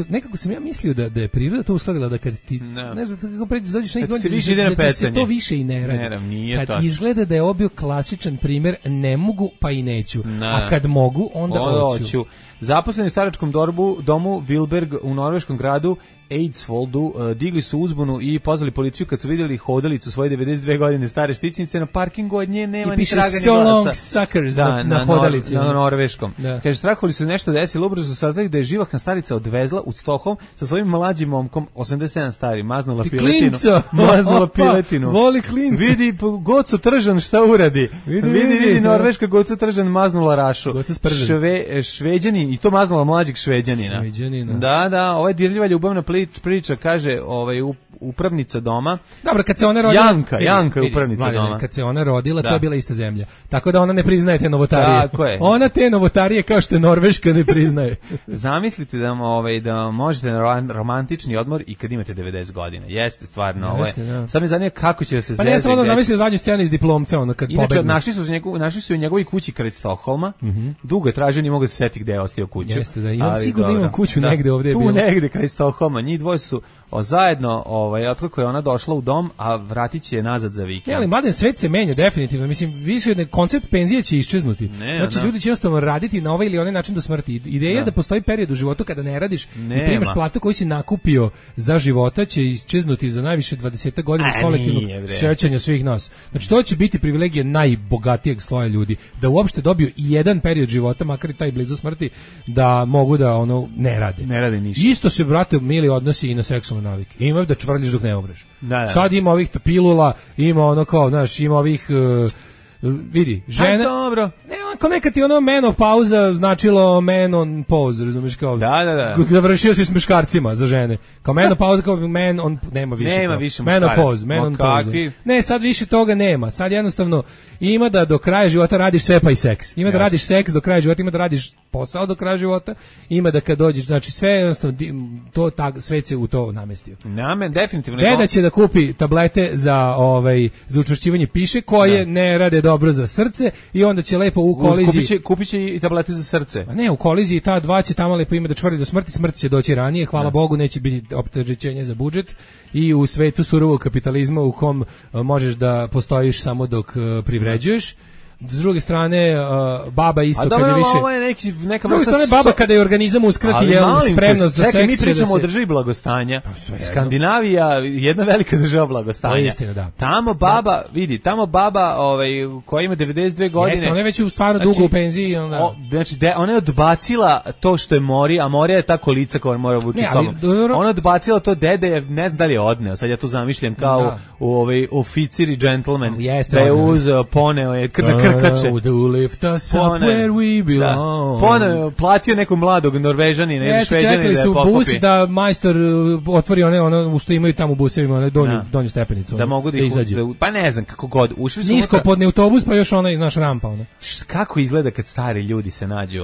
Nekako sam ja mislio da je priroda to uskladila, da kad ti ne znam kako pređeš dođeš neki godin da se to više i ne radi. Kad izgleda da je obio klasičan primjer ne mogu pa i neću, a kad mogu onda hoću. Zaposleni u staračkom domu Wilberg u norveškom gradu Eidsvoldu digli su uzbunu i pozvali policiju kad su vidjeli hodalicu svoje 92 godine stare štićnice na parkingu, od nje nema ni traga ni glasa. Long suckers na hodalici. Na norveškom. Kaže, strahovali su nešto desilo, ubrzo su saznali da je živahna starica odvezla u Stockholm sa svojim mlađim momkom, 87 stari, maznula piletinu. Voli klinca. Vidi Goco Tržan šta uradi. Vidi norveška Goco Tržan maznula Rašu. Šveđanin, i to maznula mlađeg Šveđanina. Da, ovo je dirljiva ljubavna priča, kaže upravnica doma. Dobro, kad se ona rodila... Janka je upravnica doma. Kad se ona rodila, to je bila ista zemlja. Tako da ona ne priznaje te novotarije. Tako je. Ona te novotarije kao što je Norveška ne priznaje. Zamislite da možete na romantični odmor i kad imate 90 godina. Jeste stvarno. Sad me zanima kako će da se zezati. Pa ne, sam onda zamislio zadnju scenu iz Diplomca, ono kad pobegne. Našli su u njegovoj kući kraj Stokholma. Dugo je tražio, ni mogu da se setiti gde je ostao kuću. Jeste, da. Imam sigurno imam kuću negde ovde je bilo. Tu negde kraj Stokholma. Njih dvoje su zajedno, otkako je ona došla u dom, a vratit će je nazad za vikend. Ali mladen svet se menja definitivno. Mislim, više koncept penzije će iščeznuti. Znači, ljudi će jednostavno raditi na ovaj ili onaj način do smrti. Ideja da postoji period u životu kada ne radiš i primaš platu koju si nakupio za života će iščeznuti za najviše 20 godina iz kolektivnog sećanja svih nas. Znači, to će biti privilegija najbogatijeg sloja ljudi. Da uopšte dobiju i jedan period života, makar i taj blizu smrti, da mogu da ne rade. Ne rade ništa. Isto se, brate, mili odnosi i na seksualne navike. Imaju da čvrljiš dok ne umreš. Sad ima ovih pilula, ima ima ovih vidi, žene. Dobro. Ne, ako nekad ti menopauza značilo menopause, razumiješ kao. Da. Završio si s muškarcima za žene. Kao menopauza, kao on nema više. Nema više menopause. Ne, sad više toga nema. Sad jednostavno ima da do kraja života radiš sve pa i seks. Ima da radiš seks do kraja života, ima da radiš posao do kraja života, ima da kad dođeš, znači sve jednostavno svet se u to namestio. Definitivno. Deda će da kupi tablete za učvršćivanje piše koje ne rade dobro za srce i onda će lepo u koliziji kupit će i tablete za srce. Pa ne, u koliziji ta dva će tamo lepo ima da čvrli do smrti, smrt će doći ranije, hvala Bogu, neće biti opterećenje za budžet i u svetu surovog kapitalizma u kom možeš da postojiš samo dok privređuješ. S druge strane, baba isto kad je više... Ovo je neka vrsta... S druge strane, baba kada je organizam uskrati spremnost za seks... mi pričamo o državi blagostanja. Skandinavija, jedna velika država blagostanja. To je istina, da. Tamo baba, vidi, koja ima 92 godine... Jeste, ona je već stvarno dugo u penziji. Znači, ona je odbacila to što je mori, a morija je ta kolica koja mora vući s tobom. Ona je odbacila to, dede, ne znam da li je odneo, sad ja to zamišljam kao oficir i džentlmen, da je uzeo, poneo je krkače. Lift us up where we belong. Ponovno platio nekog mladog Norvežanina ili Šveđanina da je pokupi. Bus da majstor otvori ono što imaju tamo u busevima, donju stepenicu. Da mogu da izađu. Pa ne znam kako god. Ušli su nisko podni autobus pa još naš rampa. Kako izgleda kad stari ljudi se nađu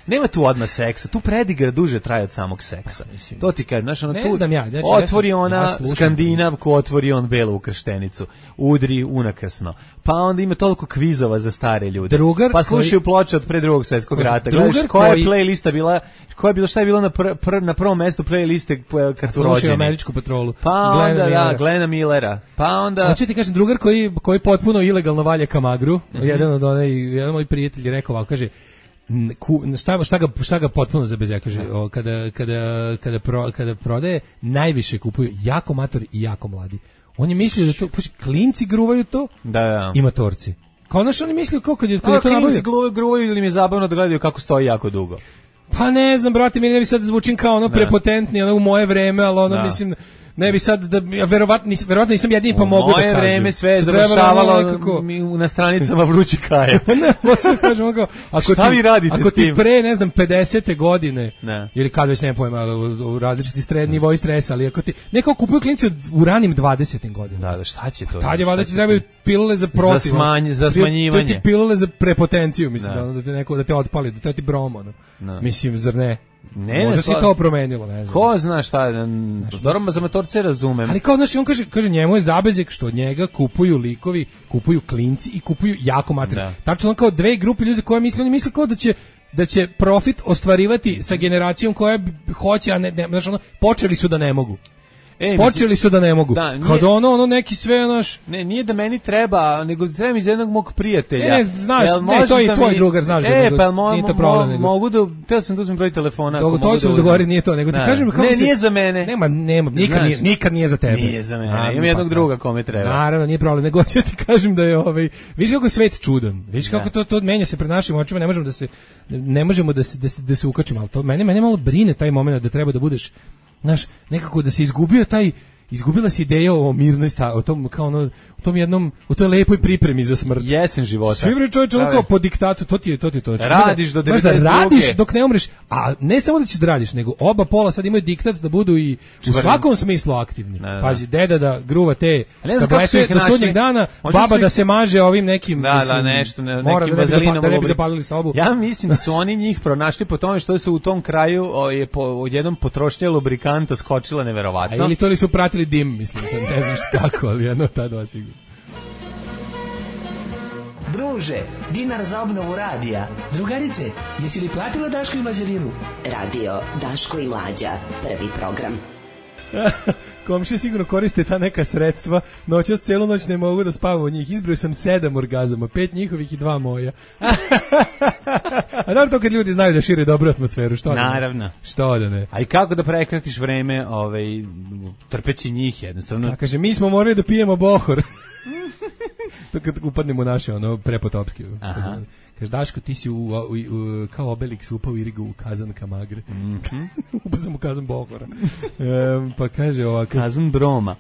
Nema tu odmah seksa. Tu predigra duže traje od samog seksa. To ti kažem, ne znam ja. Otvori ona Skandinavku, otvori on belu ukrštenicu. Udri unakrsno. Pa onda ima toliko kvizova za stare ljude. Pa slušaju ploče od pre Drugog svjetskog rata. Gledaš koja je playlista bila, šta je bilo na prvom mjestu playliste kad su rođeni. Slušaju Američku patrolu. Pa onda Glena Millera. Pa onda... Hoće ti kažem, drugar koji potpuno ilegalno valja kamagru, jedan moj prijatelj je rekao ovako, kaže, šta ga potpuno zabezja, kaže, kada prodaje, najviše kupuju jako matori i jako mladi. On je mislio da to, klinci gruvaju to i matorci. Kao oni mislio kad je to nabavio. Klinci gruvaju ili mi je zabavno da gledaju kako stoji jako dugo. Pa ne znam, brate, mi ne bi sad zvučim kao prepotentni, u moje vreme, ali mislim... ne bi sad da verovatno nisam jedini pa mogu da kažem. Moje vreme sve je završavalo na stranicama Vrući Kaja. Ne, možda kažemo kao šta vi radite ako s tim? Ti pre, ne znam, 50. godine ili kad već ne pojma, u različiti nivoi stresa, ali ako ti neko kupuju klinci u ranim 20. godinama. Da, šta će to? Tad je valjda ti trebaju pilule za protiv. Za smanjivanje. To ti pilule za prepotenciju, mislim, da te neko da te otpali, da te ti brom, mislim, zar ne? Možda si to promenilo, ne znam. Ko zna šta, dobro za motorce razumem. Ali kao, znaš, on kaže njemu je zabezek što od njega kupuju likovi, kupuju klinci i kupuju jako materiju. Tačno on kao dve grupe ljudi koje misle, oni misle kao da će profit ostvarivati sa generacijom koja hoće, a ne, znaš, počeli su da ne mogu. Počeli su da ne mogu. Da, nije, kad ono neki sve naš. Ne, nije da meni treba, nego treba mi iz jednog mog prijatelja. Znaš, to je i tvoj drugar, znaš. Nije to problem. Mogu da, teo sam da uzmem broj telefona. To ćemo zagovoriti, nije to, nego ti kažem kako se. Ne, nije za mene. Nema, nikad nije za tebe. Nije za mene. Imam jednog druga kome treba. Naravno, nije problem, nego ću ti kažem da je vidiš kako je svet čudan. Vidiš kako to menja se pred našim očima, ne možemo da se ukačimo, al to mene malo brine taj momenat da treba da budeš, znaš, nekako da se izgubila se ideja o mirnoj o tom kao u toj lepoj pripremi za smrt. Jesen života. Svi bre čovječe kao po diktatu, to ti je to. Radiš do 92. Da radiš dok ne umreš, a ne samo da ćeš da radiš, nego oba pola sad imaju diktat da budu i u svakom smislu aktivni. Pazi, deda da gruva te tablete do sudnjeg dana, baba da se maže ovim nekim nekim vazelinom da ne bi zapalili sobu. Ja mislim da su oni njih pronašli po tome što su u tom kraju odjednom potrošnja lubrikanta skočila neverovatno. A ili to li su pratili dim, mislim, ne znam kako, ali jedno ta dva sigurno. Druže, dinar za obnovu radija. Drugarice, jesi li platila Daško i Mlađarinu? Radio Daško i Mlađa, prvi program. Komšije sigurno koriste ta neka sredstva. Noćas celu noć ne mogu da spavam od njih. Izbrojio sam 7 orgazama, 5 njihovih i 2 moja. A da to kad ljudi znaju da šire dobru atmosferu, što da ne? Naravno. Što da ne? A i kako da prekratiš vreme trpeći njih jednostavno? A kaže, mi smo morali da pijemo bohor. To kad upadnemo u naše prepotopske. Kaže, Daško, ti si kao Obelix upao Irigu u kazan Kamagre. Upao sam u kazan Bohora. Pa kaže ovako. Kazan Broma.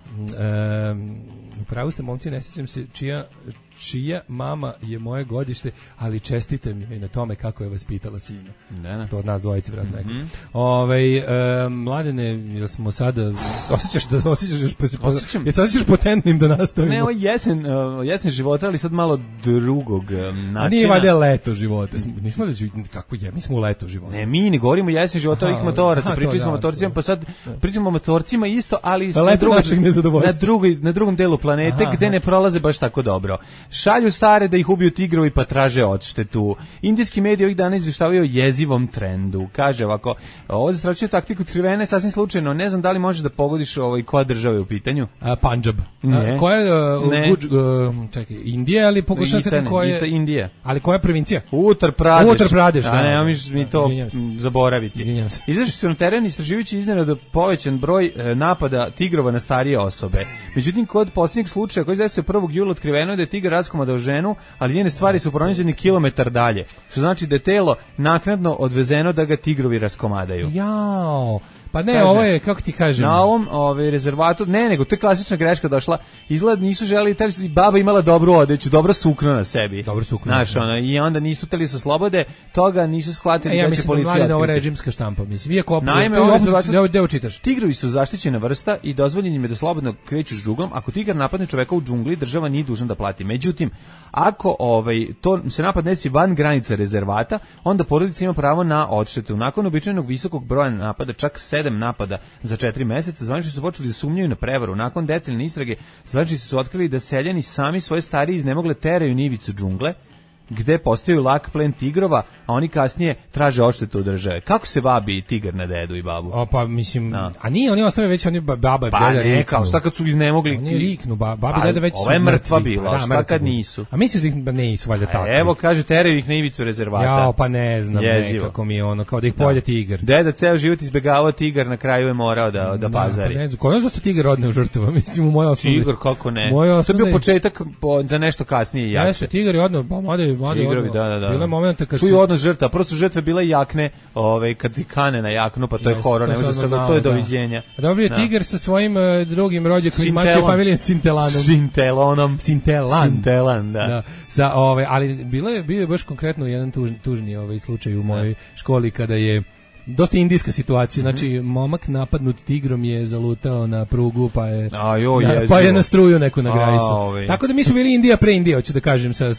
Upravo ste, momci, ne sjećam se čija mama je moje godište, ali čestite mi na tome kako je vaspitala sina. Ne. To od nas dvojice, vratno neko. Mladene, jel smo sada osjećaš potentnim da nastavimo? Ne, ovo jesen života, ali sad malo drugog načina. A nije valjda leto života. Nismo da kako je, mi smo u leto života. Ne, mi ne govorimo jesen života ovih motoraca, pričali smo o motorcima, pa sad pričamo o motorcima isto, ali na drugom delu planete gde ne prolaze baš tako dobro. Šalju stare da ih ubiju tigrovi pa traže odštetu. Indijski mediji ovih dana izveštavaju o jezivom trendu. Kaže ovako, ovo zastrašuje taktiku otkrivene sasvim slučajno. Ne znam da li možeš da pogodiš koja država je u pitanju? Punjab. Ne. Koja je čekaj, Indija, ali pokušam se koja je Indija. Ali koja je provincija? Uttar Pradeš. A ne, mi to zaboraviti. Izašli su na teren istraživajući iznenada povećan broj napada tigrova na starije osobe. Međutim, kod posljednjeg slučaja koji se 1. jula otkriveno je da je tigar raskomadao ženu, ali njene stvari su pronađene kilometar dalje. Što znači da je telo naknadno odvezeno da ga tigrovi raskomadaju. Jao. Pa ne, kaže, ovo je, kako ti kažem? Na ovom rezervatu, nego to je klasična greška došla. Izgled nisu želeli, baba imala dobru odeću, dobro sukno na sebi. Dobro sukno. Znaš, i onda nisu teli su slobode, toga nisu shvatili da će policija otkriti. Ja mislim da ovo režimska štampa, mislim. Iako ovo čitaš. Tigrovi su zaštićena vrsta i dozvoljeno im je da slobodno kreću džunglom. Ako tigar napadne čoveka u džungli, država nije dužna da plati. Međutim, ako to se napad desi van granica rezervata, onda porodica ima pravo na odštetu. Nakon običajnog visokog broja napada, čak 7 napada za 4 meseca, zvaničnici su počeli da sumnjaju na prevaru. Nakon detaljne istrage, zvaničnici su otkrili da seljani sami svoje starije iznemogle teraju na ivicu džungle, gde postaju lak plen tigrova, a oni kasnije traže odštetu od države. Kako se vabi tigar na dedu i babu? Pa mislim, a nije, oni ostave već, oni baba i deda riknu. Kao šta kad su iznemogli? Oni riknu, baba i deda već su ovo je mrtva bila, šta kad nisu? A misliš da nisu valjda tako? Evo, kaže, teraju ih na ivicu rezervata. Jao, pa ne znam, nekako mi je ono, kao da ih pojede tigar. Deda ceo život izbegavao tigar, na kraju je morao da pazari. Pa ne znam, ko je dosta tigar odneo žrtava, mislim, u mojoj osnovi. Tigar, kako ne? To je bio početak za nešto kasnije i jače. Tigar je odneo, pa mada Tigrovi, da. Bilo je momenta kad čuju odnos žrtva, prvo su žrtve bile jakne, kad ti kane na jaknu, pa to je horor, ne može se to je doviđenja. Dobio je tigar sa svojim drugim rođakom iz mače familije Sintelan, da. Ali bio je baš konkretno jedan tužni slučaj u mojoj školi kada je dosta indijska situacija, znači momak napadnut tigrom je zalutao na prugu pa je na struju neku na Grajsu. Tako da mi smo bili Indija pre Indije, hoću da kažem sa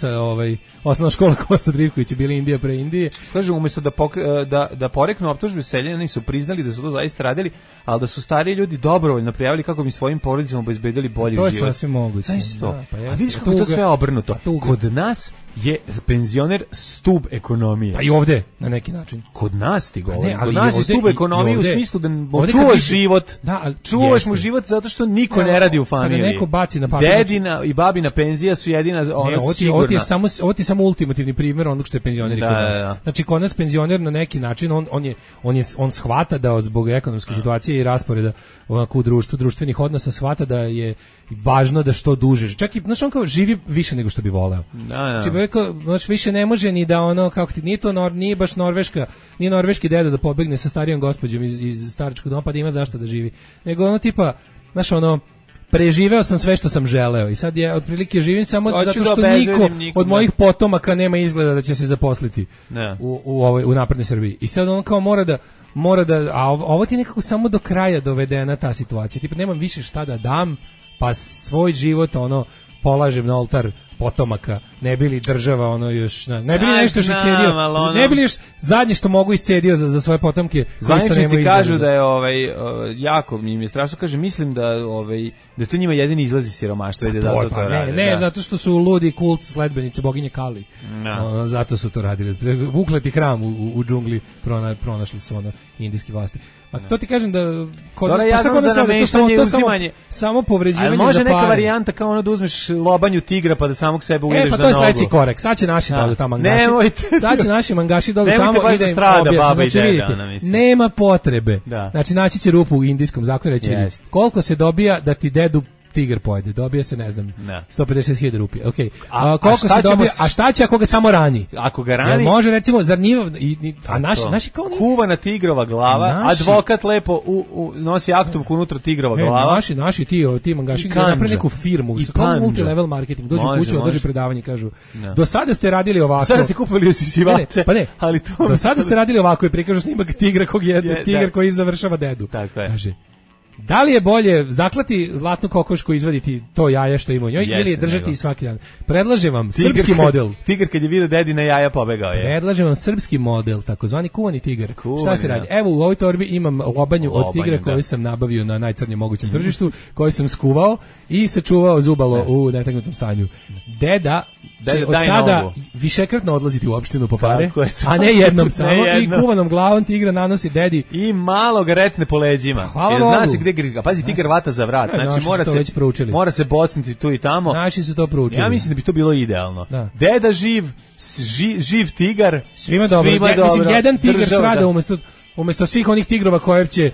osnovna škola Kosta Drivković je bili Indija pre Indije. Kaže, umjesto da poreknu optužbe seljani su priznali da su to zaista radili, ali da su stariji ljudi dobrovoljno prijavili kako bi svojim porodicama obezbedili bolji život. To je sasvim moguće. A vidiš kako je to sve obrnuto. Kod nas je penzioner stub ekonomije. Pa i ovde, na neki način. Kod nas ti govori. Kod nas je stub ekonomije u smislu da čuvaš život. Čuvaš mu život zato što niko ne radi u familiji. Kada neko baci na papir. Dedina i babina penzija su jedina sigurna. Ovo ti je samo ultimativni primjer onog što je penzioner kod nas. Znači, kod nas penzioner na neki način, on shvata da zbog ekonomske situacije i rasporeda u društvu, društvenih odnosa shvata da je važno da što duže. Čak i, znaš, on kao živi više nego što bi voleo. Znači, rekao, više ne može ni da kako ti, nije baš nije norveški deda da pobegne sa starijom gospođom iz staračkog doma pa da ima zašto da živi. Nego tipa, znaš, preživeo sam sve što sam želeo i sad je otprilike živim samo zato što niko od mojih potomaka nema izgleda da će se zaposliti u naprednoj Srbiji. I sad on kao mora da, a ovo ti je nekako samo do kraja dovedena ta situacija. Tipa, nemam više šta da dam, pa svoj život polažem na oltar potomaka, ne bili država još, ne bili nešto što iscedio, ne bili još zadnje što mogu iscedio za svoje potomke. Zvaničnici kažu da je jako mi je strašno, kaže, mislim da to njima jedini izlazi siromaštva, ide zato to rade. Ne, zato što su ludi kult sledbenice boginje Kali. Zato su to radili. Ukleti hram u džungli pronašli su indijski vlasti. A to ti kažem da samo povređivanje. Može neka varijanta kao da uzmeš lobanju tigra pa da samog sebe uvedeš za nogu. Pa to je sledeći korak. Sad će naši dođu tamo mangaši. Sad će naši mangaši dođu tamo i da im objasne. Nema potrebe. Znači, naći će rupu u indijskom zakonu i reći koliko se dobija da ti dedu tigar pojede, dobija se, ne znam, 150.000 rupija. Okay. Koliko se dobija, a šta će ako ga samo rani? Ako ga rani, može, recimo, zar nije, a naši kao nije... Kuvana tigrova glava, advokat lepo nosi aktovku unutra tigrova glava. Naši ti mangaši napravi neku firmu, kao multilevel marketing, dođu kuću, održi predavanje, kažu, do sada ste radili ovako. Sada ste kupili usisivače, ali to... Do sada ste radili ovako i prikažu snimak tigra kog jede, tigar koji završava dedu. Tako je. Kaže, da li je bolje zaklati zlatnu kokošku i izvaditi to jaje što ima u njoj ili držati svaki dan? Predlažem vam srpski model. Tigar kad je vidio dedina jaja pobegao je. Predlažem vam srpski model, takozvani kuvani tigar. Šta se radi? Evo, u ovoj torbi imam lobanju od tigra koju sam nabavio na najcrnjem mogućem tržištu, koju sam skuvao i sačuvao zubalo u netaknutom stanju. Deda će od sada višekratno odlaziti u opštinu po pare, a ne jednom samo, i kuvanom glavom tigra nanosi dedi. I malo ga retne po leđima. Jer zna se gde ga, pazi, tigar vata za vrat, znači mora se bocnuti tu i tamo. Naši su to proučili. Ja mislim da bi to bilo idealno. Deda živ tigar, svima dobro. Mislim, jedan tigar strada umjesto svih onih tigrova koje će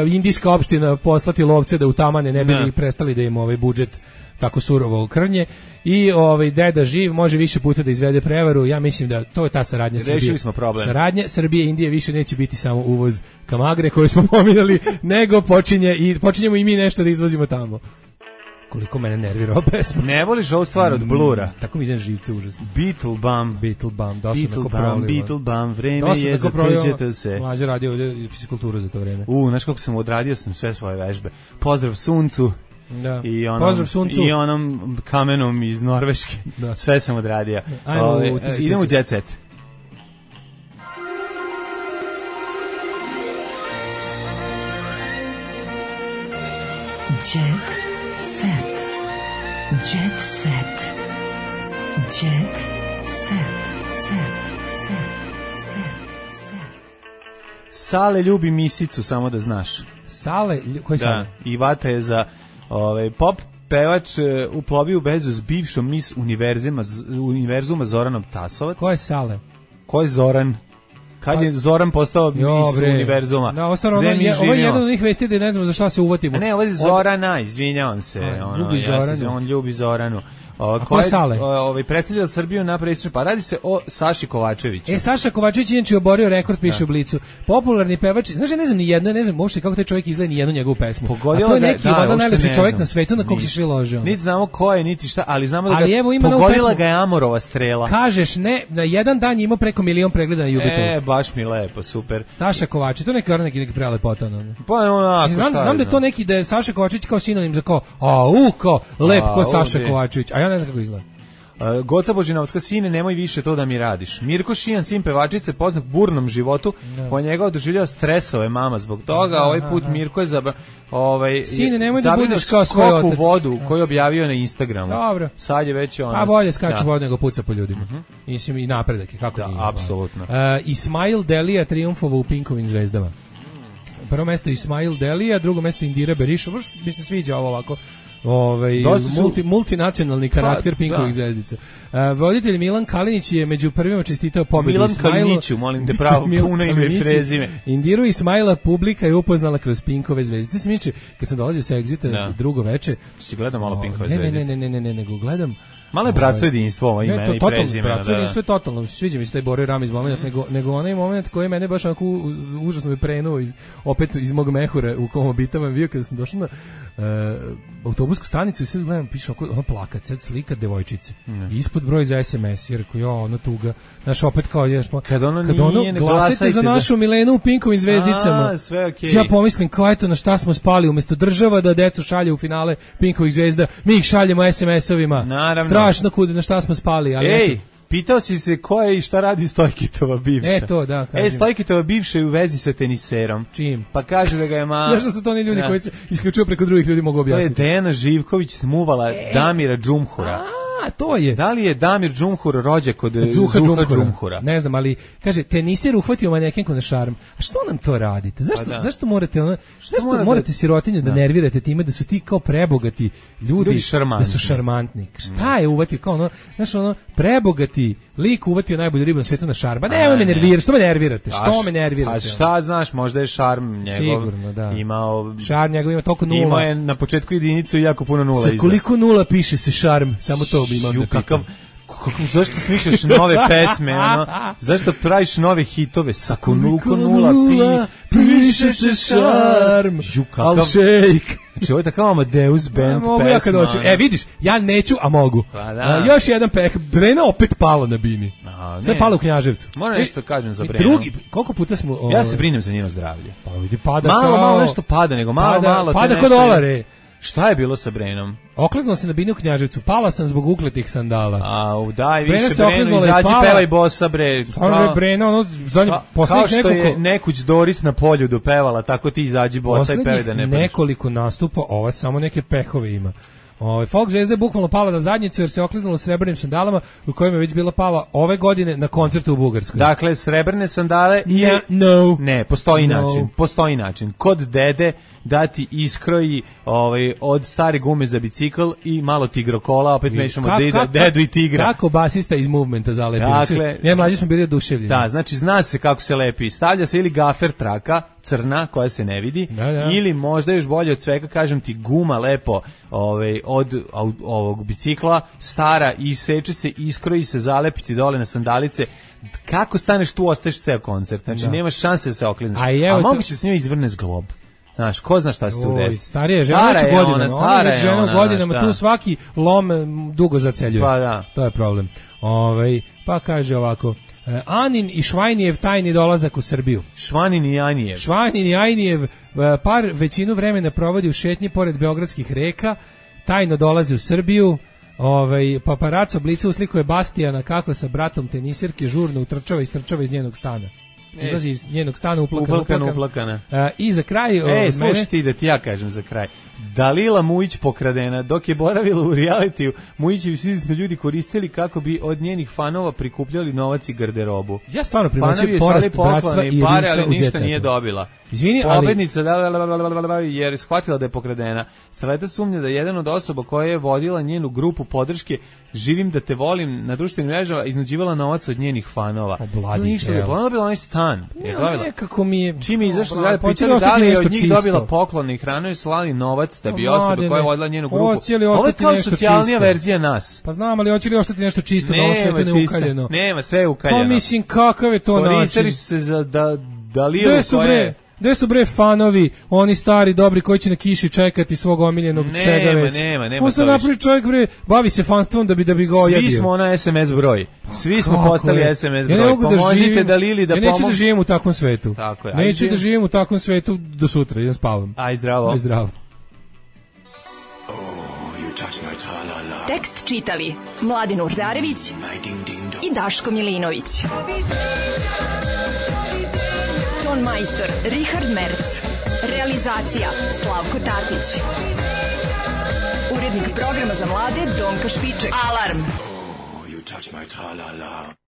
indijska opština poslati lovce da utamane, ne bi li prestali da im budžet tako surovo krnje, i deda živ može više puta da izvede prevaru. Ja mislim da to je ta saradnja Srbije. Rešili smo problem. Saradnja Srbije i Indije više neće biti samo uvoz kamagre koju smo pominjali, nego počinjemo i mi nešto da izvozimo tamo. Koliko mene nervira ova pesma. Ne voliš ovu stvar od Blura? Tako mi ide živce užasno. Beetlebum, vreme je za pređete se. Mlađe radio ovdje fizikulturu za to vreme. Znaš kako sam odradio sam sve svoje vežbe. Pozdrav suncu. Da. I onom kamenom iz Norveške. Da. Sve sam odradio. Idemo u Jet Set. Jet Set. Jet Set. Jet Set. Sale ljubi misicu, samo da znaš. Sale? Koji Sale? I vata je za pop pevač uplovio u vezu s bivšom mis univerzuma Zoranom Tasovac. Ko je Sale? Ko je Zoran? Kad je Zoran postao Miss univerzuma? Da, ovo je jedan od njih vesti da ne znamo za šta se uvatimo. A ne, ovo je Zorana, izvinjavam se. On ljubi Zoranu. Ko je Sale? Predstavlja Srbiju na predsjedništvu, pa radi se o Saši Kovačeviću. Saša Kovačević je oborio rekord, piše u Blicu. Popularni pevač, znaš, ne znam uopšte kako taj čovjek izgleda ni jednu njegovu pesmu. A to je neki valjda najlepši čovjek na svetu na kog se svi lože. Niti znamo ko je, niti šta, ali znamo da ga pogodila ga je Amorova strela. Kažeš ne, na jedan dan je imao preko 1 milion pregleda na YouTubeu. Baš mi lepo, super. Saša Kovačević, to neki prelepotan. Pa onako. Znam da je to neki da je Saša Kovačević kao sinonim za kao lep ko Saša Kovačević. A ja ne znam kako izgleda. Goca Božinovska, sine, nemoj više to da mi radiš. Mirko Šijan, sin pevačice, poznat burnom životu, po njega doživljava stresove mama zbog toga. Ovaj put Mirko je sine, nemoj da budeš kao svoj otac. U vodu koju je objavio na Instagramu. Dobro. Sad je već ono. A bolje skače vodu nego puca po ljudima. Mislim i napredak je, kako nije. Apsolutno. Ismail Delija triumfovao u Pinkovim zvezdama. Prvo mesto Ismail Delija, drugo mesto Indira Beriša. Baš mi se sviđa ovo ovako. Multinacionalni karakter Pinkovih zvezdica. Voditelj Milan Kalinić je među prvima čestitao pobedu Ismailu. Milan Kaliniću, molim te pravo puno ime i prezime. Indiru Ismaila publika je upoznala kroz Pinkove zvezdice. Se miče, kad sam dolazio sa Exita drugo veče. Si gledao malo Pinkove zvezdice? Ne, nego gledam. Malo je bratstvo jedinstvo ovo ime i prezime. Bratstvo jedinstvo je totalno. Sviđa mi se taj Bore Ramiz moment, nego onaj moment koji mene baš onako užasno me prenuo opet iz mog mehura u kom obitavam bio kada sam došao na autobusku stanicu i sad gledam, piše ono plakat, sad slika devojčice. Ispod broj za SMS, jer rekao, ono tuga. Znaš, opet kao, kad ono glasajte za našu Milenu u Pinkovim zvezdicama. Sve okej. Ja pomislim, kao eto na šta smo spali, umjesto država da decu šalje u finale Pinkovih zvezda, mi ih šaljemo SMS-ovima. Naravno. Strašno kude, na šta smo spali, ali eto. Pitao si se ko je i šta radi Stojkitova bivša. To, da, kažem. Stojkitova bivša je u vezi sa teniserom. Čim? Pa kaže da ga je Znaš da su to oni ljudi koji se isključuju preko drugih ljudi, mogu objasniti. To je Dejana Živković smuvala Damira Džumhura. To je. Da li je Damir Džumhur rođak od Zuha Džumhura? Ne znam, ali kaže teniser uhvatio manekenku na šarm. A što nam to radite? Zašto morate morate sirotinju da nervirate time da su ti kao prebogati ljudi da su šarmantni? Šta je uvatio kao ono, znaš ono prebogati lik uvatio najbolju ribu na svetu na šarm. Pa nemoj me nervirati, što me nervirate? A šta znaš, možda je šarm njegov. Sigurno, da. Šarm njegov ima toliko nula. Imao je na početku jedinicu i jako puno nula iza. Sa koliko nula piše se šarm? Samo to bi imao da pitam. Zašto smišljaš nove pesme, zašto praviš nove hitove? Sa koliko nula piše se šarm, al šejk. Znači ovo je takav Amadeus band mogu pesma. Ja kad hoću. Vidiš, ja neću, a mogu. Još jedan Brena opet pala na bini. Sve pala u Knjaževcu. Moram nešto kažem za Brenu. Drugi, koliko puta smo... Ja se brinem za njeno zdravlje. Pa vidi, pada malo nešto pada, nego malo. Pada kod dolare. Šta je bilo sa Brenom? Okliznuo se na bini u Knjaževcu, pala sam zbog ukletih sandala. Daj više Breno, izađi pevaj bossa, bre. Brena, ono, kao što je Nekuć Doris na Poljudu pevala, tako ti izađi bossa i pevaj da ne padaš. Nekoliko nastupa, ova samo neke pehove ima. Folk zvezda je bukvalno pala na zadnjicu jer se okliznula srebrnim sandalama u kojima je već bila pala ove godine na koncertu u Bugarskoj. Dakle, srebrne sandale Ne, postoji način. Kod dede dati iskroji od stare gume za bicikl i malo tigrokola, opet mešamo dedu i tigra. Kako basista iz Movementa zalepi. Dakle, ja mlađi smo bili oduševljeni. Da, znači zna se kako se lepi. Stavlja se ili gafer traka, crna, koja se ne vidi, ili možda još bolje od svega, kažem ti, guma lepo od ovog bicikla, stara, iseče se, iskroji se, zalepiti dole na sandalice. Kako staneš tu, ostaješ ceo koncert. Znači, nemaš šanse da se oklizneš. A moguće se s njoj izvrne zglob. Znaš, ko zna šta se tu desi? Starija žena već godinama. Ona je žena godinama, tu svaki lom dugo zaceljuje. Pa da. To je problem. Pa kaže ovako... Anin i Švajnijev tajni dolazak u Srbiju. Švanin i Ajnijev par većinu vremena provodi u šetnji pored beogradskih reka, tajno dolazi u Srbiju. Paparaco Blica uslikuje Bastijana kako sa bratom tenisirke žurno utrčava i istrčava iz njenog stana. Izlazi iz njenog stana uplakana. Uplakana. I za kraj... slušaj ti da ti ja kažem za kraj. Dalila Mujić pokradena. Dok je boravila u realitiju, Mujićevi svi ljudi koristili kako bi od njenih fanova prikupljali novac i garderobu. Ja stvarno primećujem porast bratstva i pare, ali ništa nije dobila. Izvini, pobednica jer je shvatila da je pokradena. Starleta sumnja da je jedan od osoba koja je vodila njenu grupu podrške Živim da te volim na društvenim mrežama iznuđivala novac od njenih fanova. Ništa je plana, dobila onaj stan. Nekako mi je... Čim je izašlo zajedno, pitali da li je od njih dobila poklon i hranu i slali novac da bi osoba koja je vodila njenu grupu. Ovo je kao socijalnija verzija nas. Pa znam, ali hoće li ostati nešto čisto da ovo sve to ne ukaljeno? Nema, sve je ukaljeno. Pa mislim, kakav je to način? Koristili su se za Dalilu koje... Gde su bre fanovi, oni stari dobri koji će na kiši čekati svog omiljenog čega već? Nema. On se napravi čovjek bre, bavi se fanstvom da bi ga ojadio. Svi smo na SMS broj. Svi smo postali SMS broj. Ja pomozite Dalili da pomogu. Ja neću da živim u takvom svetu. Tako je. Neću da živim u takvom svetu do sutra, idem spavam. Aj zdravo. Aj zdravo. Tekst čitali Mladin Urdarević i Daško Milinović. Ton majstor Richard Merc. Realizacija Slavko Tatić. Urednik programa za mlade Donka Špiček. Alarm!